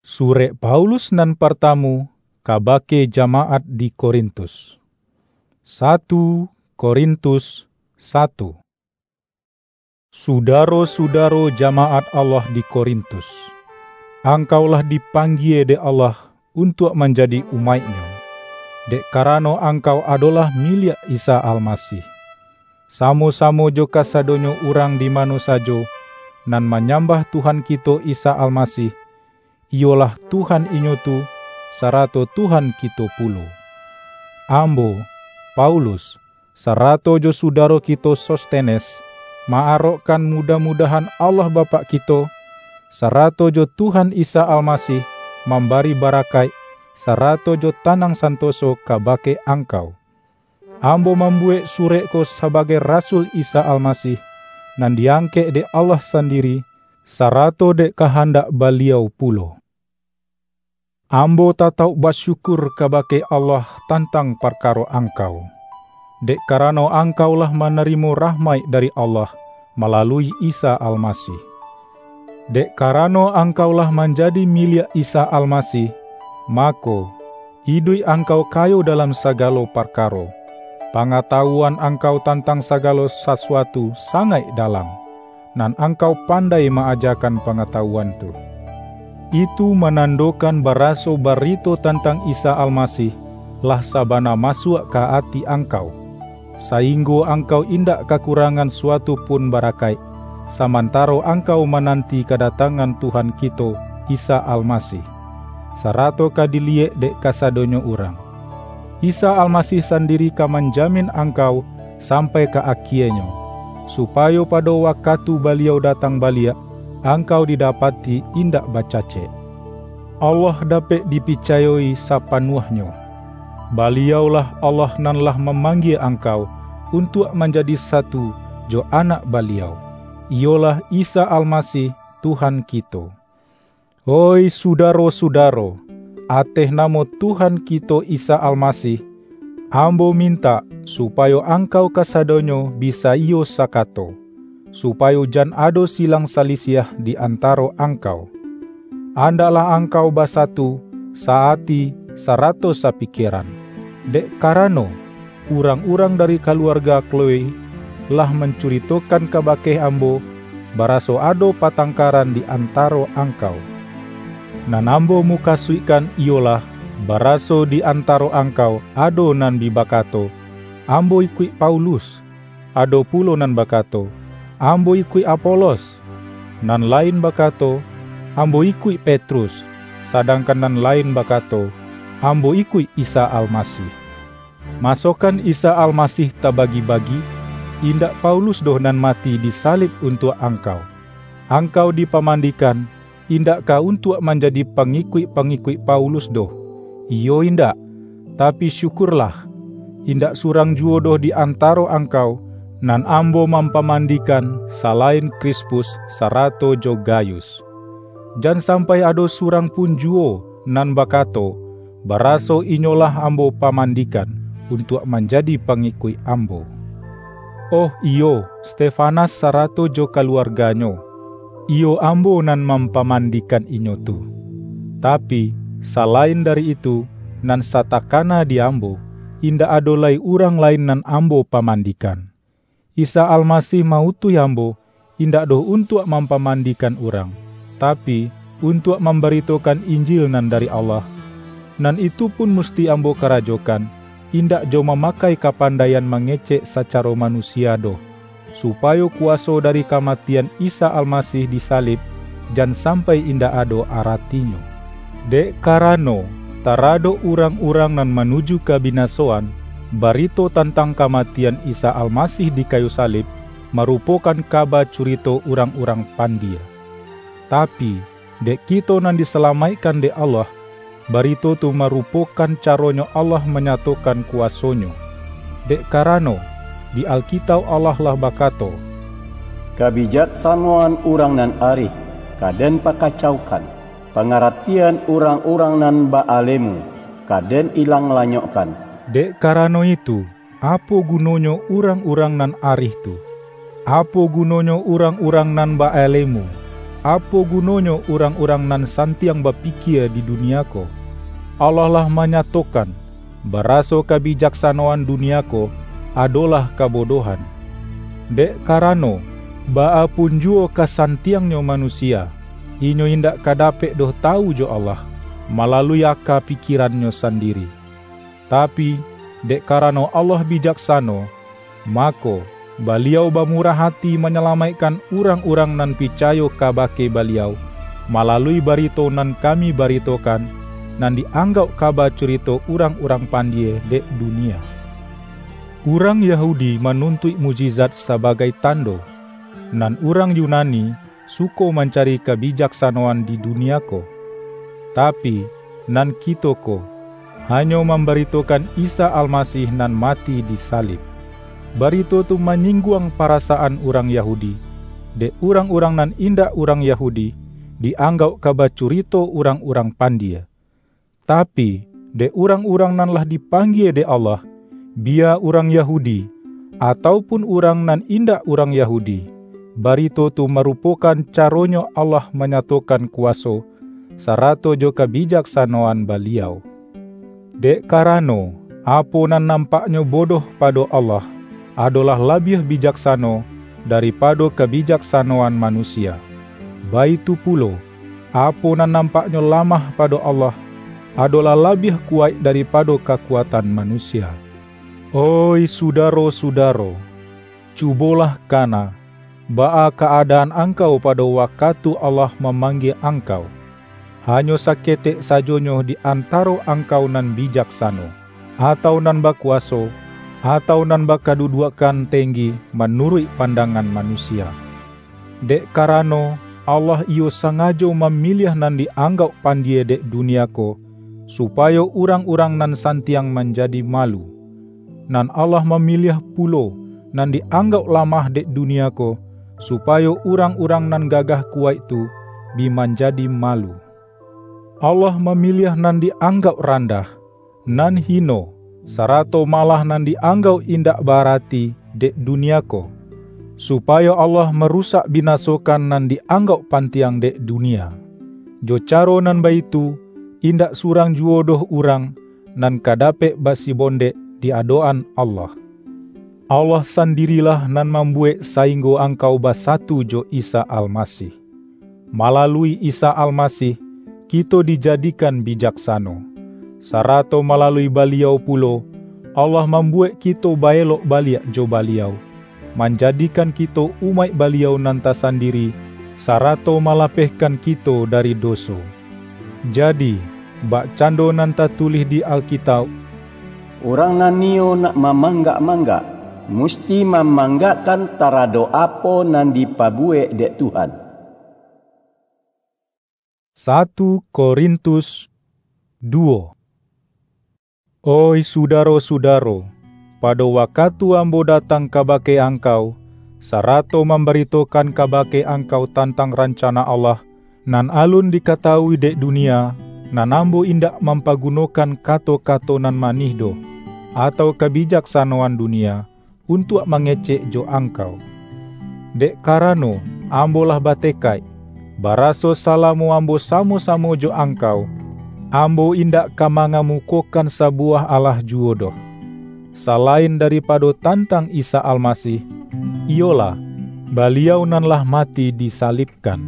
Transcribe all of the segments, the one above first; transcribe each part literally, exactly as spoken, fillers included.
Surek Paulus nan partamu kabake jamaat di Korintus. Satu Korintus satu. Sudaro-sudaro jamaat Allah di Korintus, angkau lah dipanggie dek Allah untuak manjadi umaik-Nyo, dek karano angkau adolah miliak Isa Almasih. Samo-samo jo kasadonyo urang di mano sajo nan manyambah Tuhan kito Isa Almasih, iyolah Tuhan inyo tu, sarato Tuhan kito pulo. Ambo, Paulus, sarato jo sudaro kito Sostenes, ma-arokkan mudah-mudahan Allah Bapak kito, sarato jo Tuhan Isa Almasih mambari barakaik, sarato jo tanang santoso kabake angkau. Ambo mambuwek surek ko sabagai rasul Isa Almasih, nan di-angkek dek Allah sandiri, sarato dek kahandak Baliau pulo. Ambo tatauk basyukur kabake Allah tantang parkaro angkau, dek karano angkau lah manarimo rahmaik dari Allah malalui Isa Almasih. Dek karano angkau lah manjadi miliak Isa Almasih, mako, iduik angkau kayo dalam sagalo parkaro. Pangatawuan angkau tantang sagalo sasuatu sangaik dalam, nan angkau pandai ma-ajakan pangatawuan tu. Itu manandokan baraso barito tantang Isa Almasih lah sabana masuak ka ati angkau, sainggo angkau indak kakurangan suatu pun barakaik, samantaro angkau mananti kadatangan Tuhan kito, Isa Almasih, sarato ka diliyek dek kasadonyo urang. Isa Almasih sandiri ka manjamin angkau sampai ka akienyo, supayo pado wakatu Baliau datang baliak, angkau didapati indak bacacek. Allah dapek dipicayo-i sapanuahnyo. Baliau-lah Allah nan lah mamanggie angkau untuak manjadi satu jo Anak Baliau, iyolah Isa Almasih, Tuhan kito. Oih sudaro-sudaro, ateh namo Tuhan kito Isa Almasih, ambo mintak supayo angkau kasadonyo bi saiyo sakato, supayo jan ado silang salisiah di antaro angkau. Andaklah angkau basatu, sa-ati, sarato sapikieran, dek karano, urang-urang dari kaluarga Kloe lah mancuritokan kabake ambo, baraso ado patangkaran di antaro angkau. Nan ambo mukasuikkan iyolah, baraso di antaro angkau ado nan bi bakato, "Ambo ikuik Paulus," ado pulo nan bakato, "Ambo ikuik Apolos," nan lain bakato, "Ambo ikuik Petrus," sadangkan nan lain bakato, "Ambo ikuik Isa Almasih." Masokan Isa Almasih tabagi-bagi, indak Paulus doh nan mati di salib untuak angkau. Angkau dipamandikan, indak ka untuak manjadi pangikuik-pangikuik Paulus doh, iyo indak, tapi syukurlah, indak surang juwo doh di antaro angkau, nan ambo mampamandikan, salain Krispus sarato jo Gayus. Jan sampai ado surang pun juwo nan bakato, baraso inyolah ambo pamandikan untuak manjadi pangikuik ambo. Oh iyo, Stefanas sarato jo kaluarganyo, iyo ambo nan mampamandikan inyo tu. Tapi, salain dari itu, nan satakana di ambo, indak ado lai urang lain nan ambo pamandikan. Isa Almasih ma-utuih ambo, indak doh untuak mampamandikan urang, tapi, untuak mambaritokan Injil nan dari Allah. Nan itu pun musti ambo karajokan, indak jo mamakai kapandaian mangecek sacaro manusia doh, supayo kuwaso dari kamatian Isa Almasih di salib jan sampai indak ado aratinyo. Dek karano, taradok urang-urang nan manuju kabinasoan, barito tantang kamatian Isa Almasih di kayu salib marupokan kaba curito urang-urang pandie. Tapi, dek kito nan disalamaikkan dek Allah, barito tu marupokan caronyo Allah manyatokan kuwaso-Nyo. Dek karano, di Alkitauk Allah lah bakato, "Kabijaksanoan urang nan arih ka den pakacaukan, pangaratian urang-urang nan baalemu ka den ilang lanyokkan." Dek karano itu, apo gunonyo urang-urang nan arih tu? Apo gunonyo urang-urang nan baalemu? Apo gunonyo urang-urang nan santiang bapikia di dunia ko? Allah lah manyatokan, baraso kabijaksanoan dunia ko adolah kabodohan. Dek karano, baa pun juwo kasantiangnyo manusia, inyo indak ka dapek doh tawu jo Allah, malalui aka pikirannyo sandiri. Tapi, dek karano Allah bijaksano, mako, Baliau bamurah ati manyalamaikkan urang-urang nan picayo kabake Baliau, malalui barito nan kami baritokan, nan di-anggauk kaba curito urang-urang pandie dek dunia. Urang Yahudi manuntuik mukjizat sabagai tando, nan urang Yunani suko mancari kabijaksanoan di dunia ko. Tapi, nan kito ko, hanyo mambaritokan Isa Almasih nan mati di salib. Barito tu manyingguang parasaan urang Yahudi, dek urang-urang nan indak urang Yahudi, di-anggauk ka bacurito urang-urang pandie. Tapi, dek urang-urang nan lah dipanggie dek Allah, biya urang Yahudi, atau pun urang nan indak urang Yahudi, barito tu marupokan caronyo Allah manyatokan kuwaso, sarato jo kabijaksanoan Baliau. Dek karano, apo nan nampaknyo bodoh pado Allah, adolah labiah bijaksano daripado kabijaksanoan manusia. Baitu pulo, apo nan nampaknyo lamah pado Allah, adolah labiah kuwaik daripado kakuatan manusia. Oih sudaro-sudaro, cubolah kana, baa ka-adaan angkau pado wakatu Allah mamanggie angkau. Hanyo saketek sajonyo di antaro angkau nan bijaksano, atau nan bakuwaso, atau nan bakaduduakkan tenggi manuruik pandangan manusia. Dek karano, Allah iyo sangajo mamiliah nan di-anggauk pandie dek dunia ko, supayo urang-urang nan santiang manjadi malu. Nan Allah mamiliah pulo nan di-anggauk lamah dek dunia ko, supayo urang-urang nan gagah kuwaik tu bi manjadi malu. Allah mamiliah nan di-anggauk randah, nan hino, sarato malah nan di-anggauk indak ba-arati dek dunia ko, supayo Allah marusak binasokan nan di-anggauk pantiang dek dunia. Jo caro nan baitu, indak surang juwo doh urang nan ka dapek basibondek di adok-an Allah. Allah sandirilah nan mambuwek sainggo angkau basatu jo Isa Almasih. Malalui Isa Almasih, kito dijadikan bijaksano, sarato malalui Baliau pulo, Allah mambuwek kito ba-elok baliak jo Baliau, manjadikan kito umaik Baliau nan tasandiri, sarato malapehkan kito dari doso. Jadi, bakcando nan tatulih di Alkitauk, "Urang nan niyo nak mamanggak-manggak, musti mamanggakkan taradok apo nan dipabuwek dek Tuhan." Satu Korintus duwo. Oih sudaro-sudaro, pado wakatu ambo datang kabake angkau, sarato mambaritokan kabake angkau tantang rancana Allah, nan alun dikatawui dek dunia, nan ambo indak mampagunokan kato-kato nan manih doh, atau kabijaksanoan dunia, untuak mangecek jo angkau. Dek karano, ambo lah batekaik, baraso salamo ambo samo-samo jo angkau, ambo indak ka mangamukokan sabuwah alah juwo doh, salain daripado tantang Isa Almasih, iyolah, Baliau nan lah mati disalibkan.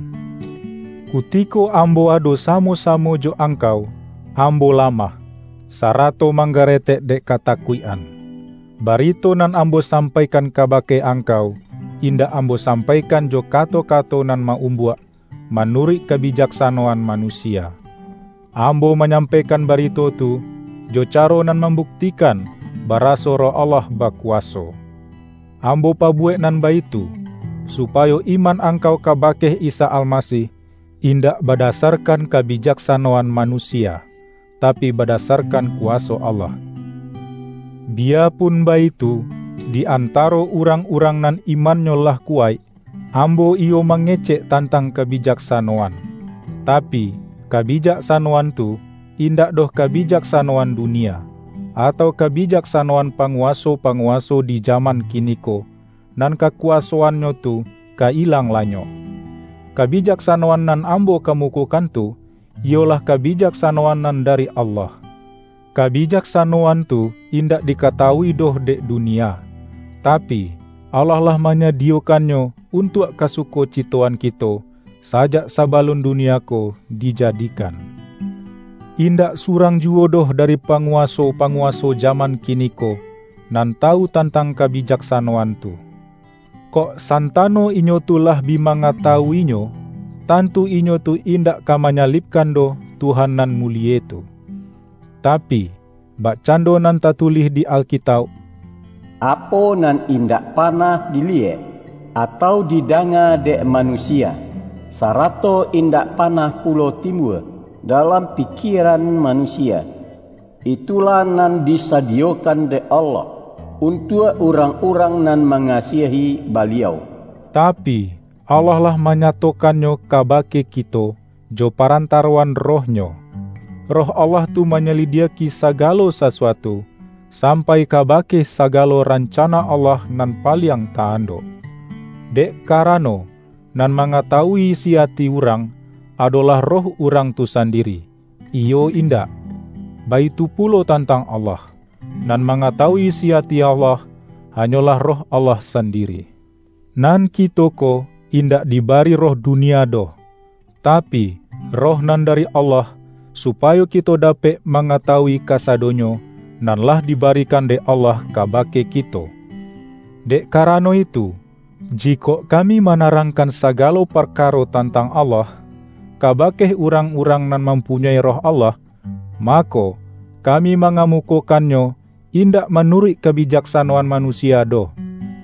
Kutiko ambo ado samo-samo jo angkau, ambo lamah, sarato manggaretek dek katakuik-an. Barito nan ambo sampaikan kabake angkau, indak ambo sampaikan jo kato-kato nan ma-umbuak, manuruik kabijaksanoan manusia. Ambo manyampaikan barito tu, jo caro nan mambuktikan, baraso Roh Allah bakuwaso. Ambo pabuwek nan baitu, supayo iman angkau kabake Isa Almasih, indak badasarkan kabijaksanoan manusia, tapi badasarkan kuwaso Allah. Biyapun baitu, di antaro urang-urang nan imannyo lah kuwaik, ambo iyo mangecek tantang kabijaksanoan. Tapi, kabijaksanoan tu, indak doh kabijaksanoan dunia, atau kabijaksanoan panguwaso-panguwaso di jaman kiniko, nan kakuwasoannyo tu ka ilang lanyok. Kabijaksanoan nan ambo kamukokan tu, iyolah kabijaksanoan nan dari Allah. Kabijaksanoan tu indak dikatawui doh dek dunia, tapi, Allah lah manyadiyokannyo untuak kasukocitoan kito, sajak sabalun dunia ko dijadikan. Indak surang juwo doh dari panguwaso-panguwaso jaman kiniko nan tawu tantang kabijaksanoan tu. Kok santano inyo tu lah bi mangatawuinyo, tantu inyo tu indak ka manyalibkan doh Tuhan nan mulie tu. Tapi, bakcando nan tatulih di Alkitauk, "Apo nan indak panah diliek, atau didanga dek manusia, sarato indak panah pulo timbua dalam pikieran manusia, itulah nan disadiyokan dek Allah untuak urang-urang nan mangasiahi Baliau." Tapi, Allah lah manyatokannyo kabake kito jo parantaroan Roh-Nyo. Roh Allah tu manyalidiaki sagalo sasuatu, sampai kabake sagalo rancana Allah nan paliang ta-andok. Dek karano, nan mangatawui isi ati urang, adolah roh urang tu sandiri, iyo indak? Baitu pulo tantang Allah, nan mangatawui isi ati Allah, hanyolah Roh Allah sandiri. Nan kito ko indak dibari roh dunia doh, tapi, Roh nan dari Allah, supayo kito dapek mangatawui kasadonyo nan lah dibarikan dek Allah kabake kito. Dek karano itu, jikok kami manarangkan sagalo parkaro tantang Allah, kabake urang-urang nan mampunyoi Roh Allah, mako, kami mangamukokannyo indak manuruik kabijaksanoan manusia doh,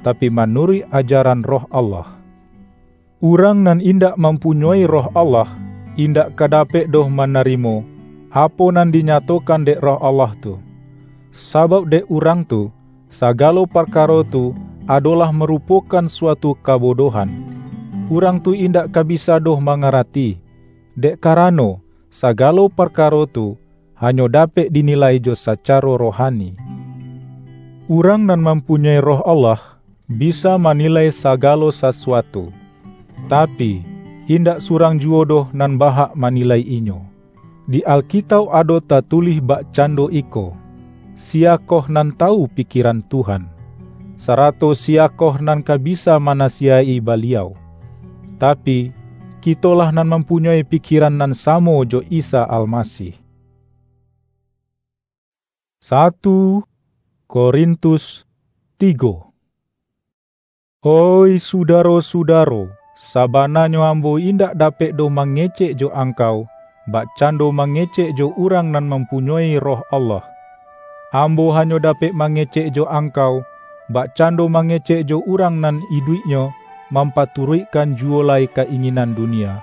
tapi manuruik ajaran Roh Allah. Urang nan indak mampunyoi Roh Allah, indak ka dapek doh manarimo apo nan dinyatokan dek Roh Allah tu. Sabab dek urang tu, sagalo parkaro tu adolah marupokan suatu kabodohan. Urang tu indak ka bisa doh mangarati, dek karano, sagalo parkaro tu hanyo dapek dinilai jo sacaro rohani. Urang nan mampunyoi Roh Allah, bisa manilai sagalo sasuatu, tapi, indak surang juwo doh nan bahak manilai inyo. Di Alkitauk ado tatulih bakcando iko, "Siyakoh nan tawu pikieran Tuhan? Sarato siyakoh nan ka bisa manasiyaik-i Baliau?" Tapi, kitolah nan mampunyoi pikieran nan samo jo Isa Almasih. Satu Korintus tigo. Oih sudaro-sudaro, sabananyo ambo indak dapek doh mangecek jo angkau, bakcando mangecek jo urang nan mampunyoi Roh Allah. Ambo hanyo dapek mangecek jo angkau, bakcando mangecek jo urang nan iduiknyo mampaturuikkan juwo lai ka-inginan dunia,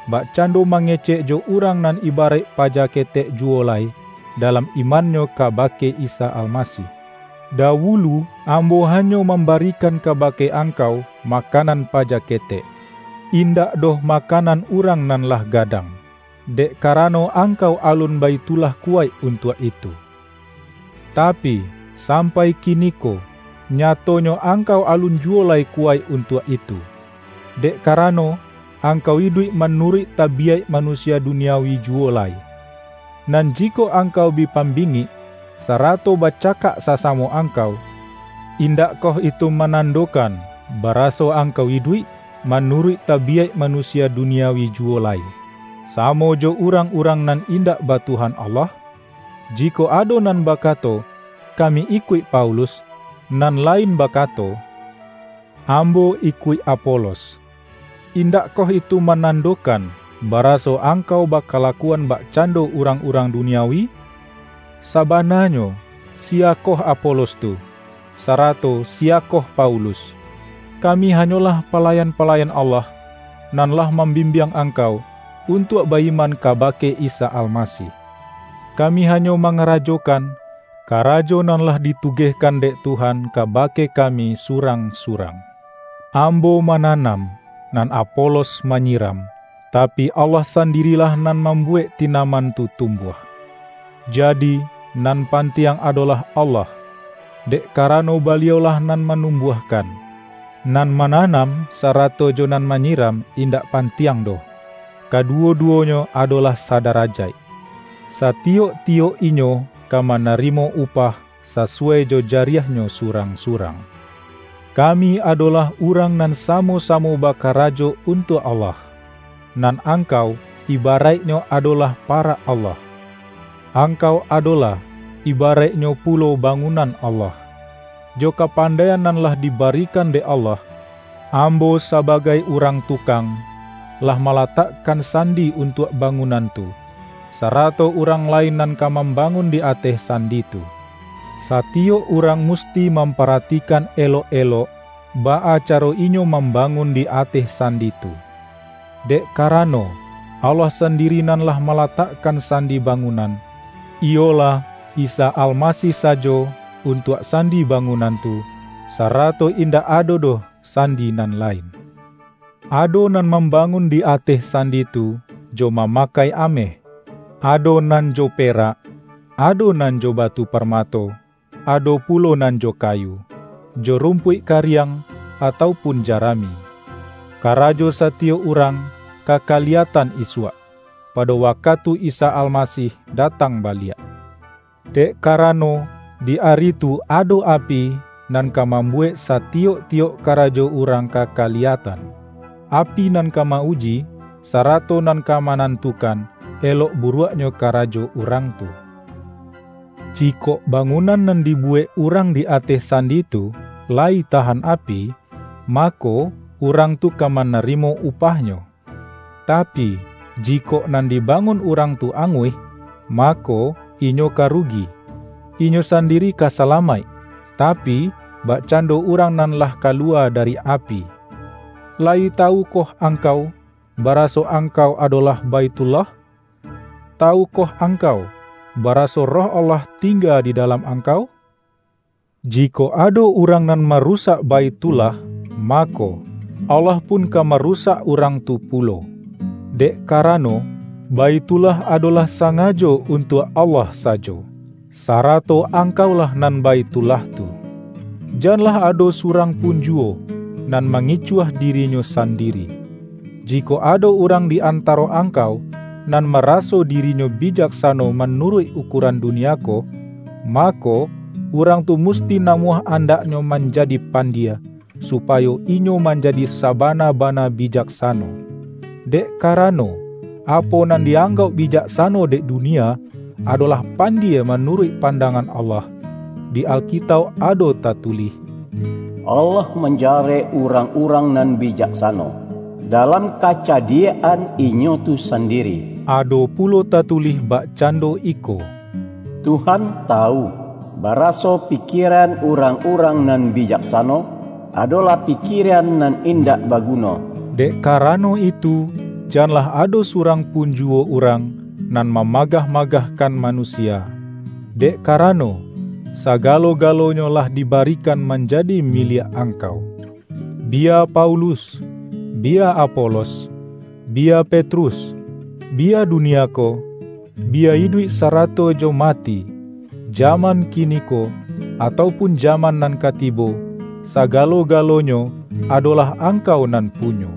bakcando mangecek jo urang nan ibaraik paja ketek juwo lai, dalam imannyo kabake Isa Almasih. Dawulu ambo hanyo mambarikan kabake angkau makanan paja ketek, indak doh makanan urang nan lah gadang, dek karano angkau alun baitulah kuwaik untuak itu. Tapi, sampai kiniko, nyatonyo angkau alun juwo lai kuwaik untuak itu, dek karano, angkau iduik manuruik tabiyaik manusia duniawi juwo lai. Nan jikok angkau bi pambingik, sarato bacakak sasamo angkau, indakkoh itu manandokan, baraso angkau iduik manuruik tabiyaik manusia duniawi juwo lai, samo jo urang-urang nan indak ba Tuhan Allah? Jikok ado nan bakato, "Kami ikuik Paulus," nan lain bakato, "Ambo ikuik Apolos," indakkoh itu manandokan, baraso angkau bakalakuan bakcando urang-urang duniawi? Sabananyo, siyakoh Apolos tu, sarato siyakoh Paulus? Kami hanyolah palayan-palayan Allah, nan lah mambimbiang angkau untuak ba-iman kabake Isa Almasih. Kami hanyo mangarajokan karajo nan lah ditugehkan dek Tuhan kabake kami surang-surang. Ambo mananam, nan Apolos manyiram, tapi, Allah sandirilah nan mambuwek tinaman tu tumbuah. Jadi, nan pantiang adolah Allah, dek karano Baliau-lah nan manumbuahkan. Nan mananam sarato jo nan manyiram indak pantiang doh. Kaduwo-duwonyo adolah sadarajaik. Satiyok-tiyok inyo ka manarimo upah sasuwai jo jariahnyo surang-surang. Kami adolah urang nan samo-samo bakarajo untuak Allah. Nan angkau, ibaraiknyo adolah parak Allah. Angkau adolah, ibaraiknyo pulo bangunan Allah. Jo kapandaian nan lah dibarikan dek Allah, ambo sabagai urang tukang, lah malatakkan sandi untuak bangunan tu, sarato urang lain nan ka mambangun di ateh sandi tu. Satiyok urang musti mamparatikan elok-elok, baa caro inyo mambangun di ateh sandi tu. Dek karano, Allah sandiri nan lah malatakkan sandi bangunan, iyolah, Isa Almasih sajo untuak sandi bangunan tu, sarato indak ado doh sandi nan lain. Ado nan mambangun di ateh sandi tu jo mamakai ameh, ado nan jo perak, ado nan jo batu parmato, ado pulo nan jo kayu, jo rumpuik kariang, atau pun jarami. Karajo satiyok urang ka kaliyatan isuak, pado wakatu Isa Almasih datang baliak. Dek karano, di ari tu ado api nan ka mambuwek satiyok-tiyok karajo urang ka kaliyatan. Api nan ka ma-uji, sarato nan ka manantukan elok buruaknyo karajo urang tu. Jikok bangunan nan dibuwek urang di ateh sandi tu layi tahan api, mako, urang tu ka manarimo upahnyo. Tapi, jikok nan dibangun urang tu anguih, mako, inyo ka rugi. Inyo sandiri ka salamaik, tapi, bakcando urang nan lah kaluwa dari api. Layi tawukoh angkau, baraso angkau adolah Baitullah? Tawukoh angkau, baraso Roh Allah tingga di dalam angkau? Jikok ado urang nan marusak Baitullah, mako, Allah pun ka marusak urang tu pulo. Dek karano, Baitullah adolah sangajo untuak Allah sajo, sarato angkaulah nan Baitullah tu. Janlah ado surang pun juwo nan mangicuah dirinyo sandiri. Jikok ado urang di antaro angkau, nan maraso dirinyo bijaksano manuruik ukuran dunia ko, mako, urang tu musti namuah andaknyo manjadi pandie, supayo inyo manjadi sabana-bana bijaksano. Dek karano, apo nan dianggauk bijaksano dek dunia, adolah pandie manuruik pandangan Allah. Di Alkitauk ado tatulih, Allah manjarek urang-urang nan bijaksano, dalam kacadiak-an inyo tu sandiri. Ado pulo tatulih bakcando iko, Tuhan tawu, baraso pikiran urang-urang nan bijaksano, adolah pikiran nan indak baguno. Dek karano itu, janlah ado surang pun juwo urang nan mamagah-magahkan manusia, dek karano, sagalo-galonyo lah dibarikan manjadi miliak angkau. Bia Paulus, bia Apolos, bia Petrus, bia dunia ko, bia iduik sarato jo mati, jaman kiniko, atau pun jaman nan ka tibo, sagalo-galonyo adolah angkau nan punyo.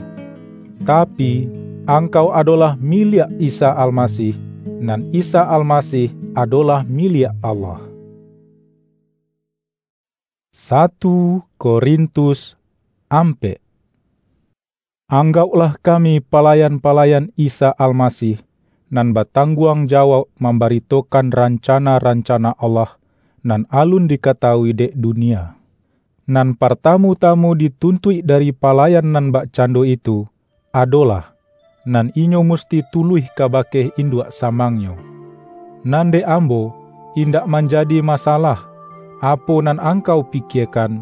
Tapi, angkau adolah miliak Isa Almasih, nan Isa Almasih adolah miliak Allah. Satu Korintus ampek. Anggauklah kami palayan-palayan Isa Almasih, nan batangguang jawauk mambaritokan rancana-rancana Allah, nan alun dikatawui dek dunia. Nan partamu-tamu dituntuik dari palayan nan bakcando itu, adolah, nan inyo musti tuluih kabake induak samangnyo. Nan dek ambo, indak manjadi masalah, apo nan angkau pikiekan,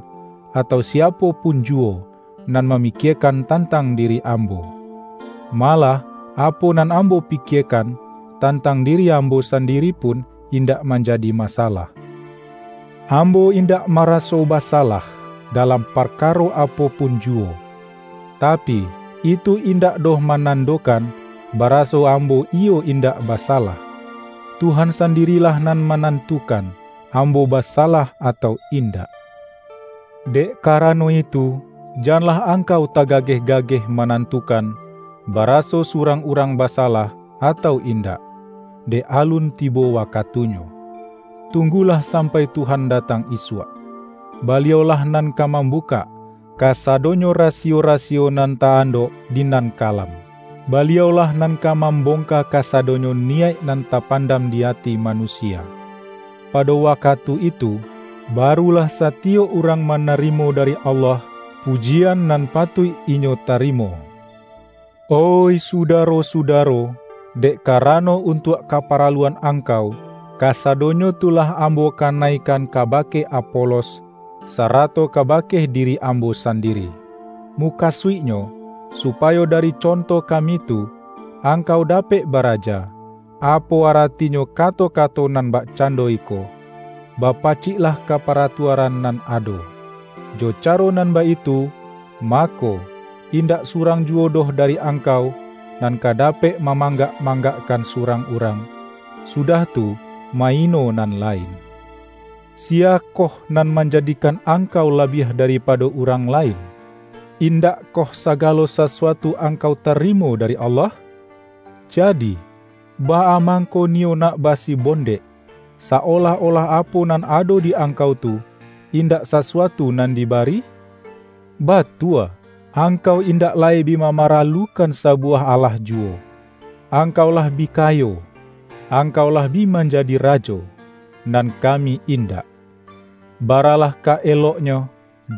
atau siapo pun juwo, nan mamikiekan tantang diri ambo. Malah, apo nan ambo pikiekan tantang diri ambo sandiri pun indak manjadi masalah. Ambo indak maraso basalah dalam parkaro apo pun juwo. Tapi, itu indak doh manandokan, baraso ambo iyo indak basalah. Tuhan sandirilah nan manantukan, ambo basalah atau indak. Dek karano itu, Janlah angkau tagageh-gageh manantukan, baraso surang urang basalah atau indak, dek alun tibo wakatunyo. Tunggulah sampai Tuhan datang isuak. Baliau-lah nan ka mambukak kasadonyo rasiyo-rasiyo nan ta-andok di nan kalam. Baliau-lah nan ka mambongka kasadonyo niyaik nan tapandam di ati manusia. Pado wakatu itu, barulah satiyok urang manarimo dari Allah pujian nan patuik inyo tarimo. Oih sudaro-sudaro, dek karano untuak kaparaluan angkau, kasadonyo tu lah ambo kanaikan kabake Apolos, sarato kabake diri ambo sandiri. Mukasuiknyo, supayo dari conto kami tu, angkau dapek baraja, apo aratinyo kato-kato nan bakcando iko, "Bapaciklah ka paratuaran nan ado." Jo caro nan baitu, mako, indak surang juwo doh dari angkau nan ka dapek mamanggak-manggakkan surang urang, sudah tu, maino nan lain. Siyakoh nan manjadikan angkau labiah daripado urang lain? Indakkoh sagalo sasuatu angkau tarimo dari Allah? Jadi, baa mangko niyo nak basibondek, saolah-olah apo nan ado di angkau tu, indak sasuatu nan dibari? Batua, angkau indak lai bi mamaralukan sabuwah alah juwo. Angkau lah bi kayo, angkau lah bi manjadi rajo, nan kami indak. Baralah ka eloknyo,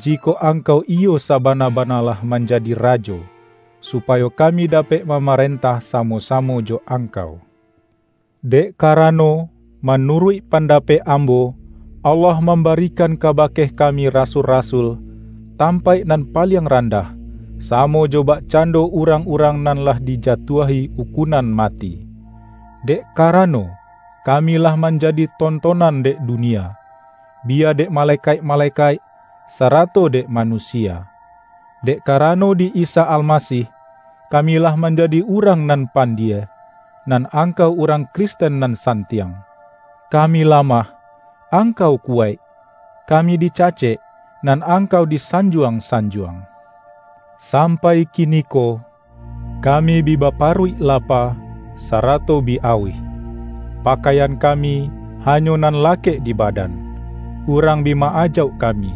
jikok angkau iyo sabana-bana lah manjadi rajo, supayo kami dapek mamarentah samo-samo jo angkau. Dek karano, manuruik pandapek ambo, Allah mambarikan kabake kami rasul-rasul, tampaik nan paliang randah, samo jo bakcando urang-urang nan lah dijatuahi ukunan mati. Dek karano, kami lah manjadi tontonan dek dunia, biya dek malekaik-malekaik, sarato dek manusia. Dek karano di Isa Almasih, kami lah manjadi urang nan pandie, nan angkau urang Kristen nan santiang. Kami lamah, angkau kuwaik. Kami dicacek, nan angkau disanjuang-sanjuang. Sampai kiniko, kami bi baparuik lapa, sarato bi auih. Pakaian kami hanyo nan lakek di badan. Urang bi ma-ajauk kami.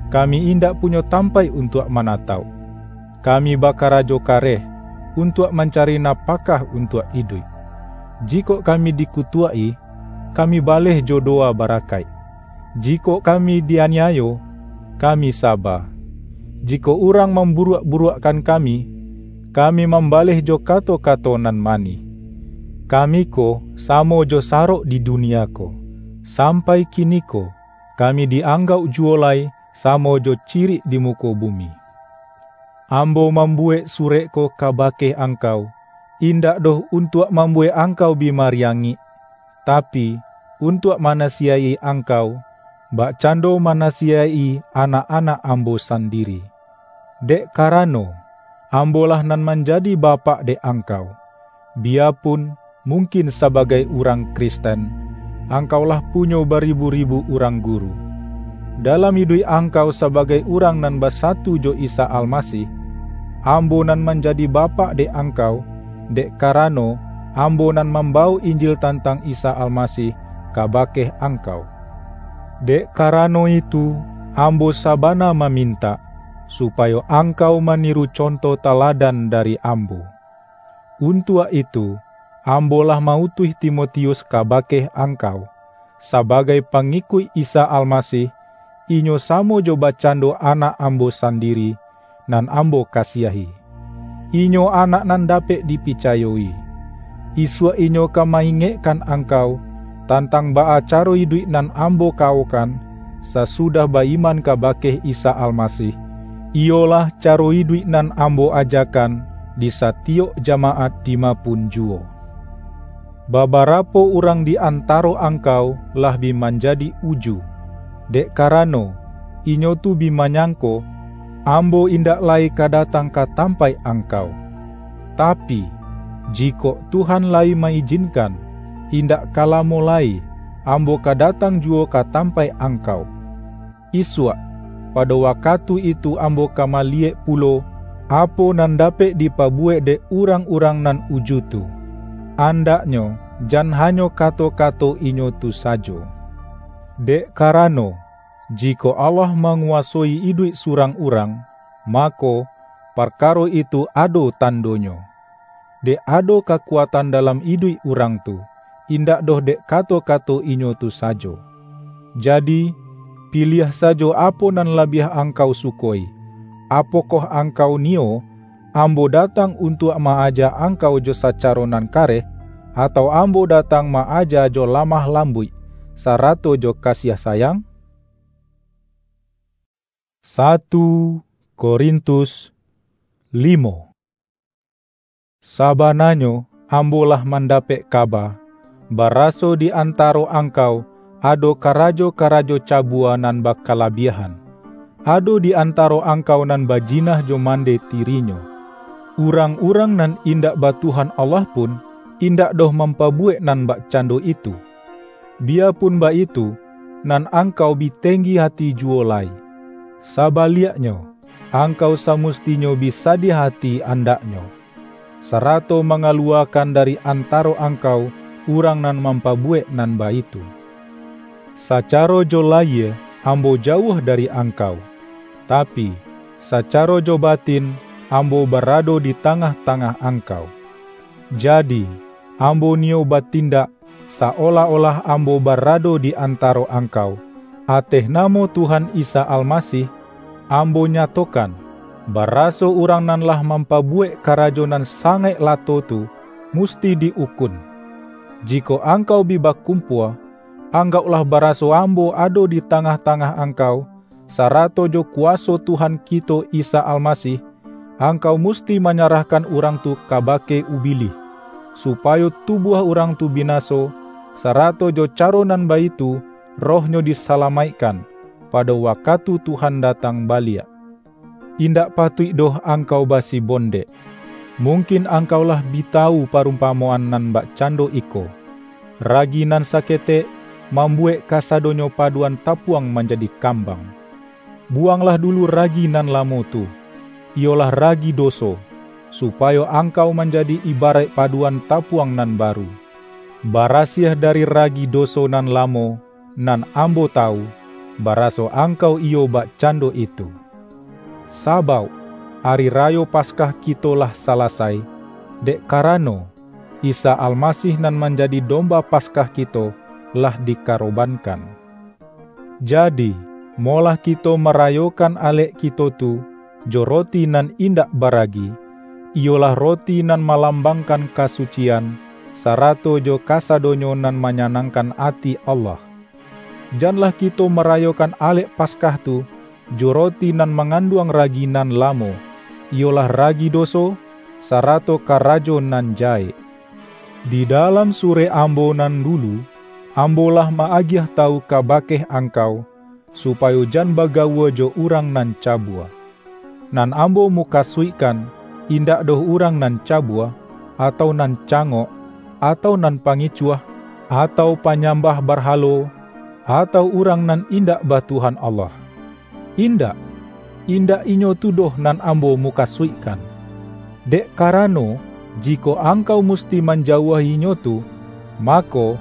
Kami indak punyo tampaik untuak manatauk. Kami bakarajo kareh untuak mancari napakah untuak iduik. Jikok kami dikutuak-i, kami baleh jo dowa barakaik. Jikok kami di-aniayo, kami saba. Jikok urang mamburuak-buruakkan kami, kami mambaleh jo kato-kato nan manih. Kami ko samo jo sarok di dunia ko. Sampai kiniko, kami di-anggauk juwo lai samo jo cirik di muko bumi. Ambo mambuwek surek ko kabake angkau, indak doh untuak mambuwek angkau bi mariangik, tapi, untuak manasiyaihi angkau, bakcando manasiyaihi anak-anak ambo sandiri. Dek karano, ambo lah nan manjadi bapak dek angkau, biyapun mungkin sabagai urang Kristen, angkau lah punyo baribu-ribu urang guru. Dalam iduik angkau sabagai urang nan basatu jo Isa Almasih, ambo nan manjadi bapak dek angkau, dek karano, ambo nan mambawok Injil tantang Isa Almasih kabake angkau. Dek karano itu, ambo sabana mamintak, supayo angkau maniru conto taladan dari ambo. Untuak itu, ambo lah ma-utuih Timotius kabake angkau, sabagai pangikuik Isa Almasih, inyo samo jo bakcando anak ambo sandiri, nan ambo kasiahi. Inyo anak nan dapek dipicayo-i. Isuak inyo ka ma-ingekkan angkau, tantang baa caro iduik nan ambo kawokan, sasudah ba-iman kabake Isa Almasih, iyolah caro iduik nan ambo ajakan di satiyok jamaat dima pun juwo. Babarapo urang di antaro angkau lah bi manjadi uju, dek karano, inyo tu bi manyangko, ambo indak lai ka datang ka tampaik angkau. Tapi, jikok Tuhan layi ma-ijinkan, indak ka lamo lai, ambo ka datang juwo ka tampaik angkau. Isuak, pado wakatu itu ambo ka maliyek pulo, apo nan dapek dipabuwek dek urang-urang nan uju tu. Andaknyo, jan hanyo kato-kato inyo tu sajo. Dek karano, jikok Allah manguwasoi iduik surang urang, mako, parkaro itu ado tandonyo. Dek ado kakuatan dalam iduik urang tu, indak doh dek kato-kato inyo tu sajo. Jadi, piliah sajo apo nan labiah angkau sukoi. Apokoh angkau niyo, ambo datang untuak ma-aja angkau jo sacaro nan kareh, atau ambo datang ma-aja jo lamah lambuik, sarato jo kasiah sayang? Satu Korintus limo. Sabananyo, ambo lah mandapek kaba, baraso di antaro angkau ado karajo-karajo cabua nan bakalabiahan. Ado di antaro angkau nan bajinah jo mande tirinyo. Urang-urang nan indak ba Tuhan Allah pun, indak doh mampabuwek nan bakcando itu. Biyapun baitu, nan angkau bi tenggi ati juwo lai. Sabaliaknyo, angkau samustinyo bi sadiah ati andaknyo, sarato mangaluwakan dari antaro angkau urang nan mampabuwek nan baitu. Sacaro jo layie ambo jauah dari angkau, tapi, sacaro jo batin ambo barado di tangah-tangah angkau. Jadi, ambo niyo batindak saolah-olah ambo barado di antaro angkau. Ateh namo Tuhan Isa Almasih, ambo nyatokan, baraso urang nan lah mampabuwek karajo nan sangaik lato tu, musti di-ukun. Jikok angkau bi bakumpua, anggauklah baraso ambo ado di tangah-tangah angkau, sarato jo kuwaso Tuhan kito Isa Almasih, angkau musti manyarahkan urang tu kabake Ubilih, supayo tubuah urang tu binaso, sarato jo caro nan baitu rohnyo disalamaikkan, pado wakatu Tuhan datang baliak. Indak patuik doh angkau basibondek. Mungkin angkau lah bi tawu parumpamoan nan bakcando iko, ragi nan saketek mambuwek kasadonyo paduan tapuang manjadi kambang. Buwanglah dulu ragi nan lamo tu, iyolah ragi doso, supayo angkau manjadi ibaraik paduan tapuang nan baru, barasiah dari ragi doso nan lamo, nan ambo tawu, baraso angkau iyo bakcando itu. Sabauk, Ari Rayo Paskah kito lah salasai, dek karano, Isa Almasih nan manjadi Domba Paskah kito lah dikarobankan. Jadi, molah kito marayokan alek kito tu jo roti nan indak baragi, iyolah roti nan malambangkan kasucian, sarato jo kasadonyo nan manyanangkan ati Allah. Janlah kito marayokan alek Paskah tu jo roti nan manganduang ragi nan lamo, iyolah ragi doso, sarato karajo nan jahek. Di dalam surek ambo nan dulu, ambo lah ma-agiah tawu kabake angkau, supayo jan bagawua jo urang nan cabua. Nan ambo mukasuikkan, indak doh urang nan cabua, atau nan cangok, atau nan pangicuah, atau panyambah barhalo, atau urang nan indak ba Tuhan Allah. Indak, indak inyo tu doh nan ambo mukasuikkan. Dek karano, jikok angkau musti manjauahi inyo tu, mako,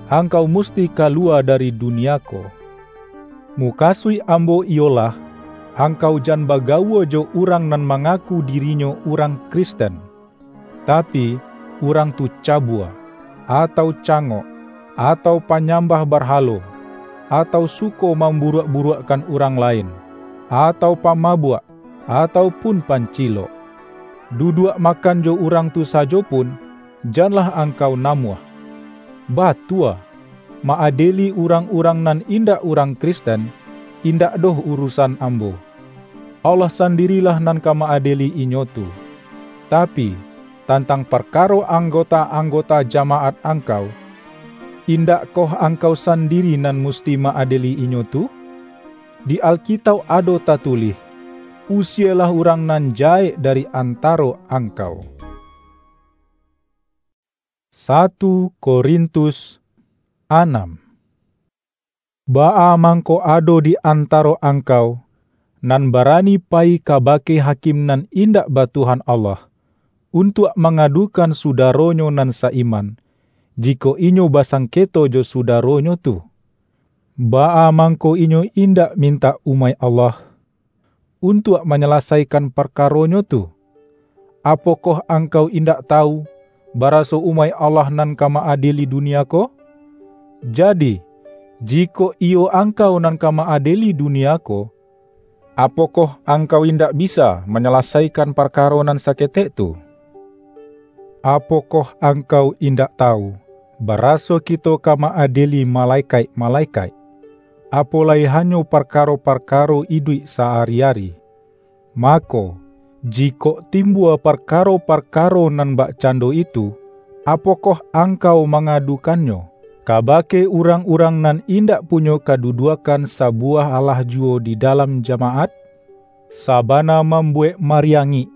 angkau musti kaluwa dari dunia ko. Mukasuik ambo iyolah, angkau jan bagawua jo urang nan mangaku dirinyo urang Kristen, tapi, urang tu cabua, atau cangok, atau panyambah barhalo, atau suko mamburuak-buruakkan urang lain, atau pamabuak, atau pun pancilok. Duduak makan jo urang tu sajo pun, janlah angkau namuah. Batua, ma-adeli urang-urang nan indak urang Kristen, indak doh urusan ambo. Allah sandirilah nan ka ma-adeli inyo tu. Tapi, tantang parkaro anggota-anggota jamaat angkau, indakkoh angkau sandiri nan musti ma-adeli inyo tu? Di Alkitauk ado tatulih, "Usielah urang nan jahek dari antaro angkau." Satu Korintus anam. Baa mangko ado di antaro angkau, nan barani payi kabake hakim nan indak ba Tuhan Allah, untuak mangadukan sudaronyo nan sa-iman, jikok inyo basangketo jo sudaronyo tu. Baa mangko inyo indak mintak umaik Allah, untuak manyalasaikan parkaronyo tu? Apokoh angkau indak tawu, baraso umaik Allah nan ka ma-adieli dunia ko? Jadi, jikok iyo angkau nan ka ma-adieli dunia ko, apokoh angkau indak bisa manyalasaikan parkaro nan saketek tu? Apokoh angkau indak tawu, baraso kito ka ma-adieli malekaik-malekaik, apo lai hanyo parkaro-parkaro iduik sa-ari-ari? Mako, jikok timbua parkaro-parkaro nan bakcando itu, apokoh angkau mangadukannyo kabake urang-urang nan indak punyo kaduduakan sabuwah alah juwo di dalam jamaat? Sabana mambuwek mariangik,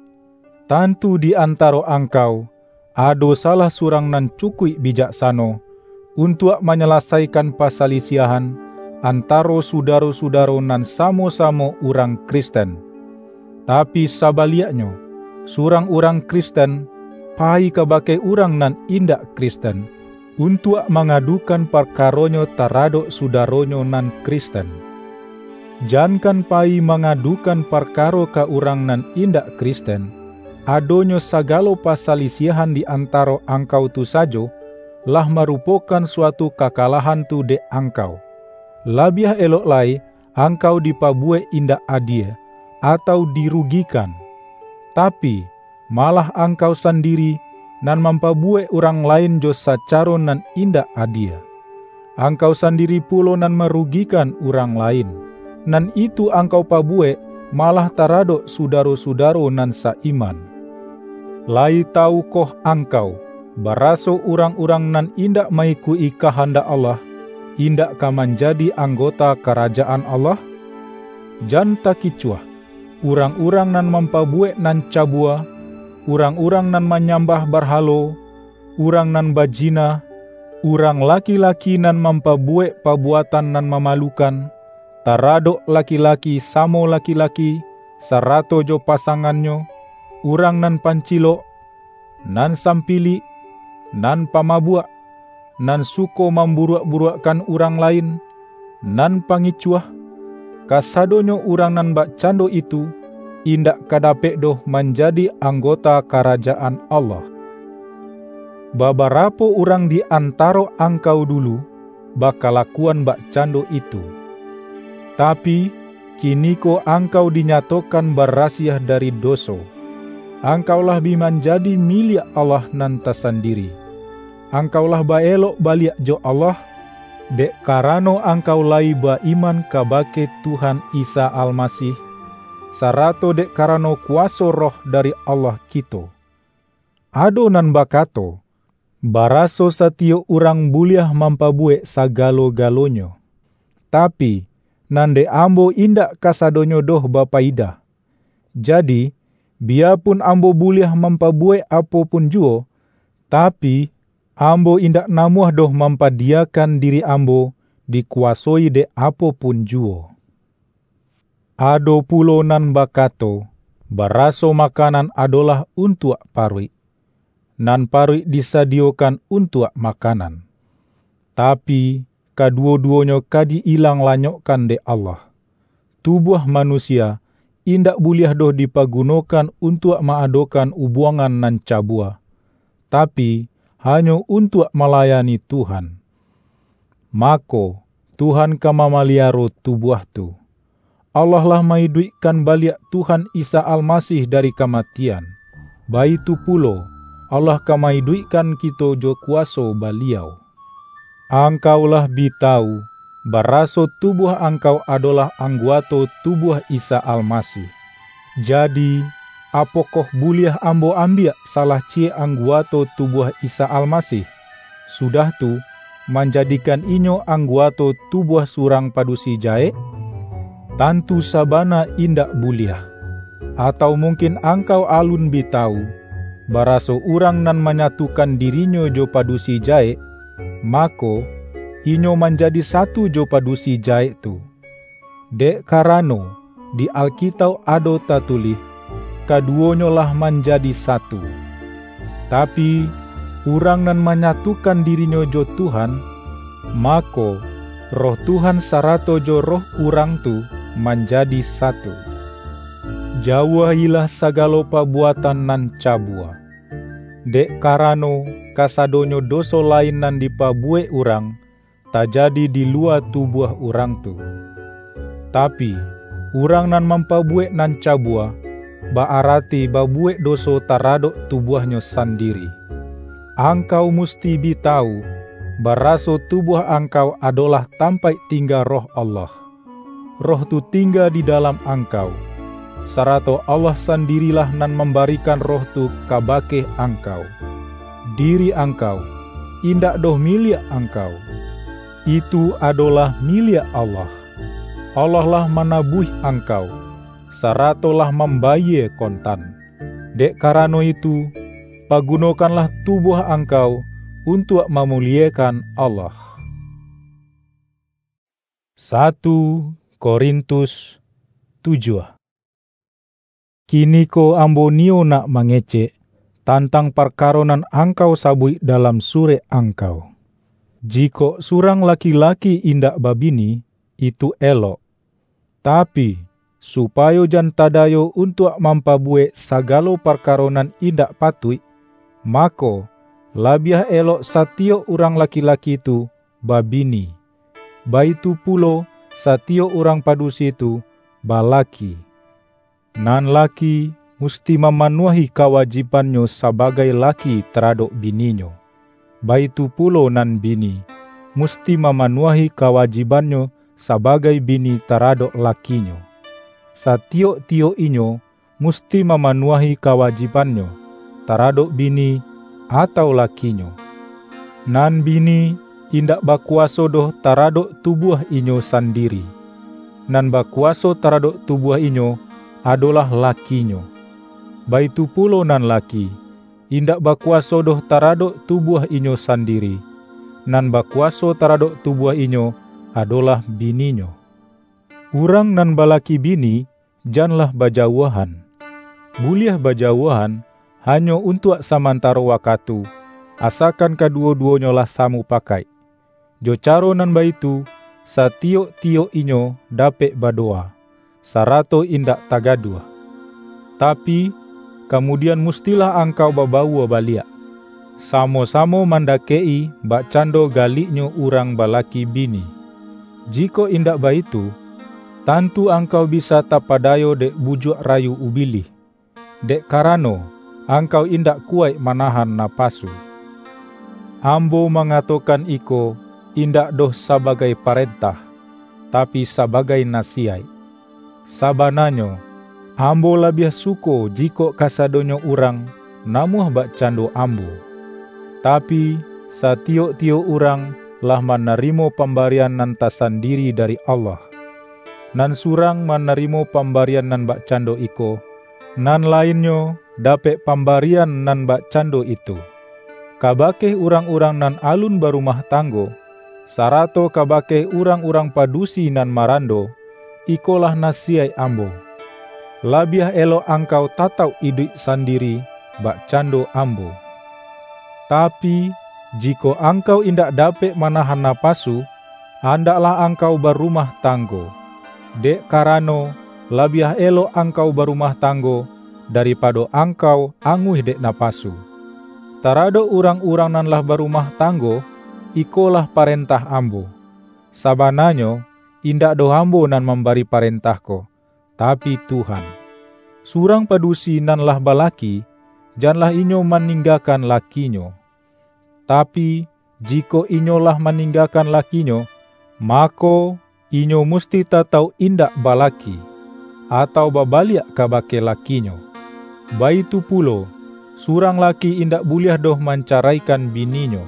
tantu di antaro angkau ado salah surang nan cukuik bijaksano, untuak manyalasaikan pasalisiahan antaro sudaro-sudaro nan samo-samo urang Kristen. Tapi sabaliaknyo, surang urang Kristen payi kabake urang nan indak Kristen, untuak mangadukan parkaronyo taradok sudaronyo nan Kristen. Jankan payi mangadukan parkaro ka urang nan indak Kristen, adonyo sagalo pasalisiahan di antaro angkau tu sajo, lah marupokan suatu kakalahan tu dek angkau. Labiah elok lai, angkau dipabuwek indak adie, atau dirugikan. Tapi, malah angkau sandiri nan mampabuwek urang lain jo sacaro nan indak adie. Angkau sandiri pulo nan marugikan urang lain. Nan itu angkau pabuwek malah taradok sudaro-sudaro nan sa-iman. Layi tawukoh angkau, baraso urang-urang nan indak ma-ikuik-i kahandak Allah, indak ka manjadi anggota Karajaan Allah? Jan takicuah, urang-urang nan mampabuwek nan cabua, urang-urang nan manyambah barhalo, urang nan bajina, urang laki-laki nan mampabuwek pabuatan nan mamalukan, taradok laki-laki samo laki-laki, sarato jo pasangannyo, urang nan pancilok, nan sampilik, nan pamabuak, nan suko mamburuak-buruakkan urang lain, nan pangicuah, kasadonyo urang nan bakcando itu indak ka dapek doh manjadi anggota Karajaan Allah. Babarapo urang di antaro angkau dulu bakalakuan bakcando itu. Tapi, kiniko angkau dinyatokan barasiah dari doso. Angkau lah bi manjadi miliak Allah nan tasandiri. Angkau lah baelok baliak jo Allah, dek karano angkau layi ba-iman kabake Tuhan Isa Almasih, sarato dek karano kuwaso Roh dari Allah kito. Ado nan bakato, baraso satiyok urang buliah mampabuwek sagalo-galonyo. Tapi, nan dek ambo indak kasadonyo doh bapayidah. Jadi, biyapun ambo buliah mampabuwek apo pun juwo, tapi, ambo indak namuah doh mampadiyakan diri ambo dikuwasoi dek apo pun juwo. Ado pulo nan bakato, baraso makanan adolah untuak paruik, nan paruik disadiyokan untuak makanan. Tapi, kaduwo-duwonyo ka di-ilang lanyokkan dek Allah. Tubuah manusia indak buliah doh dipagunokan untuak ma-adokan ubuangan nan cabua, tapi, hanyo untuak malayani Tuhan. Mako, Tuhan ka mamaliaro tubuah tu. Allah lah ma-iduikkan baliak Tuhan Isa Almasih dari kamatian, baitu pulo, Allah ka ma-iduikkan kito jo kuwaso Baliau. Angkau lah bi tawu, baraso tubuah angkau adolah angguato tubuah Isa Almasih. Jadi, apokoh buliah ambo ambiak salah ciyek angguato tubuah Isa Almasih, sudah tu, manjadikan inyo angguato tubuah surang padusi jahek? Tantu sabana indak buliah! Atau mungkin angkau alun bi tawu, baraso urang nan manyatukan dirinyo jo padusi jahek, mako, inyo manjadi satu jo padusi jahek tu? Dek karano, di Alkitauk ado tatulih, "Kaduonyo lah manjadi satu." Tapi, urang nan manyatukan dirinyo jo Tuhan, mako, Roh Tuhan sarato jo roh urang tu manjadi satu. Jauahilah sagalo pabuatan nan cabua, dek karano kasadonyo doso lain nan dipabuwek urang, tajadi di luwa tubuah urang tu. Tapi, urang nan mampabuwek nan cabua, ba-arati babuwek doso taradok tubuahnyo sandiri. Angkau musti bi tawu, baraso tubuah angkau adolah tampaik tingga Roh Allah. Roh tu tingga di dalam angkau, sarato Allah sandirilah nan mambarikan Roh tu kabake angkau. Diri angkau indak doh miliak angkau. Itu adolah miliak Allah. Allah lah manabuih angkau, sarato lah mambayie kontan. Dek karano itu, pagunokanlah tubuah angkau untuak mamuliekan Allah. Satu Korintus tujuah. Kiniko ambo niyo nak mangecek tantang parkaro nan angkau sabuik dalam surek angkau. Jikok surang laki-laki indak babini, itu elok. Tapi, supayo jan tadayo untuak mampabuwek sagalo parkaro nan indak patuik, mako, labiah elok satiyok urang laki-laki tu babini. Baitu pulo, satiyok urang padusi tu balaki. Nan laki musti mamanuahi kawajibannyo sabagai laki taradok bininyo. Baitu pulo nan bini musti mamanuahi kawajibannyo sabagai bini taradok lakinyo. Satiyok-tiyok inyo musti mamanuahi kawajibannyo taradok bini atau lakinyo. Nan bini indak bakuwaso doh taradok tubuah inyo sandiri. Nan bakuwaso taradok tubuah inyo adolah lakinyo. Baitu pulo nan laki indak bakuwaso doh taradok tubuah inyo sandiri. Nan bakuwaso taradok tubuah inyo adolah bininyo. Urang nan balaki bini, janlah bajauahan. Buliah bajauahan hanyo untuak samantaro wakatu, asakan kaduwo-duwonyo lah samupakaik. Jo caro nan baitu, satiyok-tiyok inyo dapek badowa, sarato indak tagaduah. Tapi, kamudian mustilah angkau babawua baliak, samo-samo mandakek-i bakcando galiknyo urang balaki bini. Jikok indak baitu, tantu angkau bisa tapadayo dek bujuak rayu Ubilih, dek karano angkau indak kuwaik manahan napasu. Ambo mangatokan iko indak doh sabagai parentah, tapi sabagai nasiyaik. Sabananyo, ambo labiah suko jikok kasadonyo urang namuah bakcando ambo. Tapi, satiyok-tiyok urang lah manarimo pambarian nan tasandiri dari Allah. Nan surang manarimo pambarian nan bakcando iko, nan lainnyo dapek pambarian nan bakcando itu. Kabake urang-urang nan alun barumah tanggo, sarato kabake urang-urang padusi nan marando, ikolah nasiyaik ambo: Labiah elok angkau tatauk iduik sandiri, bakcando ambo. Tapi, jikok angkau indak dapek manahan napasu, andaklah angkau barumah tanggo, dek karano, labiah elok angkau barumah tanggo, daripado angkau anguih dek napasu. Taradok urang-urang nan lah barumah tanggo, ikolah parentah ambo. Sabananyo, indak doh ambo nan mambari parentah ko, tapi Tuhan. Surang padusi nan lah balaki, janlah inyo maninggakan lakinyo. Tapi, jikok inyo lah maninggakan lakinyo, mako, inyo musti tatauk indak balaki, atau babaliak kabake lakinyo. Baitu pulo, surang laki indak buliah doh mancaraikan bininyo.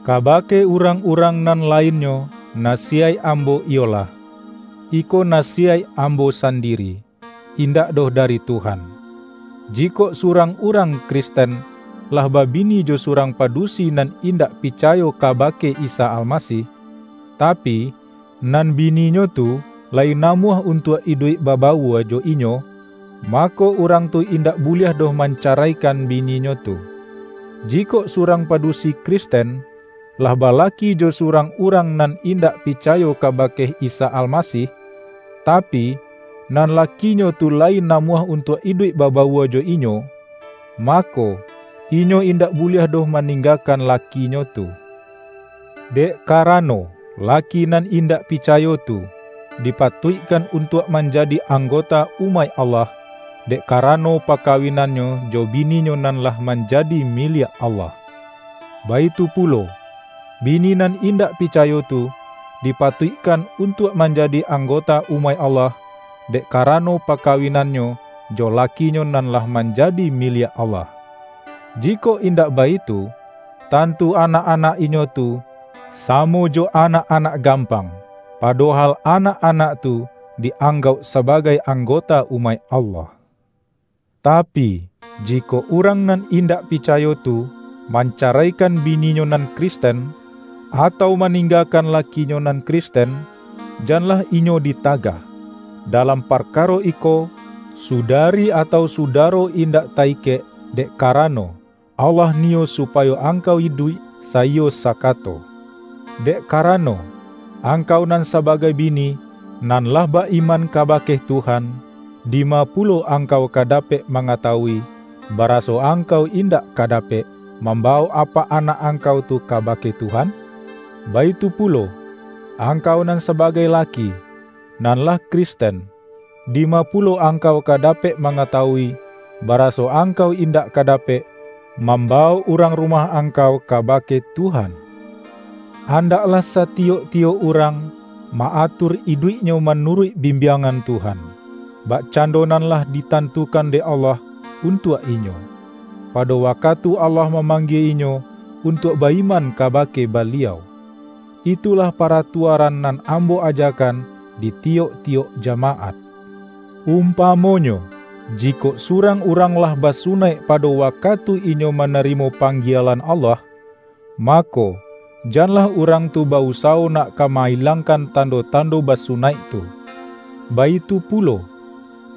Kabake urang-urang nan lainnyo, nasiyaik ambo iyolah, iko nasiyaik ambo sandiri, indak doh dari Tuhan. Jikok surang urang Kristen lah babini jo surang padusi nan indak picayo kabake Isa Almasih, tapi, nan bininyo tu lai namuah untuak iduik babawua jo inyo, mako, urang tu indak buliah doh mancaraikan bininyo tu. Jikok surang padusi Kristen lah balaki jo surang urang nan indak picayo kabake Isa Almasih, tapi, nan lakinyo tu lai namuah untuak iduik babawua jo inyo, mako, inyo indak buliah doh maninggakan lakinyo tu. Dek karano, laki nan indak picayo tu dipatuikkan untuak manjadi anggota umaik Allah, dek karano pakawinannyo jo bininyo nan lah manjadi miliak Allah. Baitu pulo, bini nan indak picayo tu dipatuikkan untuak manjadi anggota umaik Allah, dek karano pakawinannyo jo lakinyo nan lah manjadi miliak Allah. Jikok indak baitu, tantu anak-anak inyo tu samo jo anak-anak gampang, padohal anak-anak tu dianggauk sabagai anggota umaik Allah. Tapi, jikok urang nan indak picayo tu mancaraikan bininyo nan Kristen, atau maninggakan lakinyo nan Kristen, janlah inyo ditagah. Dalam parkaro iko, sudari atau sudaro indak ta-ikek, dek karano, Allah niyo supayo angkau iduik saiyo sakato. Dek karano, angkau nan sabagai bini, nan lah ba-iman kabake Tuhan, dima pulo angkau ka dapek mangatawui, baraso angkau indak ka dapek mambawok apak anak angkau tu kabake Tuhan? Baitu pulo, angkau nan sabagai laki, nan lah Kristen, dima pulo angkau ka dapek mangatawui, baraso angkau indak ka dapek mambawok urang rumah angkau kabake Tuhan? Andaklah satiyok-tiyok urang ma-atur iduiknyo manuruik bimbiangan Tuhan, bakcando nan lah ditantukan dek Allah untuak inyo, pado wakatu Allah mamanggie inyo untuak ba-iman kabake Baliau. Itulah paratuaran nan ambo ajakan di tiyok-tiyok jamaat. Umpamonyo, jikok surang urang lah basunaik pado wakatu inyo manarimo panggielan Allah, mako, janlah urang tu ba-usawo nak ka ma-ilangkan tando-tando basunaik tu. Baitu pulo,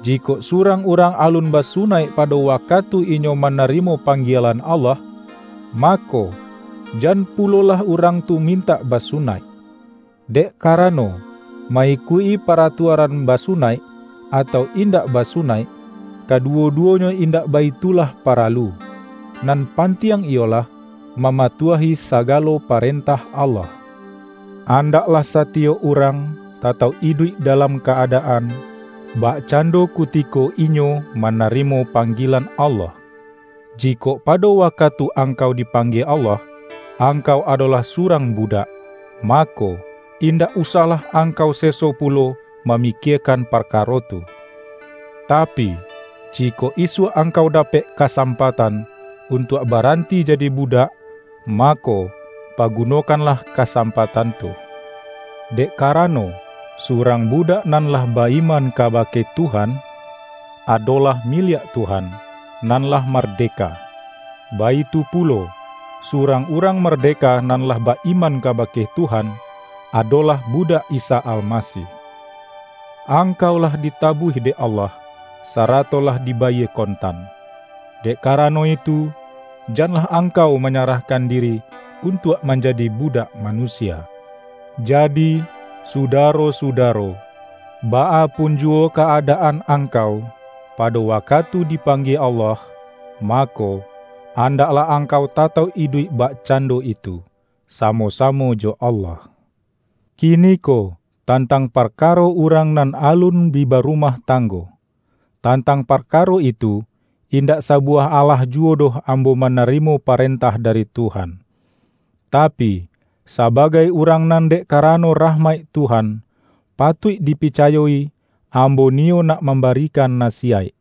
jikok surang urang alun basunaik pado wakatu inyo manarimo panggielan Allah, mako, jan pulolah urang tu mintak basunaik. Dek karano, ma-ikuik-i paratuaran basunaik, atau indak basunaik, kaduwo-duwonyo indak baitulah paralu. Nan pantiang iyolah, mamatuahi sagalo parentah Allah. Andaklah satiyok urang tatauk iduik dalam ka-adaan, bakcando kutiko inyo manarimo panggilan Allah. Jikok pado wakatu angkau dipanggie Allah, angkau adolah surang budak, mako, indak usahlah angkau seso pulo mamikiekan parkaro tu. Tapi, jikok isuak angkau dapek kasampatan untuak baranti jadi budak, mako, pagunokanlah kasampatan tu. Dek karano, surang budak nan lah ba-iman kabake Tuhan, adolah miliak Tuhan, nan lah mardeka. Baitu pulo, surang urang mardeka nan lah ba-iman kabake Tuhan, adolah budak Isa Almasih. Angkau lah ditabuih dek Allah, sarato lah dibayie kontan. Dek karano itu, janlah angkau manyarahkan diri untuak manjadi budak manusia. Jadi, sudaro-sudaro, baa pun juwo ka-adaan angkau, pado wakatu dipanggie Allah, mako, andaklah angkau tatauk iduik bakcando itu, samo-samo jo Allah. Kiniko, tantang parkaro urang nan alun bi barumah tanggo. Tantang parkaro itu, indak sabuwah alah juwo doh ambo manarimo parentah dari Tuhan. Tapi, sabagai urang nan dek karano rahmaik Tuhan, patuik dipicayo-i, ambo niyo nak mambarikan nasiyaik.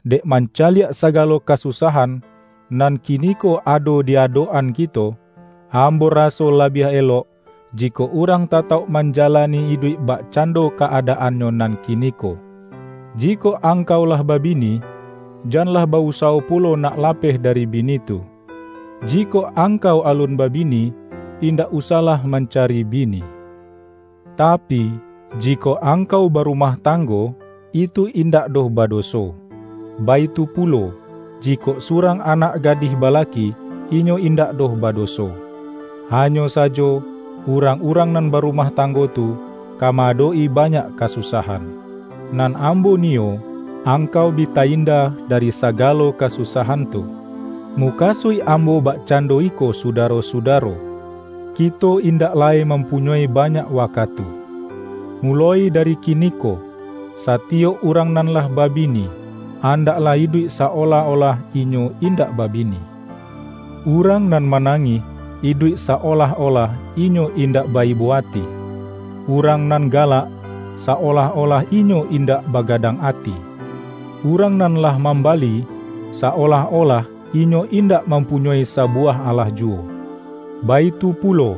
Dek mancaliak sagalo kasusahan nan kiniko ado di adok-an kito, ambo raso labiah elok, jikok urang tatauk manjalani iduik bakcando ka-adaannyo nan kiniko. Jikok angkau lah babini, janlah ba-usawo pulo nak lapeh dari bini tu. Jikok angkau alun babini, indak usahlah mancari bini. Tapi, Jikok angkau barumah tanggo, itu indak doh badoso. Baitu pulo, jikok surang anak gadih balaki, inyo indak doh badoso. Hanyo sajo, urang-urang nan barumah tanggo tu ka ma-adok-i banyak kasusahan. Nan ambo niyo, angkau bi ta-inda dari sagalo kasusahan tu. Mukasuik ambo bakcando iko, sudaro-sudaro, kito indak lai mampunyoi banyak wakatu. Muloi dari kiniko, satiyok urang nan lah babini, andaklah iduik sa-olah-olah inyo indak babini. Urang nan manangih, iduik sa-olah-olah inyo indak ba-ibo ati. Urang nan galak, sa-olah-olah inyo indak bagadang ati. Urang nan lah mambali, sa-olah-olah inyo indak mampunyoi sabuwah alah juwo. Baitu pulo,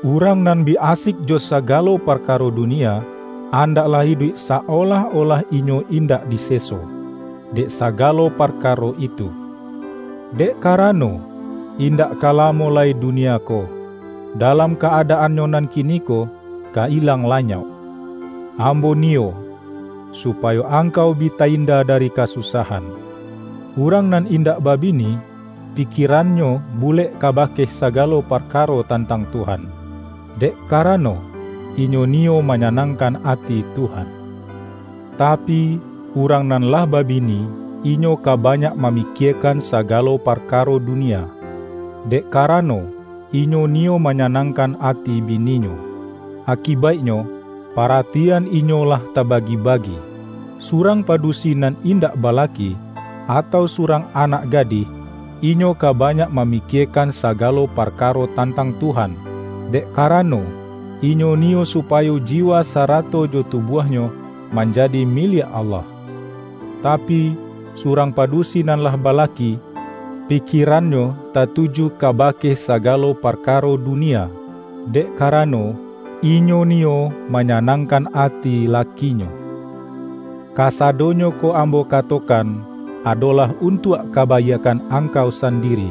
urang nan bi asik jo sagalo parkaro dunia, andaklah iduik sa-olah-olah inyo indak diseso, dek sagalo parkaro itu. Dek karano, indak ka lamo lai dunia ko, dalam ka-adaannyo nan kiniko, ka ilang lanyauk. Ambo niyo, supayo angkau bi ta-inda dari kasusahan. Urang nan indak babini, pikirannyo bulek kabake sagalo parkaro tantang Tuhan, dek karano, inyo niyo manyanangkan ati Tuhan. Tapi, urang nan lah babini, inyo ka banyak mamikiekan sagalo parkaro dunia, dek karano, inyo niyo manyanangkan ati bininyo. Akibaiknyo, paratian inyo lah tabagi-bagi. Surang padusi nan indak balaki, atau surang anak gadih, inyo ka banyak mamikiekan sagalo parkaro tantang Tuhan, dek karano, inyo niyo supayo jiwa sarato jo tubuahnyo manjadi miliak Allah. Tapi, surang padusi nan lah balaki, pikirannyo tatuju kabake sagalo parkaro dunia, dek karano, inyo niyo manyanangkan ati lakinyo. Kasadonyo ko ambo katokan, adolah untuak kabaiakkan angkau sandiri,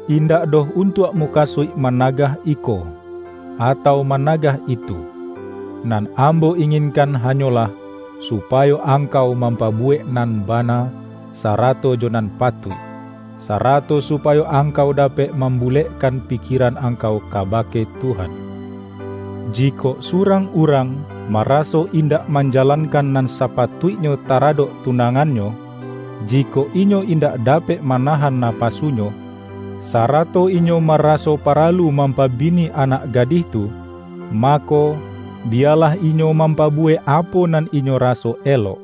indak doh untuak mukasuik managah iko, atau managah itu. Nan ambo inginkan hanyolah, supayo angkau mampabuwek nan bana, sarato jo nan patuik, sarato supayo angkau dapek mambulekkan pikieran angkau kabake Tuhan. Jikok surang urang maraso indak manjalankan nan sapatuiknyo taradok tunangannyo, jikok inyo indak dapek manahan napasunyo, sarato inyo maraso paralu mampabini anak gadih tu, mako, biyalah inyo mampabuwek apo nan inyo raso elok.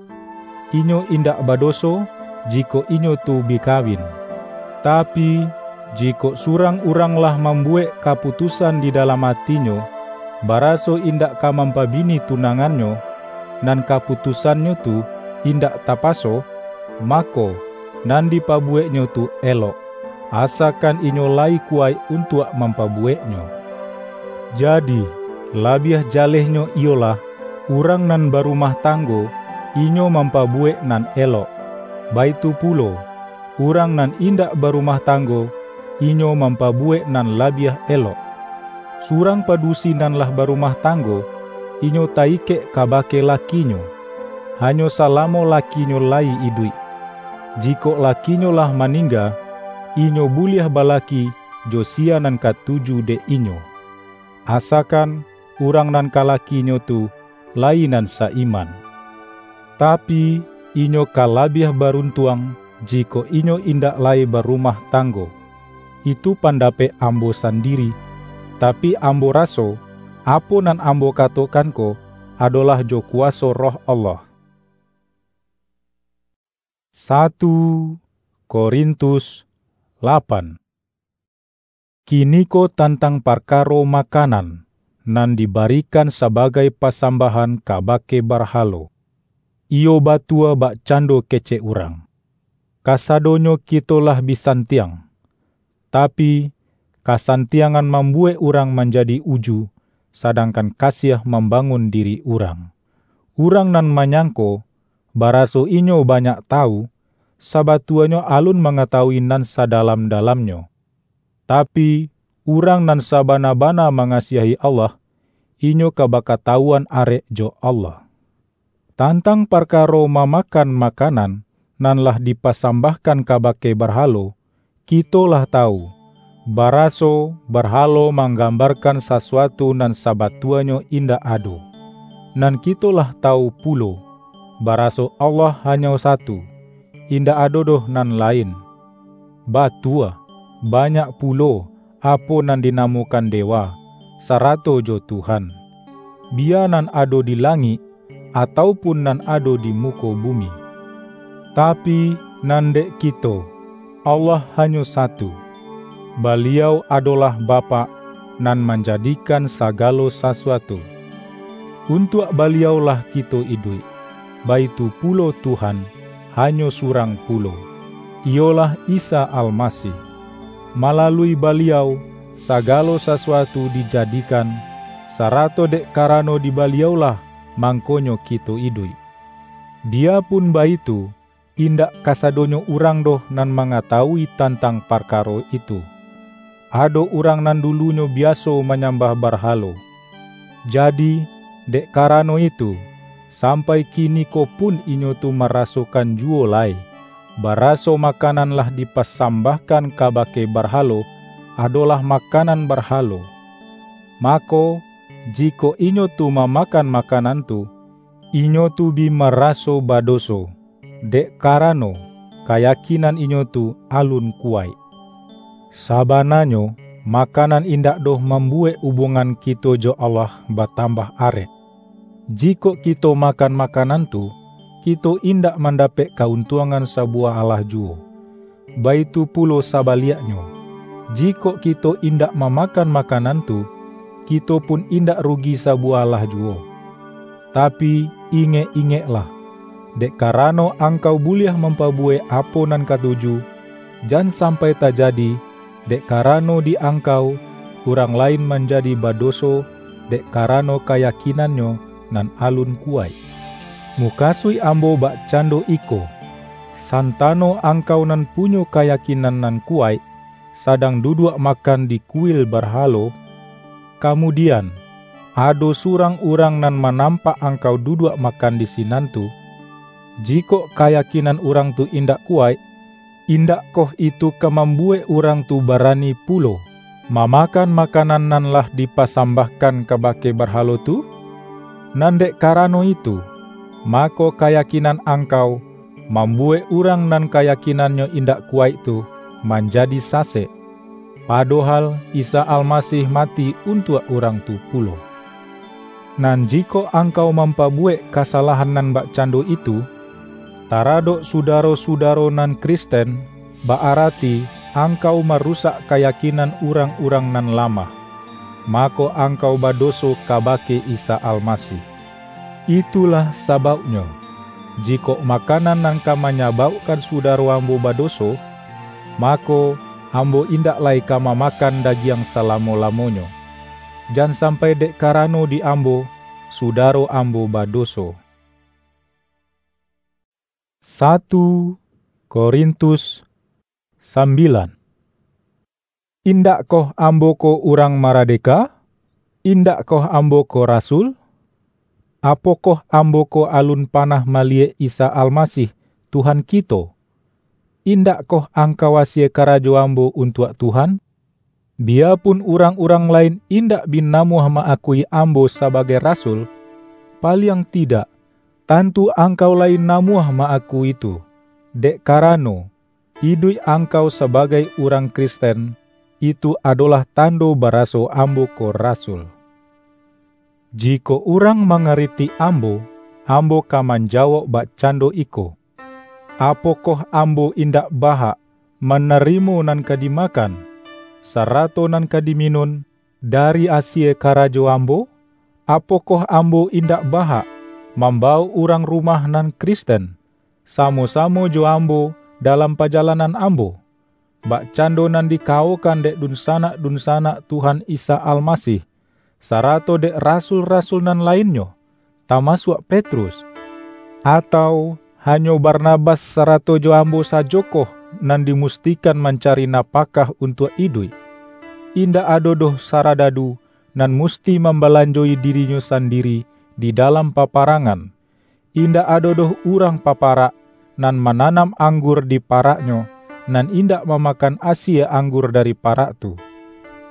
Inyo indak badoso, jikok inyo tu bi kawin. Tapi, jikok surang urang lah mambuwek kaputusan di dalam atinyo, baraso indak ka mampabini tunangannyo, nan kaputusannyo tu indak tapaso, mako, nan dipabuweknyo tu elok, asakan inyo lai kuwaik untuak mampabuweknyo. Jadi, labiah jalehnyo iyolah, urang nan barumah tanggo, inyo mampabuwek nan elok. Baitu pulo, urang nan indak barumah tanggo, inyo mampabuwek nan labiah elok. Surang padusi nan lah barumah tanggo, inyo ta-ikek kabake lakinyo, hanyo salamo lakinyo lai iduik. Jikok lakinyo lah maningga, inyo buliah balaki jo sia nan katuju dek inyo, asakan urang nan ka lakinyo tu lai nan sa-iman. Tapi, inyo ka labiah baruntuang, jikok inyo indak lai barumah tanggo. Itu pandapek ambo sandiri, tapi ambo raso, apo nan ambo katokan ko, adolah jo kuwaso Roh Allah. Satu Korintus lapan. Kiniko tantang parkaro makanan, nan dibarikan sabagai pasambahan kabake barhalo, iyo batua bakcando kecek urang. Kasadonyo kito lah bi santiang, tapi, kasantiangan mambuwek urang manjadi uju, sadangkan kasiah mambangun diri urang. Urang nan manyangko, baraso inyo banyak tawu, sabatuanyo alun mangatawui nan sadalam-dalamnyo. Tapi, urang nan sabana-bana mangasiahi Allah, inyo ka bakatawuan arek jo Allah. Tantang parkaro mamakan makanan nan lah dipasambahkan kabake barhalo, kito lah tawu, baraso barhalo manggambarkan sasuatu nan sabatuanyo indak ado. Nan kito lah tawu pulo, baraso Allah hanyo satu, indak ado doh nan lain. Batua, banyak pulo apo nan dinamokan dewa, sarato jo Tuhan, biya nan ado di langik, atau pun nan ado di muko bumi. Tapi, nan dek kito, Allah hanyo satu. Baliau adolah Bapak nan manjadikan sagalo sasuatu. Untuak Baliau-lah kito iduik, baitu pulo Tuhan, hanyo surang pulo, iyolah Isa Almasih. Malalui Baliau, sagalo sasuatu dijadikan, sarato dek karano di Baliau-lah mangkonyo kito iduik. Biyapun baitu, indak kasadonyo urang doh nan mangatawui tantang parkaro itu. Ado urang nan dulunyo biaso manyambah barhalo. Jadi, dek karano itu, sampai kiniko pun inyo tu marasokan juwo lai, baraso makanan lah dipasambahkan kabake barhalo, adolah makanan barhalo. Mako, jikok inyo tu mamakan makanan tu, inyo tu bi maraso badoso, dek karano, kayakinan inyo tu alun kuwaik. Sabananyo, makanan indak doh mambuwek ubungan kito jo Allah batambah arek. Jikok kito makan makanan tu, kito indak mandapek kauntuangan sabuwah alah juwo. Baitu pulo sabaliaknyo, jikok kito indak mamakan makanan tu, kito pun indak rugi sabuwah alah juwo. Tapi, ingek-ingeklah, dek karano angkau buliah mampabuwek apo nan katuju, jan sampai tajadi, dek karano di angkau, urang lain manjadi badoso dek karano kayakinannyo nan alun kuwaik. Mukasuik ambo bakcando iko: Santano angkau nan punyo kayakinan nan kuwaik, sadang duduak makan di kuil barhalo, kamudian, ado surang urang nan manampak angkau duduak makan di sinan tu, jikok kayakinan urang tu indak kuwaik, indakkoh itu ka mambuwek urang tu barani pulo mamakan makanan nan lah dipasambahkan kabake barhalo tu? Nan dek karano itu, mako kayakinan angkau mambuwek urang nan kayakinannyo indak kuwaik tu manjadi sasek, padohal Isa Almasih mati untuak urang tu pulo. Nan jikok angkau mampabuwek kasalahan nan bakcando itu, taradok sudaro-sudaro nan Kristen, ba-arati angkau marusak kayakinan urang-urang nan lamah, mako angkau badoso kabake Isa Almasih. Itulah sabauknyo, jikok makanan nan ka manyabaukkan sudaro ambo badoso, mako, ambo indak lai ka mamakan dagiang salamo-lamonyo, jan sampai dek karano di ambo, sudaro ambo badoso. Satu Korintus sambilan. Indakkoh ambo ko urang maradeka? Indakkoh ambo ko rasul? Apokoh ambo ko alun panah maliyek Isa Almasih, Tuhan kito? Indakkoh angkau asie karajo ambo untuak Tuhan? Biyapun urang-urang lain indak bi namuah ma-akui ambo sabagai rasul, paliang tidak, tantu angkau lai namuah ma-akui tu, dek karano, iduik angkau sabagai urang Kristen, itu adolah tando baraso ambo ko rasul. Jikok urang mangaritik ambo, ambo ka manjawok bakcando iko: Apokoh ambo indak bahak manarimo nan ka dimakan, sarato nan ka diminun dari asie karajo ambo? Apokoh ambo indak bahak mambawok urang rumah nan Kristen, samo-samo jo ambo dalam pajalanan ambo, bakcando nan dikawokan dek dunsanak-dunsanak Tuhan Isa Almasih, sarato dek rasul-rasul nan lainnyo, tamasuak Petrus? Atau hanyo Barnabas sarato jo ambo sajokoh nan dimustikan mancari napakah untuak iduik? Indak ado doh saradadu nan musti mambalanjoi dirinyo sandiri di dalam paparangan. Indak ado doh urang paparak, nan mananam anggur di paraknyo, nan indak mamakan asie anggur dari parak tu.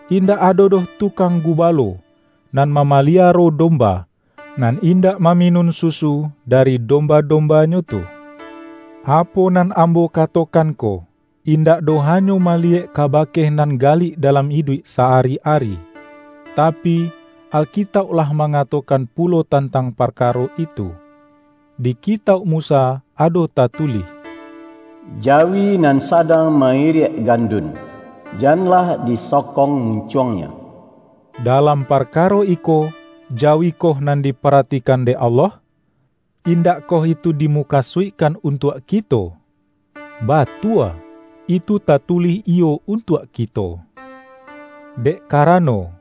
Indak ado doh tukang gubalo, nan mamaliaro domba, nan indak maminun susu dari domba-dombanyo tu. Apo nan ambo katokan ko, indak doh hanyo maliyek kabake nan galik dalam iduik sa-ari-ari, tapi, Alkitauk lah mangatokan pulo tantang parkaro itu. Di Kitauk Musa ado tatulih, "Jawi nan sadang mairiak gandun, janlah disokong muncuangnyo." Dalam parkaro iko, jawi koh nan diparatikan dek Allah? Indakkoh itu dimukasuikkan untuak kito? Batua, itu tatulih iyo untuak kito. Dek karano,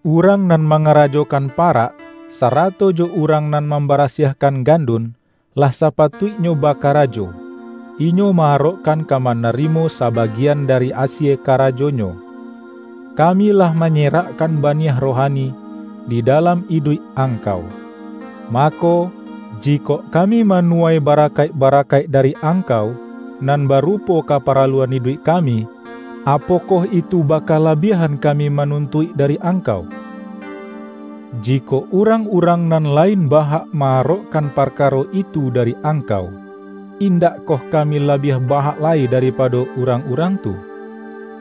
urang nan mangarajokan parak, sarato jo urang nan mambarasiahkan gandun, lah sapatuiknyo bakarajo, inyo ma-arokkan ka manarimo sabagian dari asie karajonyo. Kami lah manyerakkan baniah rohani di dalam iduik angkau. Mako, jikok kami manuwai barakaik-barakaik dari angkau, nan barupo kaparaluan iduik kami, apokoh itu bakalabiahan kami manuntuik dari angkau? Jikok urang-urang nan lain bahak ma-arokkan parkaro itu dari angkau, indakkoh kami labiah bahak lai daripado urang-urang tu?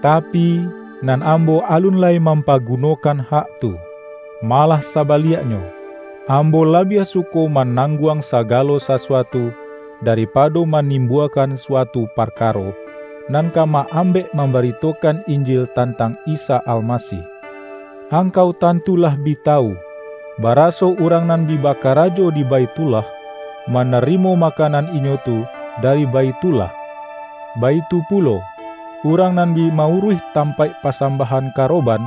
Tapi, nan ambo alun lai mampagunokan hak tu. Malah sabaliaknyo, ambo labiah suko manangguang sagalo sasuatu daripado manimbuakan suatu parkaro, nan ka ma-ambek mambaritokan Injil tantang Isa Almasih. Angkau tantu lah bi tawu, baraso urang nan bi bakarajo di Baithullah, manarimo makanan inyo tu dari Baithullah. Baitu pulo, urang nan bi mauruih tampaik pasambahan karoban,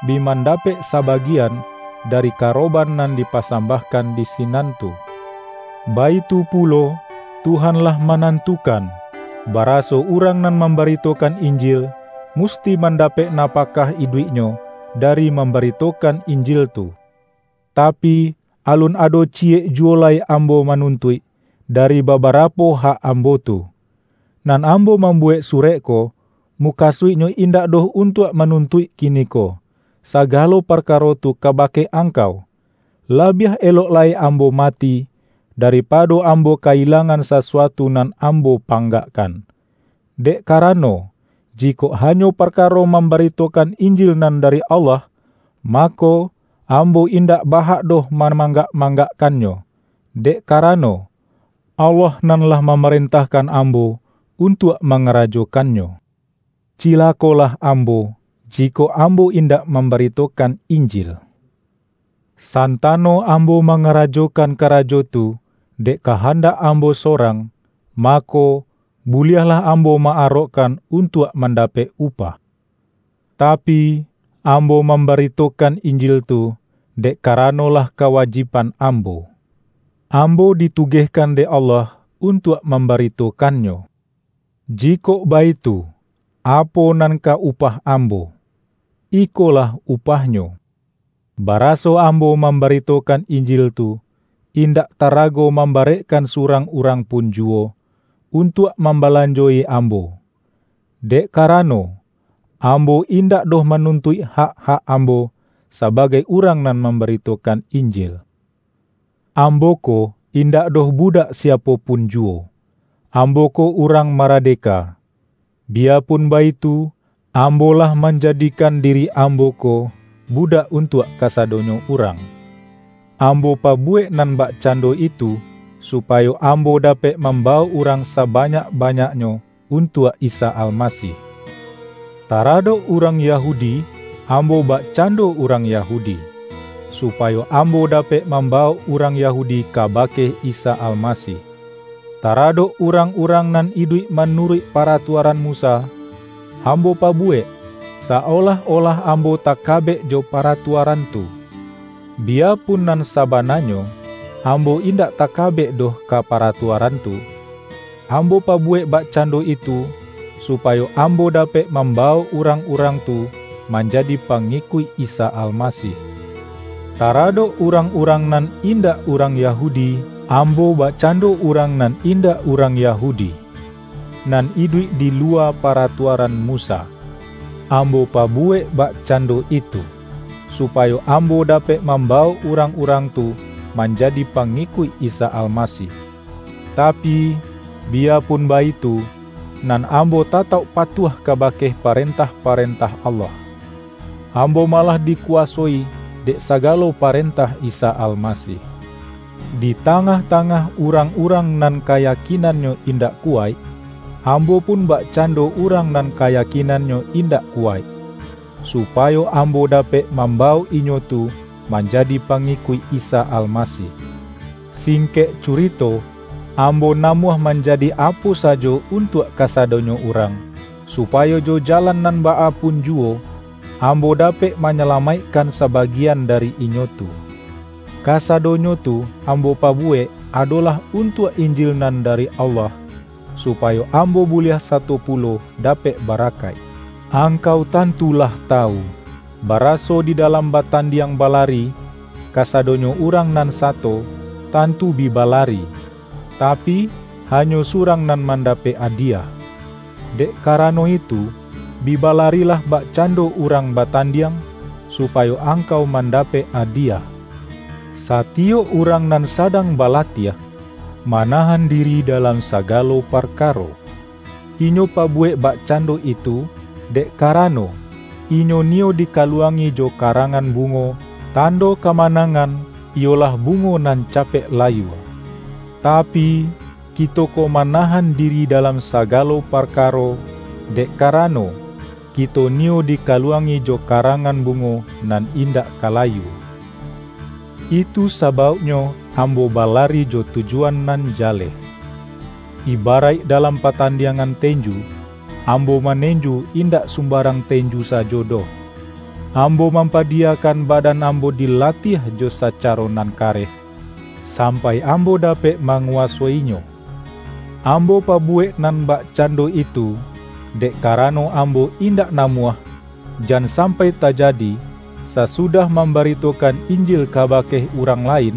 bi mandapek sabagian dari karoban nan dipasambahkan di sinan tu. Baitu pulo, Tuhan lah manantukan, baraso urang nan mambaritokan Injil, musti mandapek napakah iduiknyo dari mambaritokan Injil tu. Tapi, alun ado ciyek juwo lai ambo manuntuik dari babarapo hak ambo tu. Nan ambo mambuwek surek ko, mukasuiknyo indak doh untuak manuntuik kiniko, sagalo parkaro tu kabake angkau. Labiah elok lai ambo mati, daripado ambo ka-ilangan sasuatu nan ambo panggakkan. Dek karano, jikok hanyo parkaro mambaritokan Injil nan dari Allah, mako, ambo indak bahak doh mamanggak-manggakkannyo, dek karano, Allah nan lah mamarentahkan ambo untuak mangarajokannyo. Cilakolah ambo, jikok ambo indak mambaritokan Injil! Santano ambo mangarajokan karajo tu dek kahandak ambo sorang, mako, buliahlah ambo ma-arokkan untuak mandapek upah. Tapi, ambo mambaritokan Injil tu dek karano lah kawajiban ambo. Ambo ditugehkan dek Allah untuak mambaritokannyo. Jikok baitu, apo nan ka upah ambo? Ikolah upahnyo: Baraso ambo mambaritokan Injil tu, indak tarago mambarekkan surang urang pun juwo untuak mambalanjoi ambo. Dek karano, ambo indak doh manuntuik hak-hak ambo sabagai urang nan mambaritokan Injil. Ambo ko indak doh budak siapo pun juwo. Ambo ko urang maradeka. Biyapun baitu, ambo lah manjadikan diri ambo ko budak untuak kasadonyo urang. Ambo pabuwek nan bakcando itu, supayo ambo dapek mambawok urang sabanyak-banyaknyo untuak Isa Almasih. Taradok urang Yahudi, ambo bakcando urang Yahudi, supayo ambo dapek mambawok urang Yahudi kabake Isa Almasih. Taradok urang-urang nan iduik manuruik paratuaran Musa, ambo pabuwek, sa-olah-olah ambo takabek jo paratuaran tu. Biyapun nan sabananyo, ambo indak takabek doh ka paratuaran tu, ambo pabuwek bakcando itu, supayo ambo dapek mambawok urang-urang tu manjadi pangikuik Isa Almasih. Taradok urang-urang nan indak urang Yahudi, ambo bakcando urang nan indak urang Yahudi, nan iduik di luwa paratuaran Musa. Ambo pabuwek bakcando itu, supayo ambo dapek mambawok urang-urang tu manjadi pangikuik Isa Almasih. Tapi, biyapun baitu, nan ambo tatauk patuah kabake parentah-parentah Allah. Ambo malah dikuwasoi dek sagalo parentah Isa Almasih. Di tangah-tangah urang-urang nan kayakinannyo indak kuwaik, ambo pun bakcando urang nan kayakinannyo indak kuwaik, supayo ambo dapek mambawok inyo tu manjadi pangikuik Isa Almasih. Singkek curito, ambo namuah manjadi apo sajo untuak kasadonyo urang, supayo jo jalan nan baa pun juwo, ambo dapek manyalamaikkan sabagian dari inyo tu. Kasadonyo tu ambo pabuwek adolah untuak Injil nan dari Allah, supayo ambo buliah sato pulo dapek barakaik. Angkau tantu lah tawu, baraso di dalam batandiang balari, kasadonyo urang nan sato tantu bi balari, tapi, hanyo surang nan mandapek adiyah. Dek karano itu, bi balarilah bakcando urang batandiang, supayo angkau mandapek adiyah. Satiyok urang nan sadang balatiah, manahan diri dalam sagalo parkaro. Inyo pabuwek bakcando itu, dek karano, inyo niyo dikaluangi jo karangan bungo, tando kamanangan, iyolah bungo nan capek layua. Tapi, kito ko manahan diri dalam sagalo parkaro, dek karano, kito niyo dikaluangi jo karangan bungo nan indak ka layua. Itu sabauknyo ambo balari jo tujuan nan jaleh. Ibaraik dalam patandiangan tenju, ambo manenju indak sumbarang tenju sajo doh. Ambo mampadiyakan badan ambo dilatiah jo sacaro nan kareh, sampai ambo dapek manguwasoinyo. Ambo pabuwek nan bakcando itu, dek karano ambo indak namuah, jan sampai tajadi, sasudah mambaritokan Injil kabake urang lain,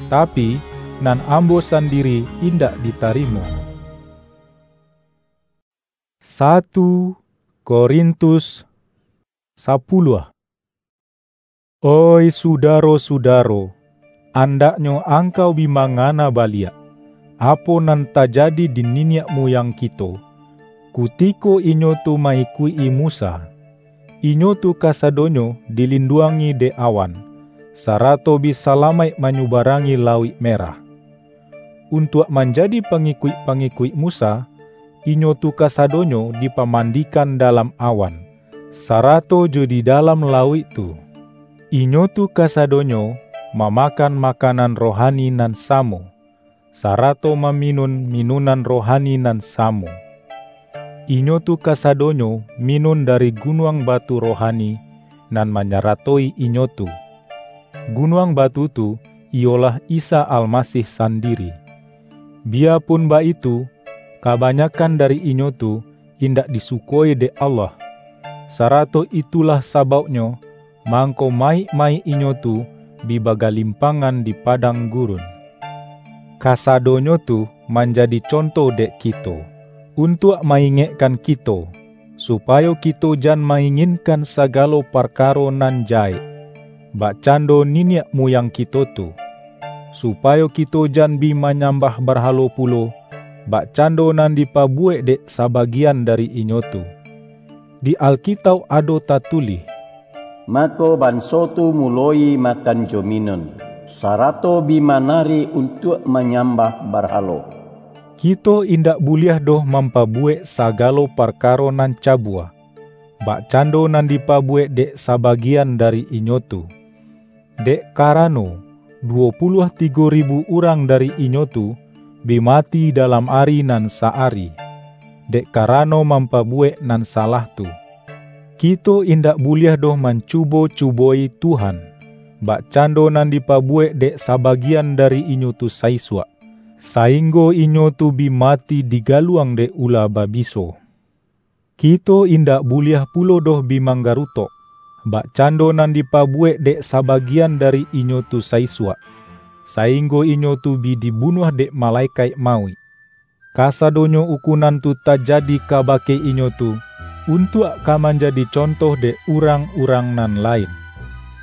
tapi, nan ambo sandiri indak ditarimo. Satu Korintus sapuluah. Oih sudaro-sudaro, andaknyo angkau bi mangana baliak, apo nan tajadi di niniak muyang kito, kutiko inyo tu ma-ikuik-i Musa. Inyo tu kasadonyo dilinduangi dek awan, sarato bi salamaik manyubarangi Lauik Merah. Untuak manjadi pangikuik-pangikuik Musa, inyo tu kasadonyo dipamandikan dalam awan, sarato jo di dalam lauik tu. Inyo tu kasadonyo mamakan makanan rohani nan samo, sarato maminun minunan rohani nan samo. Inyo tu kasadonyo minun dari gunuang batu rohani nan manyaratoi inyo tu. Gunuang batu tu iyolah Isa Almasih sandiri. Biyapun baitu, kabanyakan dari inyo tu indak disukoi dek Allah, sarato itulah sabauknyo mangko mayik-mayik inyo tu bi bagalimpangan di padang gurun. Kasadonyo tu manjadi conto dek kito, untuak ma-ingekkan kito, supayo kito jan ma-inginkan sagalo parkaro nan jahek, bakcando niniak muyang kito tu, supayo kito jan bi manyambah barhalo pulo, bakcando nan dipabuwek dek sabagian dari inyo tu. Di Alkitauk ado tatulih, "Mako, banso tu muloi makan jo minun, sarato bi manari untuak manyambah barhalo." Kito indak buliah doh mampabuwek sagalo parkaro nan cabua, bakcando nan dipabuwek dek sabagian dari inyo tu. Dek karano, duwo puluah tigo ribu urang dari inyo tu bi mati dalam ari nan sa-ari, dek karano mampabuwek nan salah tu. Kito indak buliah doh mancubo-cubo-i Tuhan, bakcando nan dipabuwek dek sabagian dari inyo tu saisuak, sainggo inyo tu bi mati digaluang dek ula babiso. Kito indak buliah pulo doh bi manggarutok, bakcando nan dipabuwek dek sabagian dari inyo tu saisuak, sainggo inyo tu bi dibunuah dek malekaik mauik. Kasadonyo ukunan tu tajadi kabake inyo tu, untuak ka manjadi contoh dek urang-urang nan lain.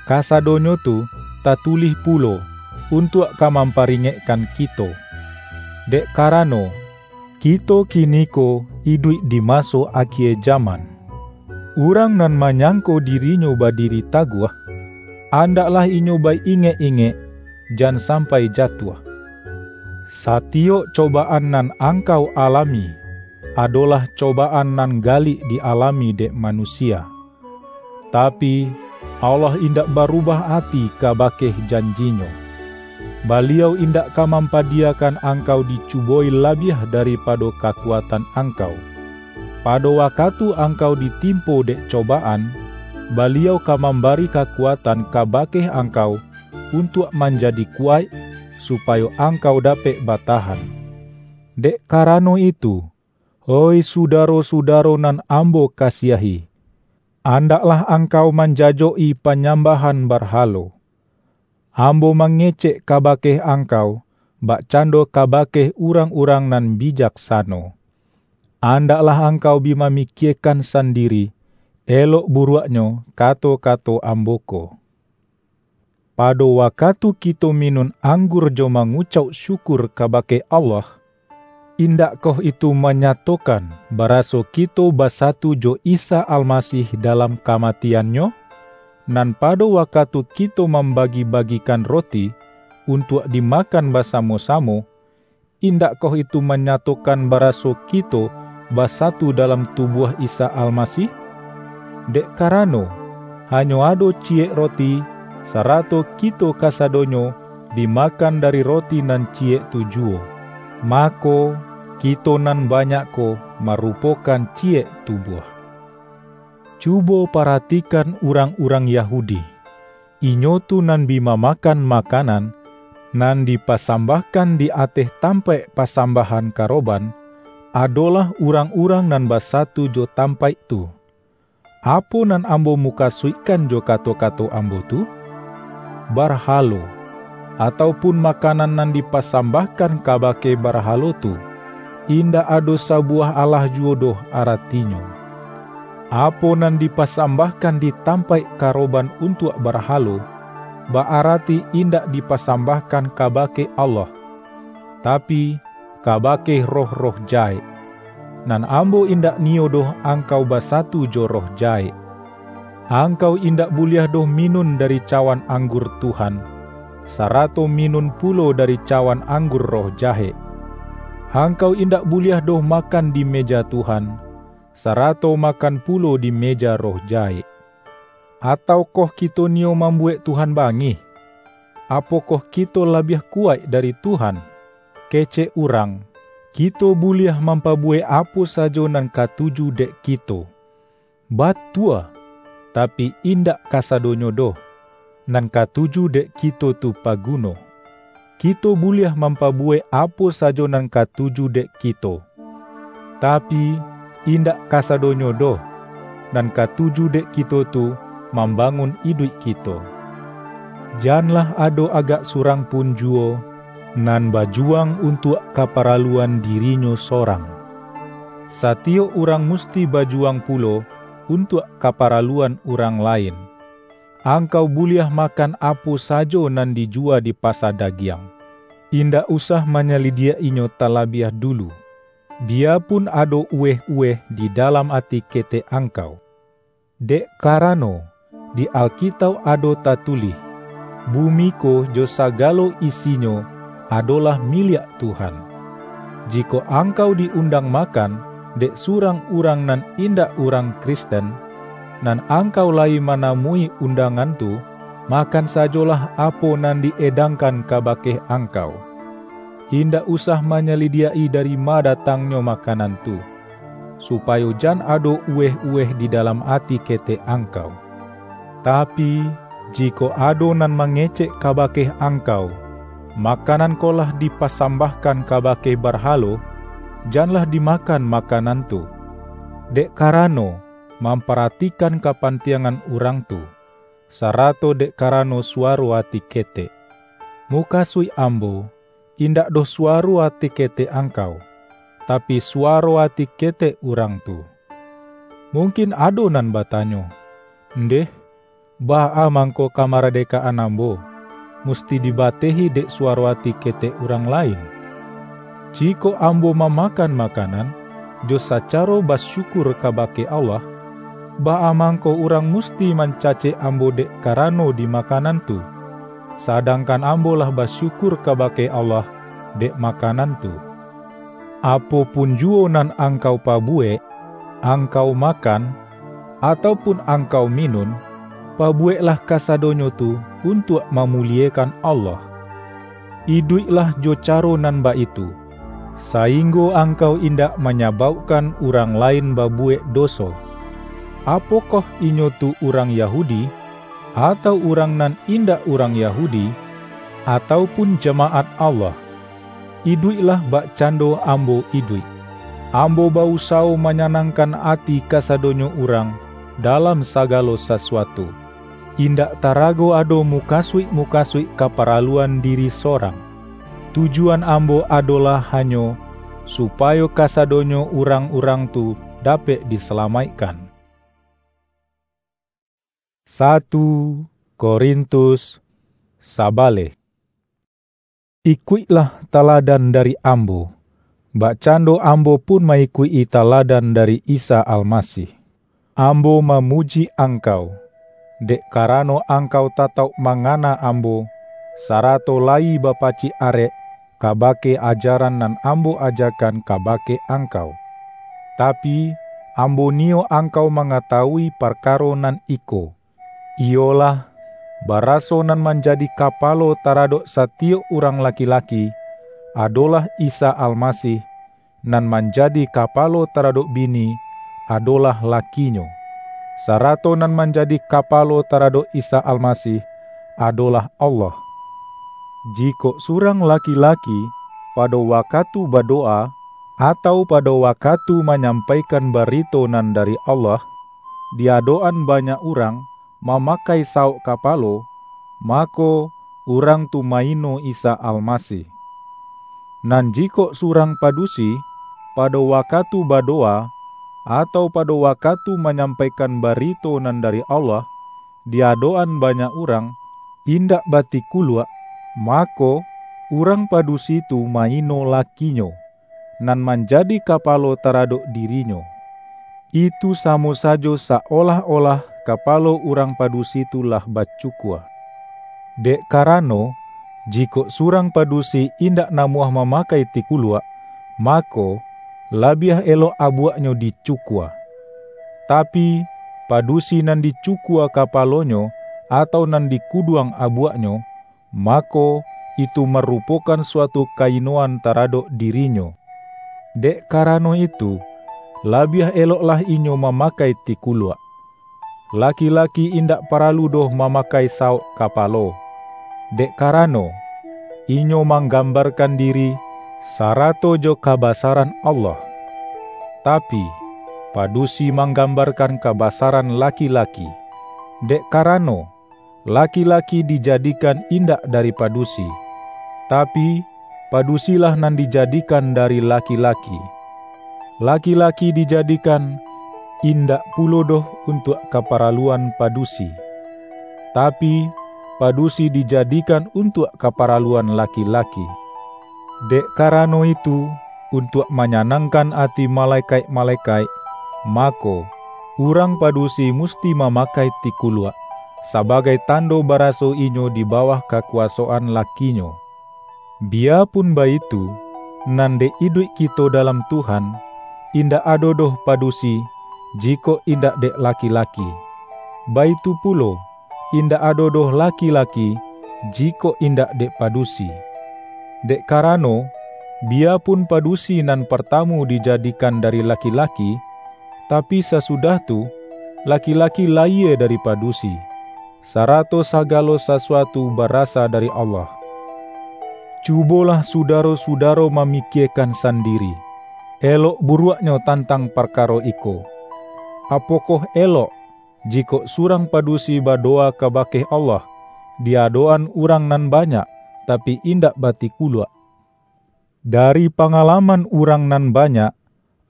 Kasadonyo tu tatulih pulo, untuak ka mamparingekkan kito. Dek karano, kito kiniko iduik di maso akie jaman. Urang nan manyangko dirinyo badiri taguah, andaklah inyo ba-ingek-ingek, jan sampai jatuah. Satiyok cobaan nan angkau alami, adolah cobaan nan galik di-alami dek manusia. Tapi, Allah indak barubah ati kabake janji-Nyo. Baliau indak ka mampadiyakan angkau dicubo-i labiah daripado kakuatan angkau. Pado wakatu angkau ditimpo dek cobaan, Baliau ka mambari kakuatan kabake angkau untuak manjadi kuwaik, supayo angkau dapek batahan. Dek karano itu, oih sudaro-sudaro nan ambo kasiahi, andaklah angkau manjajok-i panyambahan barhalo. Ambo mangecek kabake angkau, bakcando kabake urang-urang nan bijaksano. Andaklah angkau bi mamikiekan sandiri, elok buruaknyo kato-kato ambo ko. Pado wakatu kito minun anggur jo mangucauk syukur kabake Allah, indakkoh itu manyatokan baraso kito basatu jo Isa Almasih dalam kamatian-Nyo? Nan pado wakatu kito mambagi-bagikan roti untuak dimakan basamo-samo, indakkoh itu manyatokan baraso kito basatu dalam tubuah Isa Almasih? Dek karano, hanyo ado ciyek roti, sarato kito kasadonyo bi makan dari roti nan ciyek tu juwo, mako, kito nan banyak ko marupokan ciyek tubuah. Cubo paratikan urang-urang Yahudi. Inyo tu nan bi mamakan makanan, nan dipasambahkan di ateh tampaik pasambahan karoban, adolah urang-urang nan basatu jo tampaik tu. Apo nan ambo mukasuikkan jo kato-kato ambo tu? Barhalo, atau pun makanan nan dipasambahkan kabake barhalo tu, indak ado sabuwah alah juwo doh aratinyo. Apo nan dipasambahkan di tampaik karoban untuak barhalo, ba-arati indak dipasambahkan kabake Allah, tapi, kabake roh-roh jahek. Nan ambo indak niyo doh angkau basatu jo roh jahek. Angkau indak buliah doh minun dari cawan anggur Tuhan, sarato minun pulo dari cawan anggur roh jahek. Angkau indak buliah doh makan di meja Tuhan, sarato makan pulo di meja roh jahek. Ataukoh kito niyo mambuwek Tuhan bangih? Apokoh kito labiah kuwaik dari Tuhan? Kecek urang, kito buliah mampabuwek apo sajo nan katuju dek kito. Batua, tapi indak kasadonyo doh, nan katuju dek kito tu paguno. Kito buliah mampabuwek apo sajo nan katuju dek kito. Tapi, indak kasadonyo doh, nan katuju dek kito tu mambangun iduik kito. Janlah ado agak surang pun juwo, nan bajuwang untuak kaparaluan dirinyo sorang. Satiyok urang musti bajuwang pulo untuak kaparaluan urang lain. Angkau buliah makan apo sajo nan dijuwa di pasa dagiang. Indak usah manyalidiak inyo talabiah dulu, biyapun ado uweh-uweh di dalam ati ketek angkau. Dek karano, di Alkitauk ado tatulih, "Bumi ko jo sagalo isinyo adolah miliak Tuhan." Jikok angkau di-undang makan dek surang urang nan indak urang Kristen, nan angkau layi manamui undangan tu, makan sajolah apo nan di-edangkan kabake angkau. Indak usah manyalidiak-i dari ma datangnyo makanan tu, supayo jan ado uweh-uweh di dalam ati ketek angkau. Tapi, jikok ado nan mangecek kabake angkau, "Makanan ko lah dipasambahkan kabake barhalo," janlah dimakan makanan tu, dek karano mamparatikan kapantiangan urang tu. sarato dek karano suwaro ati ketek. Mukasuik ambo, indak doh suwaro ati ketek angkau, tapi suwaro ati ketek urang tu. Mungkin ado nan batanyo, "Ndeh, baa mangko kamaradekaan ambo, musti dibatehi dek suwaro ati ketek urang lain?" Jikok ambo mamakan makanan, jo sacaro basyukur kabake Allah, baa mangko urang musti mancacek ambo dek karano di makanan tu, sadangkan ambo lah basyukur kabake Allah dek makanan tu? Apo pun juwo nan angkau pabuwek, angkau makan, atau pun angkau minun, pabuweklah kasadonyo tu untuak mamuliekan Allah. Iduiklah jo caro nan baitu, sainggo angkau indak manyabaukkan urang lain babuwek doso. Apokoh inyo tu urang Yahudi, atau urang nan indak urang Yahudi, atau pun jamaat Allah? Iduiklah bakcando ambo iduik. Ambo ba-usawo manyanangkan ati kasadonyo urang dalam sagalo sasuatu. Indak tarago ado mukasuik-mukasuik kaparaluan diri sorang. Tujuan ambo adolah hanyo supayo kasadonyo urang-urang tu dapek disalamaikkan. Satu Korintus sabaleh. Ikuiklah taladan dari ambo, bakcando ambo pun ma-ikuik-i taladan dari Isa Almasih. Ambo mamuji angkau, dek karano angkau tatauk mangana ambo, sarato layi bapacik arek kabake ajaran nan ambo ajakan kabake angkau. Tapi, ambo niyok angkau mangatawui parkaro nan iko, iyolah, baraso nan manjadi kapalo taradok satiyok urang laki-laki, adolah Isa Almasih, nan manjadi kapalo taradok bini, adolah lakinyo, sarato nan manjadi kapalo taradok Isa Almasih, adolah Allah. Jikok surang laki-laki pado wakatu badowa, atau pado wakatu manyampaikan barito nan dari Allah, di adok-an banyak urang, mamakai saok kapalo, mako, urang tu maino Isa Almasih. Nan jikok surang padusi, pado wakatu badowa, atau pado wakatu manyampaikan barito nan dari Allah, di adok-an banyak urang, indak batikuluak, mako, urang padusi tu maino lakinyo, nan manjadi kapalo taradok dirinyo. Itu samo sajo saolah-olah kapalo urang padusi tu lah bacukua. Dek karano, jikok surang padusi indak namuah mamakai tikuluak, mako, labiah elok abuaknyo dicukua. Tapi, padusi nan dicukua kapalonyo, atau nan dikuduang abuaknyo, mako, itu marupokan suatu kainoan taradok dirinyo. Dek karano itu, labiah eloklah inyo mamakai tikuluak. Laki-laki indak paralu doh mamakai saok kapalo, dek karano, inyo manggambarkan diri sarato jo kabasaran Allah. Tapi, padusi manggambarkan kabasaran laki-laki, dek karano, laki-laki dijadikan indak dari padusi, tapi, padusilah nan dijadikan dari laki-laki. Laki-laki dijadikan indak pulo doh untuak kaparaluan padusi, tapi, padusi dijadikan untuak kaparaluan laki-laki. Dek karano itu, untuak manyanangkan ati malekaik-malekaik, mako, urang padusi musti mamakai tikuluak, sabagai tando baraso inyo di bawah kakuwasoan lakinyo. Biyapun baitu, nan dek iduik kito dalam Tuhan, indak ado doh padusi, jikok indak dek laki-laki. Baitu pulo, indak ado doh laki-laki, jikok indak dek padusi. Dek karano, biyapun padusi nan partamu dijadikan dari laki-laki, tapi sasudah tu, laki-laki layie dari padusi, sarato sagalo sasuatu barasa dari Allah. Cubolah sudaro-sudaro mamikiekan sandiri, elok buruaknyo tantang parkaro iko. Apokoh elok, jikok surang padusi badowa kabake Allah, di adok-an urang nan banyak, tapi indak batikuluak. Dari pangalaman urang nan banyak,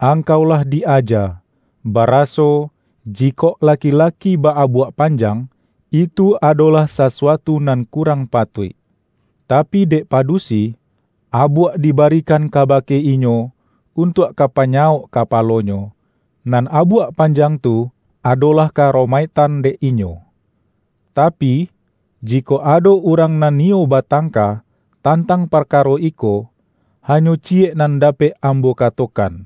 angkau lah di-aja, baraso, jikok laki-laki ba-abuak panjang, itu adolah sasuatu nan kurang patuik. Tapi dek padusi, abuak dibarikan kabake inyo untuak ka panyawok kapalonyo, nan abuak panjang tu adolah karomaiktan dek inyo. Tapi, jikok ado urang nan niyo batangka tantang parkaro iko, hanyo ciyek nan dapek ambo katokan,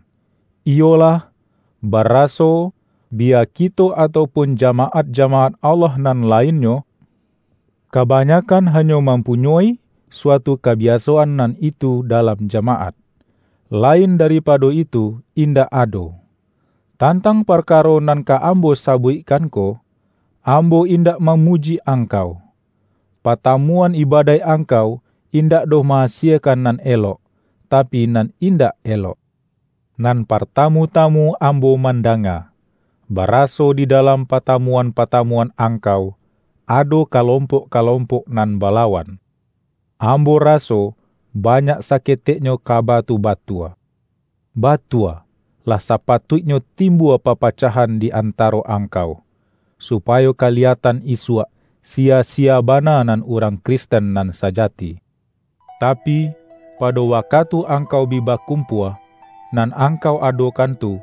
iyolah, baraso, biya kito ataupun jamaat-jamaat Allah nan lainnyo, kabanyakan hanyo mampunyoi suatu kabiasoan nan itu dalam jamaat. Lain daripado itu, indak ado. Tantang parkaro nan ka ambo sabuikkan ko, ambo indak mamuji angkau. Patamuan ibadaik angkau indak doh ma-asiekan nan elok, tapi nan indak elok. Nan partamu-tamu ambo mandanga, baraso di dalam patamuan-patamuan angkau, ado kalompok-kalompok nan balawan. Ambo raso, banyak saketeknyo kaba tu batua. Batua, lah sapatuiknyo timbua papacahan di antaro angkau, supayo kaliyatan isuak, sia-sia bana nan urang Kristen nan sajati. Tapi, pado wakatu angkau bi bakumpua, nan angkau adokan tu,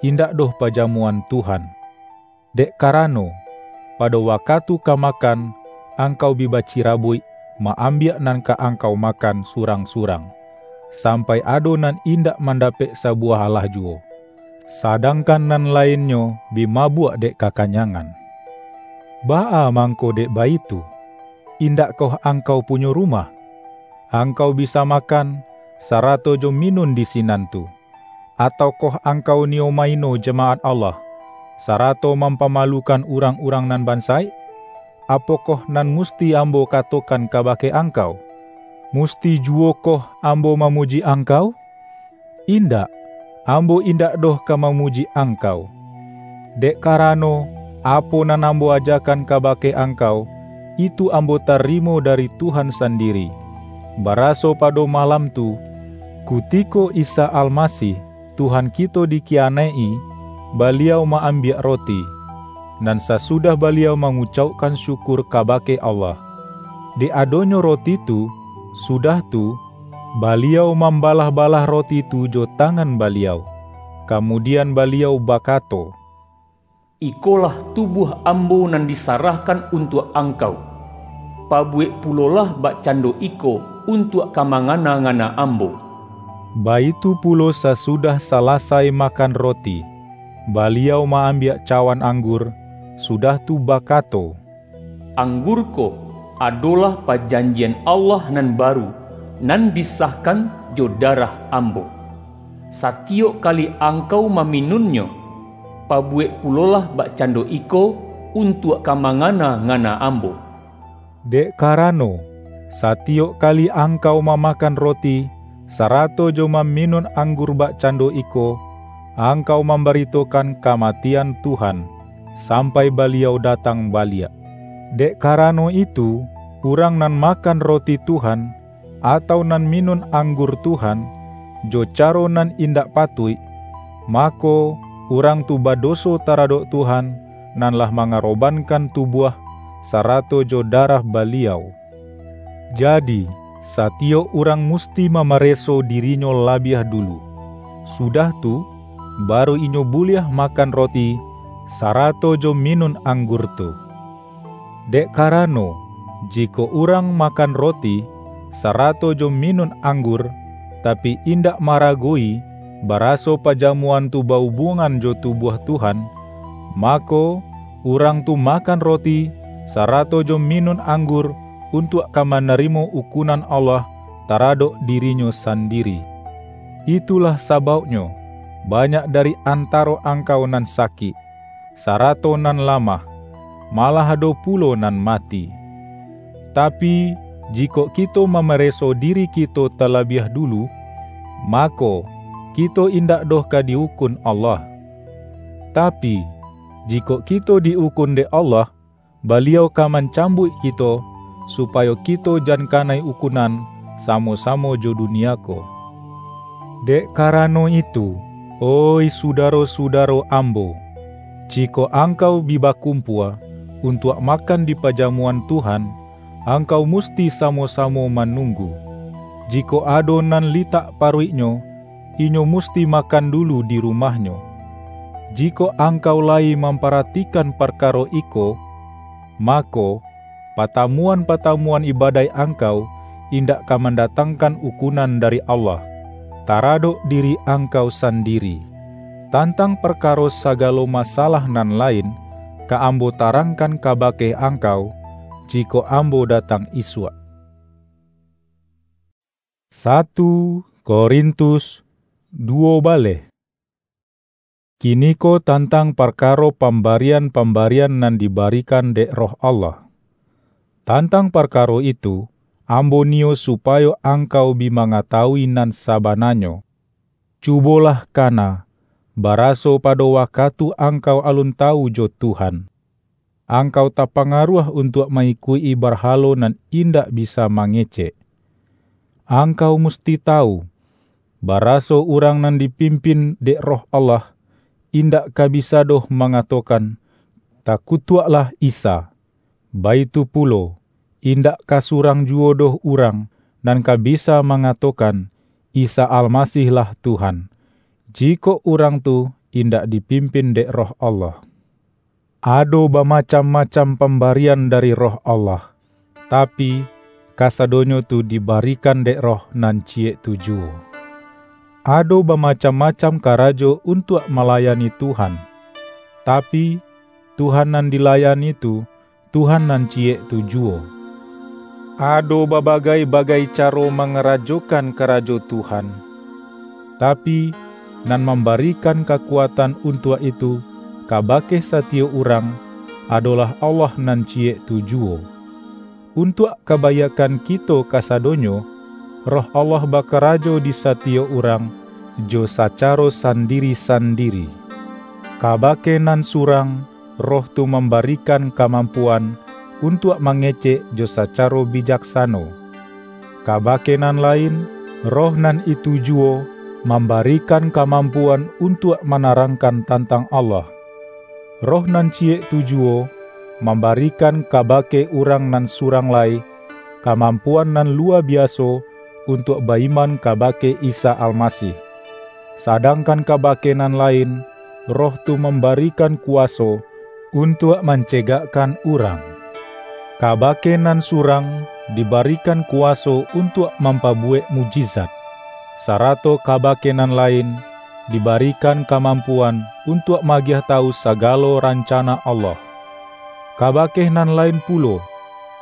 indak doh pajamuan Tuhan. Dek karano, pado wakatu ka makan, angkau bi bacirabuik, ma-ambiak nan ka angkau makan surang-surang, sampai ado nan indak mandapek sabuwah alah juwo, sadangkan nan lainnyo bi mabuak dek kakanyangan. Baa mangko dek baitu? Indakkoh angkau punyo rumah? Angkau bisa makan, sarato jo minun di sinan tu. Ataukoh angkau niyo maino jamaat Allah, sarato mampamalukan urang-urang nan bansaik? Apokoh nan musti ambo katokan kabake angkau? Musti juwokoh ambo mamuji angkau? Indak, ambo indak doh ka mamuji angkau. Dek karano, apo nan ambo ajakan kabake angkau, itu ambo tarimo dari Tuhan sandiri, baraso pado malam tu, kutiko Isa Almasih, Tuhan kito dikiyanaik-i, Baliau ma-ambiak roti, nan sasudah Baliau mangucaukkan syukur kabake Allah. Dek adonyo roti tu, sudah tu, Baliau mambalah-balah roti tu jo tangan Baliau, kamudian Baliau bakato, "Ikolah tubuah Ambo nan disarahkan untuak angkau. Pabuwek pulolah bakcando iko untuak ka mangana-ngana Ambo." Baitu pulo sasudah salasai makan roti, Baliau ma-ambiak cawan anggur, sudah tu bakato, "Anggur ko adolah pajanjian Allah nan baru, nan disahkan jo darah Ambo. Satiyok kali angkau maminunnyo, pabuwek pulolah bakcando iko untuak ka mangana-ngana Ambo." Dek karano, satiyok kali angkau mamakan roti, sarato jo maminun anggur bakcando iko, angkau mambaritokan kamatian Tuhan, sampai Baliau datang baliak. Dek karano itu, urang nan makan roti Tuhan, atau nan minun anggur Tuhan, jo caro nan indak patuik, mako, urang tu badoso taradok Tuhan, nan lah mangarobankan tubuah, sarato jo darah Baliau. Jadi, satiyok urang musti mamareso dirinyo labiah dulu. Sudah tu, baru inyo buliah makan roti, sarato jo minun anggur tu. Dek karano, jikok urang makan roti, sarato jo minun anggur, tapi indak maragoyi, baraso pajamuan tu ba-ubungan jo tubuah Tuhan, mako, urang tu makan roti, sarato jo minun anggur, untuak ka manarimo ukunan Allah taradok dirinyo sandiri. Itulah sabauknyo, banyak dari antaro angkau nan sakik, sarato nan lamah, malah ado pulo nan mati. Tapi, jikok kito mamareso diri kito talabiah dulu, mako, kito indak doh ka di-ukun Allah. Tapi, Jikok kito di-ukun dek Allah, Baliau ka mancambuik kito, supayo kito jan kanai ukunan samo-samo jo dunia ko. Dek karano itu, oih sudaro-sudaro ambo, jikok angkau bi bakumpua untuak makan di pajamuan Tuhan, angkau musti samo-samo manunggu. Jikok ado nan litak paruiknyo, inyo musti makan dulu di rumahnyo. Jikok angkau layi mamparatikan parkaro iko, mako, patamuan-patamuan ibadaik angkau indak ka mandatangkan ukunan dari Allah, taradok diri angkau sandiri. Tantang parkaro sagalo masalah nan lain, ka ambo tarangkan kabake angkau, jikok ambo datang isuak. Satu Korintus duo baleh. Kiniko tantang parkaro pambarian-pambarian nan dibarikan dek Roh Allah. Tantang parkaro itu, ambo niyo supayo angkau bi mangatawui nan sabananyo. Cubolah kana, baraso pado wakatu angkau alun tawu jo Tuhan, angkau tapangaruah untuak ma-ikuik-i barhalo nan indak bisa mangecek. Angkau musti tawu, baraso urang nan dipimpin dek Roh Allah, indak ka bisa doh mangatokan, "Takutuaklah Isa." Baitu pulo, indak ka surang juwo doh urang nan ka bisa mangatokan, "Isa Almasih-lah Tuhan," jikok urang tu indak dipimpin dek Roh Allah. Ado bamacam-macam pambarian dari Roh Allah, tapi, kasadonyo tu dibarikan dek Roh nan ciyek tu juwo. Ado bamacam-macam karajo untuak malayani Tuhan, tapi, Tuhan nan dilayani tu, Tuhan nan ciyek tu juwo. Ado babagai-bagai caro mangarajokan karajo Tuhan, tapi, nan mambarikan kakuatan untuak itu kabake satiyok urang, adolah Allah nan ciyek tu juwo. Untuak kabaiakkan kito kasadonyo, Roh Allah bakarajo di satiyok urang jo sacaro sandiri-sandiri. Kabake nan surang, Roh tu mambarikan kamampuan untuak mangecek jo sacaro bijaksano. Kabake nan lain, Roh nan itu juwo mambarikan kamampuan untuak manarangkan tantang Allah. Roh nan ciyek tu juwo mambarikan kabake urang nan surang lai kamampuan nan luwa biaso untuak ba-iman kabake Isa Almasih. Sadangkan kabake nan lain, Roh tu mambarikan kuwaso untuak mancegakkan urang. Kabake nan surang dibarikan kuwaso untuak mampabuwek mukjizat, sarato kabake nan lain dibarikan kamampuan untuak maagiah tawu sagalo rancana Allah. Kabake nan lain pulo,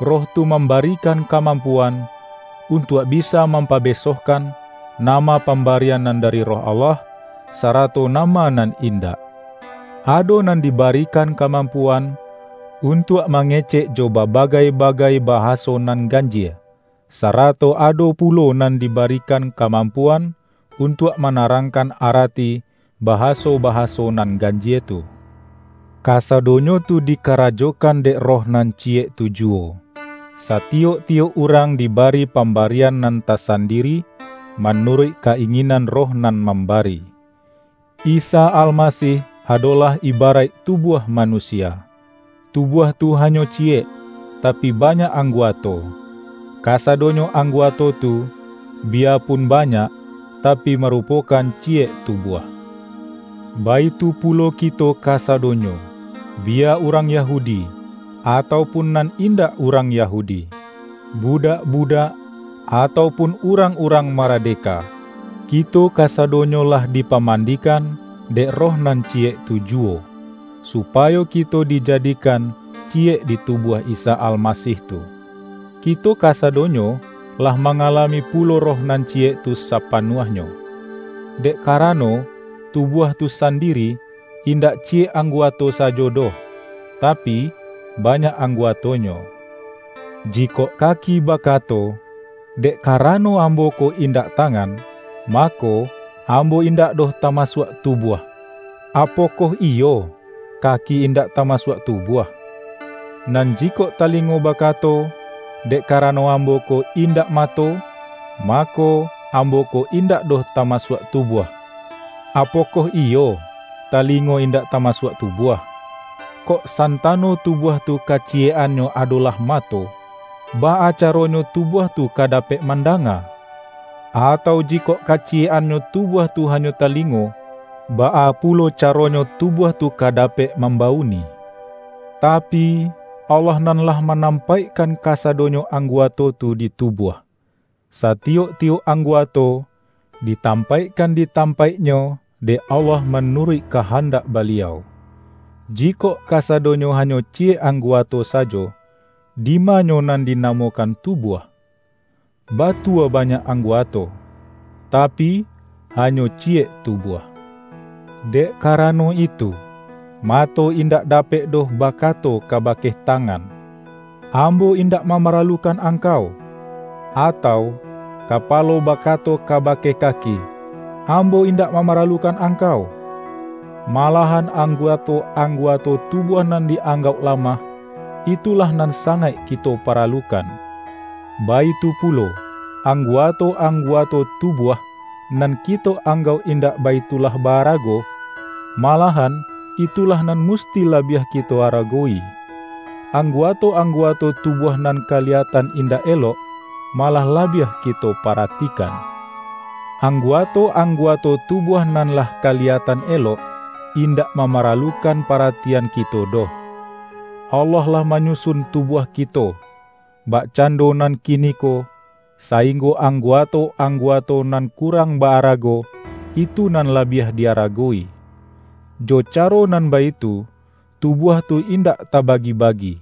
Roh tu mambarikan kamampuan untuak bisa mampabesohkan nama pambarian nan dari Roh Allah, sarato nama nan indak. Ado nan dibarikan kamampuan untuak mangecek jo babagai-bagai bahaso nan ganjie, sarato ado pulo nan dibarikan kamampuan untuak manarangkan arati bahaso-bahaso nan ganjie tu. Kasadonyo tu dikarajokan dek Roh nan ciyek tu juwo. Satiyok-tiyok urang dibari pambarian nan tasandiri manuruik ka-inginan Roh nan mambari. Isa Almasih adolah ibaraik tubuah manusia. Tubuah tu hanyo ciyek, tapi banyak angguato. Kasadonyo angguato tu, biyapun banyak, tapi marupokan ciyek tubuah. Baitu pulo kito kasadonyo, biya urang Yahudi, atau pun nan indak urang Yahudi, budak-budak, atau pun urang-urang maradeka, kito kasadonyo lah dipamandikan dek Roh nan ciyek tu juwo, supayo kito dijadikan ciyek di tubuah Isa Almasih tu. Kito kasadonyo lah mangalami pulo Roh nan ciyek tu sapanuahnyo. Dek karano, tubuah tu sandiri indak ciyek angguato sajo doh, tapi, banyak angguatonyo. Jikok kaki bakato, "Dek karano ambo ko indak tangan, mako, ambo indak doh tamasuak tubuah." Apokoh iyo? kaki indak tamasuak tubuah? Nan jikok talingo bakato, "Dek karano ambo ko indak mato, mako, ambo ko indak doh tamasuak tubuah." Apokoh iyo, talingo indak tamasuak tubuah? Kok santano tubuah tu kaciyek-annyo adolah mato, baa caronyo tubuah tu ka dapek mandanga? Atau jikok kaciyek-annyo tubuah tu hanyo talingo, baa pulo caronyo tubuah tu ka dapek mambauni? Tapi, Allah nan lah manampaikkan kasadonyo angguato tu di tubuah. Satiyok-tiyok angguato ditampaikkan di tampaiknyo dek Allah manuruik kahandak Baliau. Jikok kasadonyo hanyo ciyek angguato sajo, dimanyo nan dinamokan tubuah? Batua banyak angguato, tapi, hanyo ciyek tubuah. Dek karano itu, mato indak dapek doh bakato kabake tangan, "Ambo indak mamaralukan angkau," atau kapalo bakato kabake kaki, "Ambo indak mamaralukan angkau." Malahan angguato-angguato tubuah nan di-anggauk lamah, itulah nan sangaik kito paralukan. Baitu pulo, angguato-angguato tubuah nan kito anggauk indak baitulah baarago, malahan itulah nan musti labiah kito aragowi. Angguato-angguato tubuah nan kaliyatan indak elok, malah labiah kito paratikan. Angguato-angguato tubuah nan lah kaliyatan elok, indak mamaralukan paratian kito doh. Allah lah manyusun tubuah kito, bakcando nan kiniko, sainggo angguato-angguato nan kurang baarago, itu nan labiah diaragowi. Jo caro nan baitu, tubuah tu indak tabagi-bagi.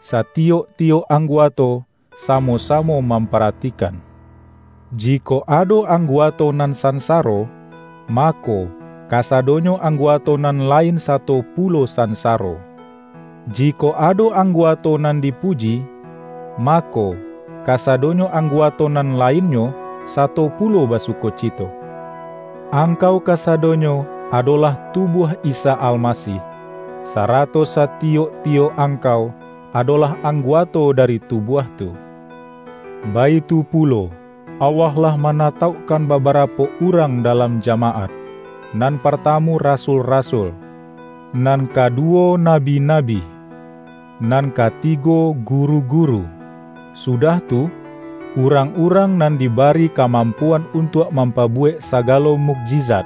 Satiyok-tiyok angguato samo-samo mamparatikan. Jikok ado angguato nan sansaro, mako, kasadonyo angguato nan lain sato pulo sansaro. Jikok ado angguato nan dipuji, mako, kasadonyo angguato nan lainnyo sato pulo basukocito. Angkau kasadonyo adolah tubuah Isa Almasih, sarato satiyok-tiyok angkau adolah angguato dari tubuah tu. Baitu pulo, Allah lah manataukkan babarapo urang dalam jamaat, nan partamu rasul-rasul, nan kaduwo nabi-nabi, nan katigo guru-guru, sudah tu, urang-urang nan dibari kamampuan untuak mampabuwek sagalo mukjizat,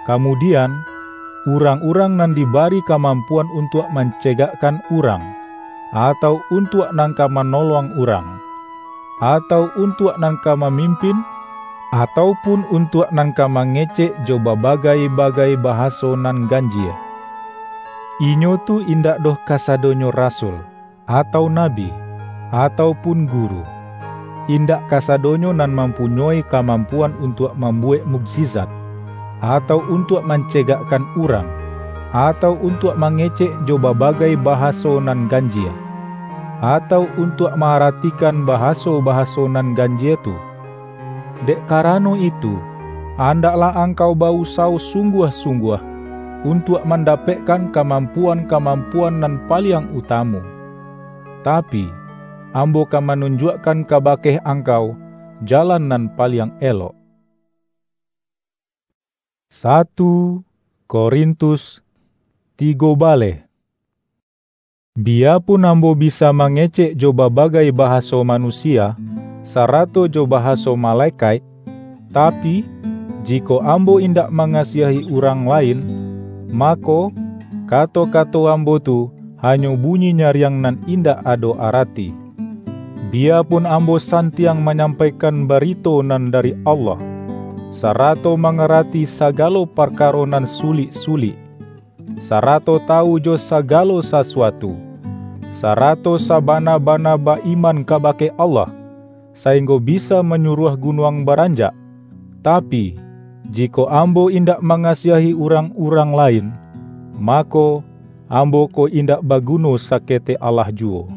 kamudian, urang-urang nan dibari kamampuan untuak mancegakkan urang, atau untuak nan ka manolong urang, atau untuak nan ka mamimpin, atau pun untuak nan ka mangecek jo babagai-bagai bahaso nan ganjie. Inyo tu indak doh kasadonyo rasul, atau nabi, atau pun guru. Indak kasadonyo nan mampunyoi kamampuan untuak mambuwek mukjizat, atau untuak mancegakkan urang, atau untuak mangecek jo babagai bahaso nan ganjie, atau untuak ma-aratikan bahaso-bahaso nan ganjie tu. Dek karano itu, andaklah angkau ba-usawo sungguah-sungguah untuak mandapekkan kamampuan-kamampuan nan paliang utamu. Tapi, ambo ka manunjuakkan kabake angkau jalan nan paliang elok. Satu Korintus tigo baleh. Biyapun ambo bisa mangecek jo babagai bahaso manusia, sarato jo bahaso malekaik, tapi, jikok ambo indak mangasiahi urang lain, mako, kato-kato ambo tu hanyo bunyi nyariang nan indak ado arati. Biyapun ambo santiang manyampaikan barito nan dari Allah, sarato mangarati sagalo parkaro nan sulik-sulik, sarato tawu jo sagalo sasuatu, sarato sabana-bana ba-iman kabake Allah, sainggo bisa manyuruah gunuang baranjak. Tapi, jikok ambo indak mangasiahi urang-urang lain, mako, ambo ko indak baguno saketek alah juwo.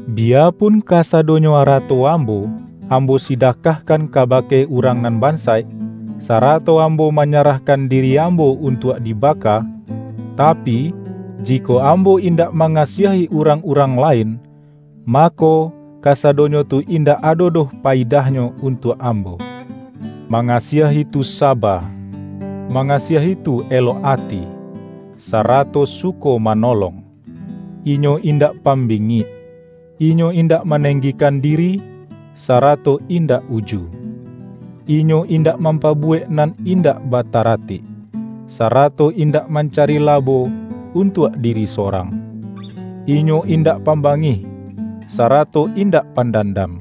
Biyapun kasadonyo arato ambo, ambo sidakahkan kabake urang nan bansaik, sarato ambo manyarahkan diri ambo untuak dibaka, Tapi, jikok ambo indak mangasiahi urang-urang lain, mako, kasadonyo tu indak ado doh paidahnyo untuak ambo. Mangasiahi tu saba, mangasiahi tu elok ati, sarato suko manolong. Inyo indak pambingik, inyo indak manenggikan diri, sarato indak uju. Inyo indak mampabuwek nan indak bataratik, sarato indak mancari labo untuak diri sorang. Inyo indak pambangih, sarato indak pandandam.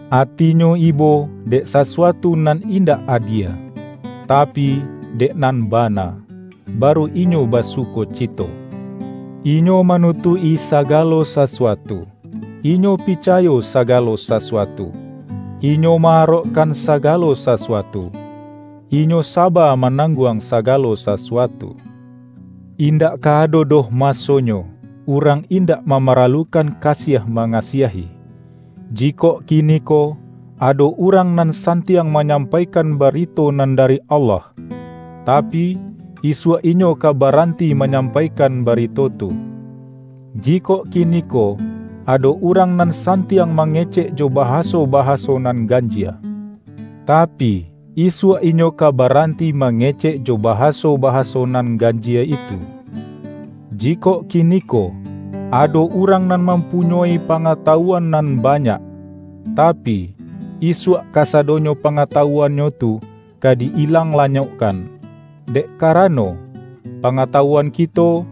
Atinyo ibo dek sasuatu nan indak adie, tapi, dek nan bana, baru inyo basukocito. Inyo manutuik-i sagalo sasuatu, inyo picayo sagalo sasuatu, inyo ma-arokkan sagalo sasuatu, inyo saba manangguang sagalo sasuatu. Indak ka ado doh masonyo, urang indak mamaralukan kasiah mangasiahi. Jikok kiniko, ado urang nan santiang manyampaikan barito nan dari Allah, tapi, isuak inyo ka baranti manyampaikan barito tu. Jikok kiniko, ado urang nan santiang mangecek jo bahaso-bahaso nan ganjie, tapi, isuak inyo ka baranti mangecek jo bahaso-bahaso nan ganjie itu. Jikok kiniko, ado urang nan mampunyoi pangatawuan nan banyak, tapi, isuak kasadonyo pangatawuannyo tu ka di-ilang lanyokkan, dek karano, pangatawuan kito,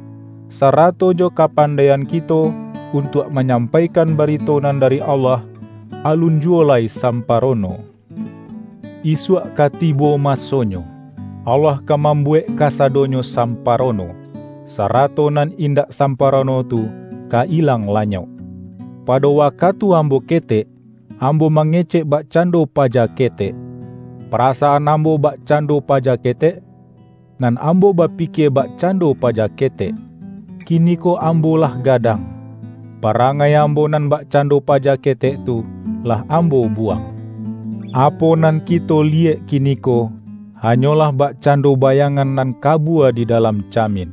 sarato jo kapandaian kito untuak manyampaikan barito nan dari Allah, alun juwo lai samparono. Isuak ka tibo masonyo, Allah ka mambuwek kasadonyo samparono, sarato nan indak samparono tu ka ilang lanyok. Pado wakatu ambo ketek, ambo mangecek bakcando paja ketek. Parasaan ambo bakcando paja ketek, nan ambo bapikie bakcando paja ketek. Kiniko ambo lah gadang. Parangai ambo nan bakcando paja ketek tu lah ambo buwang. Apo nan kito liyek kiniko, hanyolah bakcando bayangan nan kabua di dalam camin.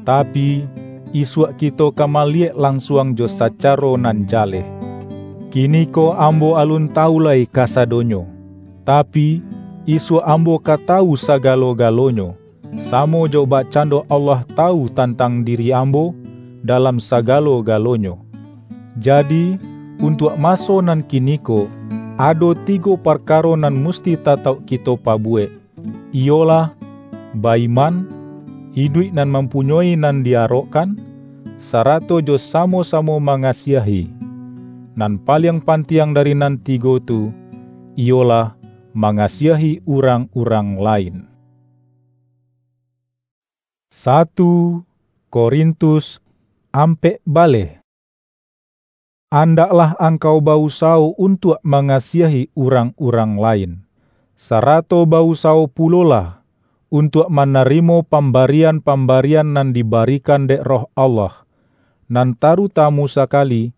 Tapi, isuak kito ka maliyek lansuang jo sacaro nan jaleh. Kiniko ambo alun tawu lai kasadonyo, tapi, isuak ambo ka tawu sagalo-galonyo, samo jo bakcando Allah tawu tantang diri ambo dalam sagalo-galonyo. Jadi, untuak maso nan kiniko, ado tigo parkaro nan musti tatauk kito pabuwek, iyolah, ba-iman, iduik nan mampunyoi nan di-arokkan, sarato jo samo-samo mangasiahi. Nan paliang pantiang dari nan tigo tu, iyolah, mangasiahi urang-urang lain. Satu Korintus ampek baleh. Andaklah angkau ba-usawo untuak mangasiahi urang-urang lain, sarato ba-usawo pulolah untuak manarimo pambarian-pambarian nan dibarikan dek Roh Allah, nan tarutamu sakali,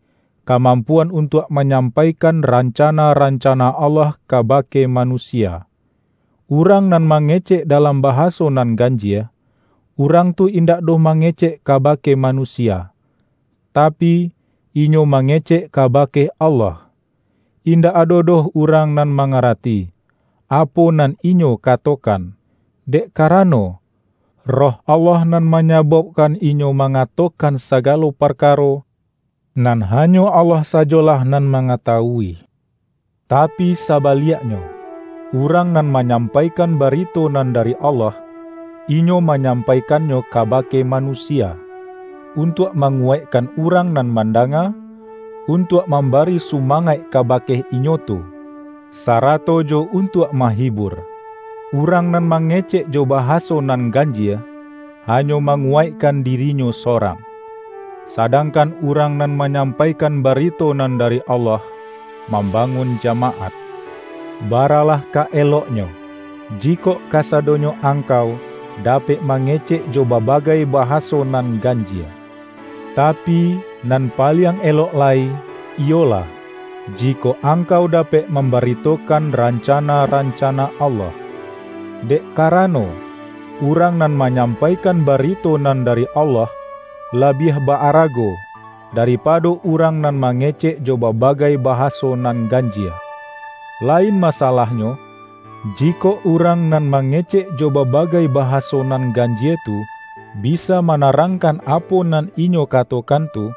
kamampuan untuak manyampaikan rancana-rancana Allah kabake manusia. Urang nan mangecek dalam bahaso nan ganjie, urang tu indak doh mangecek kabake manusia, tapi, inyo mangecek kabake Allah. Indak ado doh urang nan mangarati, apo nan inyo katokan, dek karano, Roh Allah nan manyababkan inyo mangatokan sagalo parkaro, nan hanyo Allah sajolah nan mangatawui. Tapi sabaliaknyo, urang nan manyampaikan barito nan dari Allah, inyo manyampaikannyo kabake manusia, untuak manguwaikkan urang nan mandanga, untuak mambari sumangaik kabake inyo tu, sarato jo untuak mahibur. Urang nan mangecek jo bahaso nan ganjie, hanyo manguwaikkan dirinyo sorang. Sadangkan urang nan manyampaikan barito nan dari Allah, mambangun jamaat. Baralah ka eloknyo, jikok kasadonyo angkau dapek mangecek jo babagai bahaso nan ganjie. Tapi, nan paliang elok lai, iyolah, jikok angkau dapek mambaritokan rancana-rancana Allah. Dek karano, urang nan manyampaikan barito nan dari Allah, labiah ba-arago daripado urang nan mangecek jo babagai bahaso nan ganjie. Lain masalahnyo, jikok urang nan mangecek jo babagai bahaso nan ganjie tu bisa manarangkan apo nan inyo katokan tu,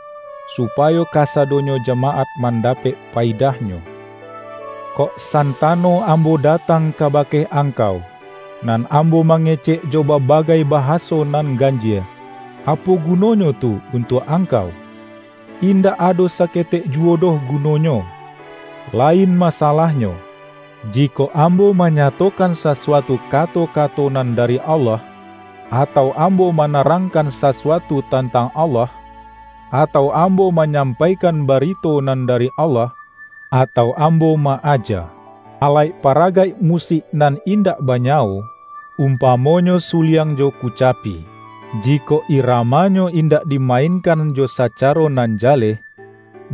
supayo kasadonyo jamaat mandapek paidahnyo. Kok santano ambo datang kabake angkau, nan ambo mangecek jo babagai bahaso nan ganjie, apo gunonyo tu untuak angkau? Indak ado saketek juwo doh gunonyo. Lain masalahnyo, jikok ambo manyatokan sasuatu kato-kato nan dari Allah, atau ambo manarangkan sasuatu tantang Allah, atau ambo manyampaikan barito nan dari Allah, atau ambo ma-aja alaik paragaik musik nan indak banyawo, umpamonyo suliang jo kucapi, jikok iramanyo indak dimainkan jo sacaro nan jaleh,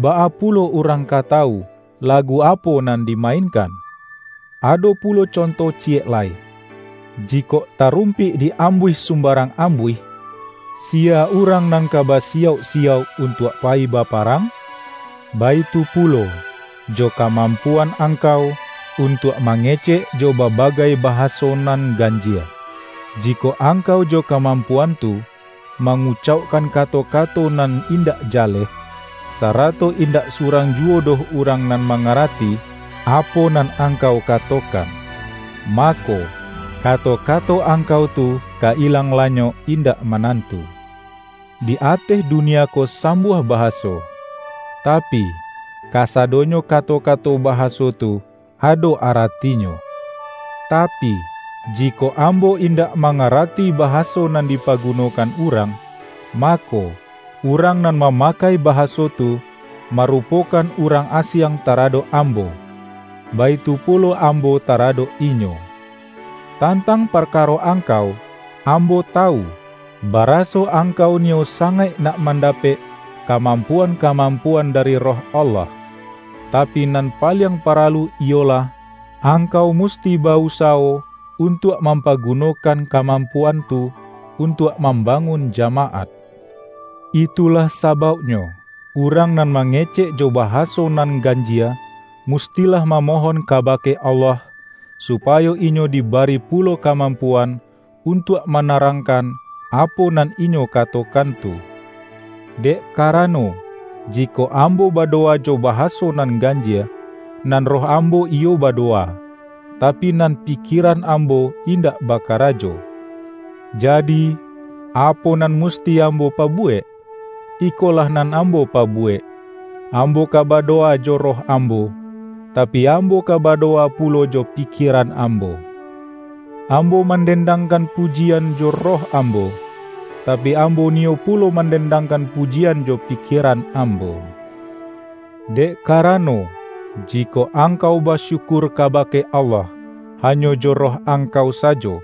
baa pulo urang ka tawu lagu apo nan dimainkan? Ado pulo conto ciyek lai. Jikok tarumpik di-ambuih sumbarang ambuih, sia urang nan ka basiyauk-siyauk untuak payi baparang? Baitu pulo, jo kamampuan angkau untuak mangecek jo babagai bahaso nan ganjie. Jikok angkau jo kamampuan tu mangucaukkan kato-kato nan indak jaleh, sarato indak surang juwo doh urang nan mangarati apo nan angkau katokan, mako, kato-kato angkau tu ka ilang lanyok indak manantu. Di ateh dunia ko sambuah bahaso, tapi, kasadonyo kato-kato bahaso tu ado aratinyo. Tapi, jikok ambo indak mangarati bahaso nan dipagunokan urang, mako, urang nan mamakai bahaso tu marupokan urang asiang taradok ambo, baitu pulo ambo taradok inyo. Tantang parkaro angkau, ambo tawu, baraso angkau niyo sangaik nak mandapek kamampuan-kamampuan dari Roh Allah. Tapi nan paliang paralu iyolah, angkau musti ba-usawo untuak mampagunokan kamampuan tu untuak mambangun jamaat. Itulah sabauknyo, urang nan mangecek jo bahaso nan ganjie, mustilah mamohon kabake Allah, supayo inyo dibari pulo kamampuan untuak manarangkan apo nan inyo katokan tu. Dek karano, jikok ambo badowa jo bahaso nan ganjie, nan roh ambo iyo badowa, tapi nan pikieran ambo indak bakarajo. Jadi, apo nan musti ambo pabuwek? Ikolah nan ambo pabuwek: Ambo ka badowa jo roh ambo, tapi ambo ka badowa pulo jo pikieran ambo. Ambo mandendangkan pujian jo roh ambo, tapi ambo niyo pulo mandendangkan pujian jo pikieran ambo. Dek karano, jikok angkau basyukur kabake Allah hanyo jo roh angkau sajo,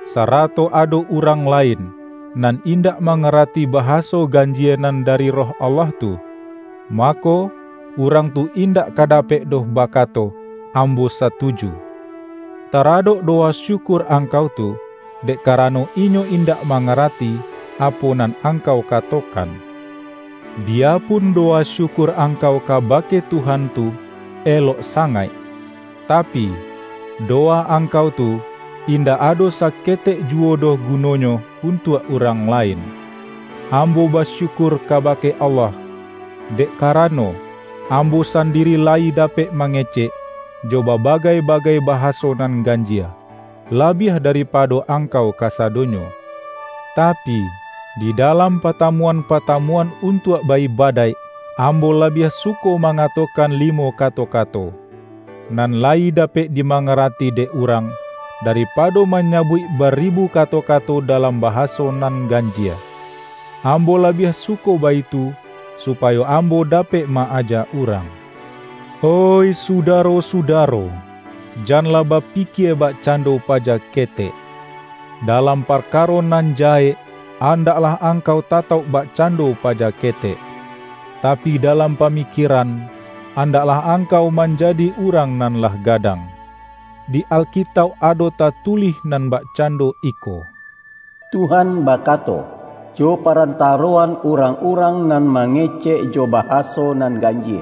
sarato ado urang lain nan indak mangarati bahaso ganjie nan dari Roh Allah tu, mako, urang tu indak ka dapek doh bakato, "Ambo satuju," taradok dowa syukur angkau tu, dek karano inyo indak mangarati apo nan angkau katokan. Biyapun dowa syukur angkau kabake Tuhan tu elok sangaik, tapi, dowa angkau tu indak ado saketek juwo doh gunonyo untuak urang lain. Ambo basyukur kabake Allah, dek karano, ambo sandiri layi dapek mangecek jo babagai-bagai bahaso nan ganjie, labiah daripado angkau kasadonyo. Tapi, di dalam patamuan-patamuan untuak ba-ibadaik, ambo labiah suko mangatokan limo kato-kato, nan layi dapek dimangarati dek urang, daripado manyabuik baribu kato-kato dalam bahaso nan ganjie. Ambo labiah suko baitu, supayo ambo dapek ma-aja urang. Oih sudaro-sudaro, janlah bapikie bakcando paja ketek. Dalam parkaro nan jahek, andaklah angkau tatauk bakcando paja ketek. Tapi dalam pamikieran, andaklah angkau manjadi urang nan lah gadang. Di Alkitauk ado tatulih nan bakcando iko, Tuhan bakato, jo parantaroan urang-urang nan mangecek jo bahaso nan ganjie,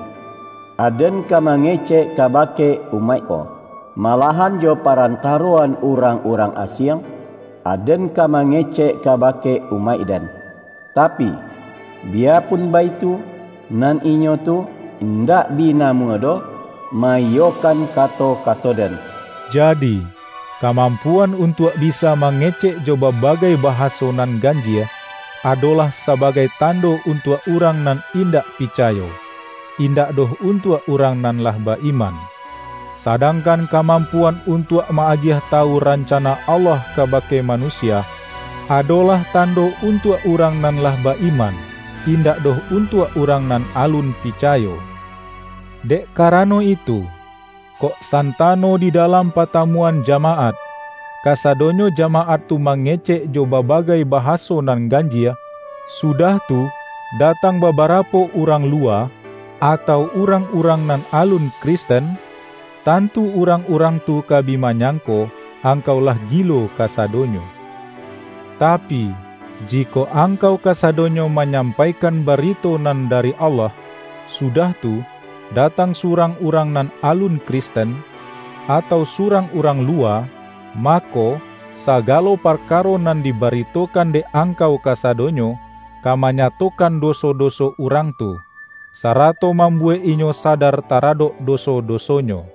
Aden ka mangecek kabake umaik ko, malahan jo parantaroan urang-urang asiang, Aden ka mangecek kabake umaik Den. Tapi, biyapun baitu, nan inyo tu indak bi namuah doh maiyokan kato-kato Den. Jadi, kamampuan untuak bisa mangecek jo babagai bahaso nan ganjie, adolah sabagai tando untuak urang nan indak picayo, indak doh untuak urang nan lah ba-iman. Sadangkan kamampuan untuak ma-agiah tawu rancana Allah kabake manusia, adolah tando untuak urang nan lah ba-iman, indak doh untuak urang nan alun picayo. Dek karano itu, kok santano di dalam patamuan jamaat, kasadonyo jamaat tu mangecek jo babagai bahaso nan ganjie, sudah tu, datang babarapo urang luwa, atau urang-urang nan alun Kristen, tantu urang-urang tu ka bi manyangko angkau lah gilo kasadonyo. Tapi, jikok angkau kasadonyo manyampaikan barito nan dari Allah, sudah tu, datang surang urang nan alun Kristen, atau surang urang luwa, mako, sagalo parkaro nan dibaritokan dek angkau kasadonyo, ka manyatokan doso-doso urang tu, sarato mambuwek inyo sadar taradok doso-dosonyo.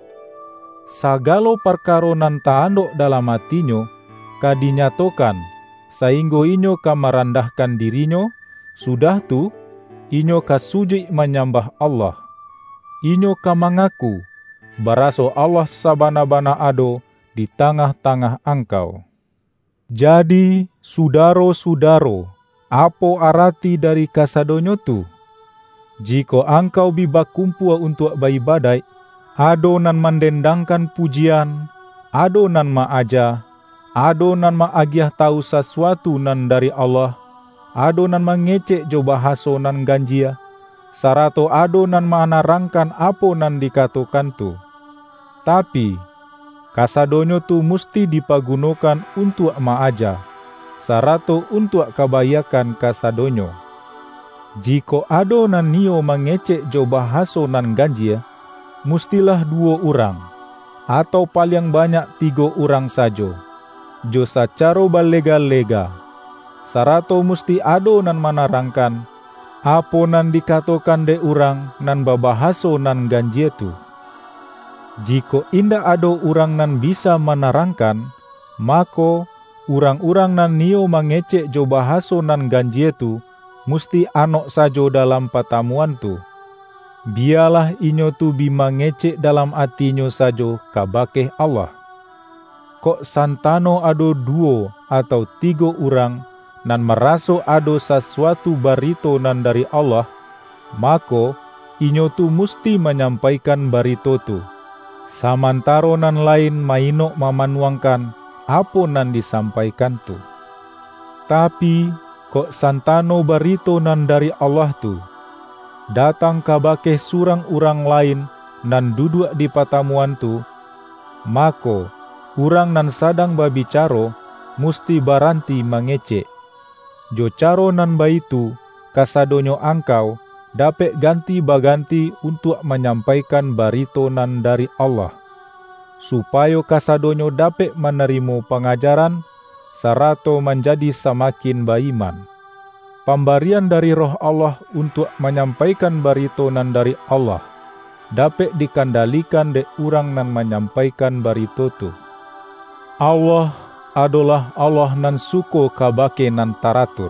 Sagalo parkaro nan ta-andok dalam atinyo ka dinyatokan, sainggo inyo ka marandahkan dirinyo, sudah tu, inyo ka sujuik manyambah Allah. Inyo ka mangaku, baraso Allah sabana-bana ado di tangah-tangah angkau. Jadi, sudaro-sudaro, apo arati dari kasadonyo tu? Jikok angkau bi bakumpua untuak ba-ibadaik, ado nan mandendangkan pujian, ado nan ma-aja, ado nan ma-agiah tawu sasuatu nan dari Allah, ado nan mangecek jo bahaso nan ganjie, sarato ado nan manarangkan apo nan dikatokan tu. Tapi, kasadonyo tu musti dipagunokan untuak ma-aja, sarato untuak kabaiakkan kasadonyo. Jikok ado nan niyo mangecek jo bahaso nan ganjie, mustilah duwo urang, atau paliang banyak tigo urang sajo, jo sacaro balega-lega, sarato musti ado nan manarangkan, apo nan dikatokan dek urang nan babahaso nan ganjie tu. Jikok indak ado urang nan bisa manarangkan, mako, urang-urang nan niyo mangecek jo bahaso nan ganjie tu, musti anok sajo dalam patamuan tu. Biyalah inyo tu bi mangecek dalam atinyo sajo kabake Allah. Kok santano ado duwo atau tigo urang nan maraso ado sasuatu barito nan dari Allah, mako, inyo tu musti manyampaikan barito tu, samantaro nan lain ma-inok mamanuangkan apo nan disampaikan tu. Tapi, kok santano barito nan dari Allah tu, datang kabake surang urang lain nan duduak di patamuan tu, mako, urang nan sadang babicaro musti baranti mangecek. Jo caro nan baitu, kasadonyo angkau dapek ganti baganti untuak manyampaikan barito nan dari Allah, supayo kasadonyo dapek manarimo pangajaran, sarato manjadi samakin ba-iman. Pambarian dari Roh Allah untuak manyampaikan barito nan dari Allah, dapek dikandalikan dek urang nan manyampaikan barito tu. Allah adolah Allah nan suko kabake nan taratur.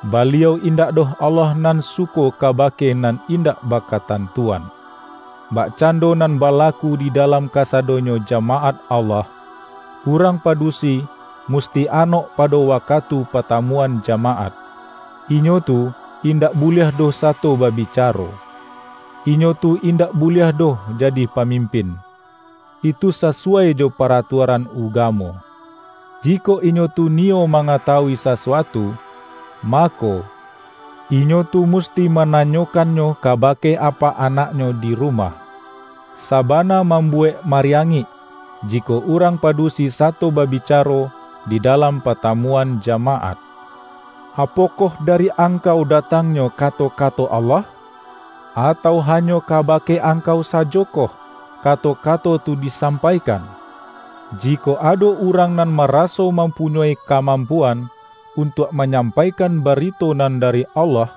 Baliau indak doh Allah nan suko kabake nan indak bakatantuan. Bakcando nan balaku di dalam kasadonyo jamaat Allah, urang padusi musti anok pado wakatu patamuan jamaat. Inyo tu indak buliah doh sato babicaro. Inyo tu indak buliah doh jadi pamimpin. Itu sasuai jo paratuaran ugamo. Jikok inyo tu niyo mangatawui sasuatu, mako, inyo tu musti mananyokannyo kabake apak anaknyo di rumah. Sabana mambuwek mariangik, jikok urang padusi sato babicaro, di dalam patamuan jamaat. Apokoh dari angkau datangnyo kato-kato Allah? Atau hanyo kabake angkau sajokoh kato-kato tu disampaikan? Jikok ado urang nan maraso mampunyoi kamampuan untuak manyampaikan barito nan dari Allah,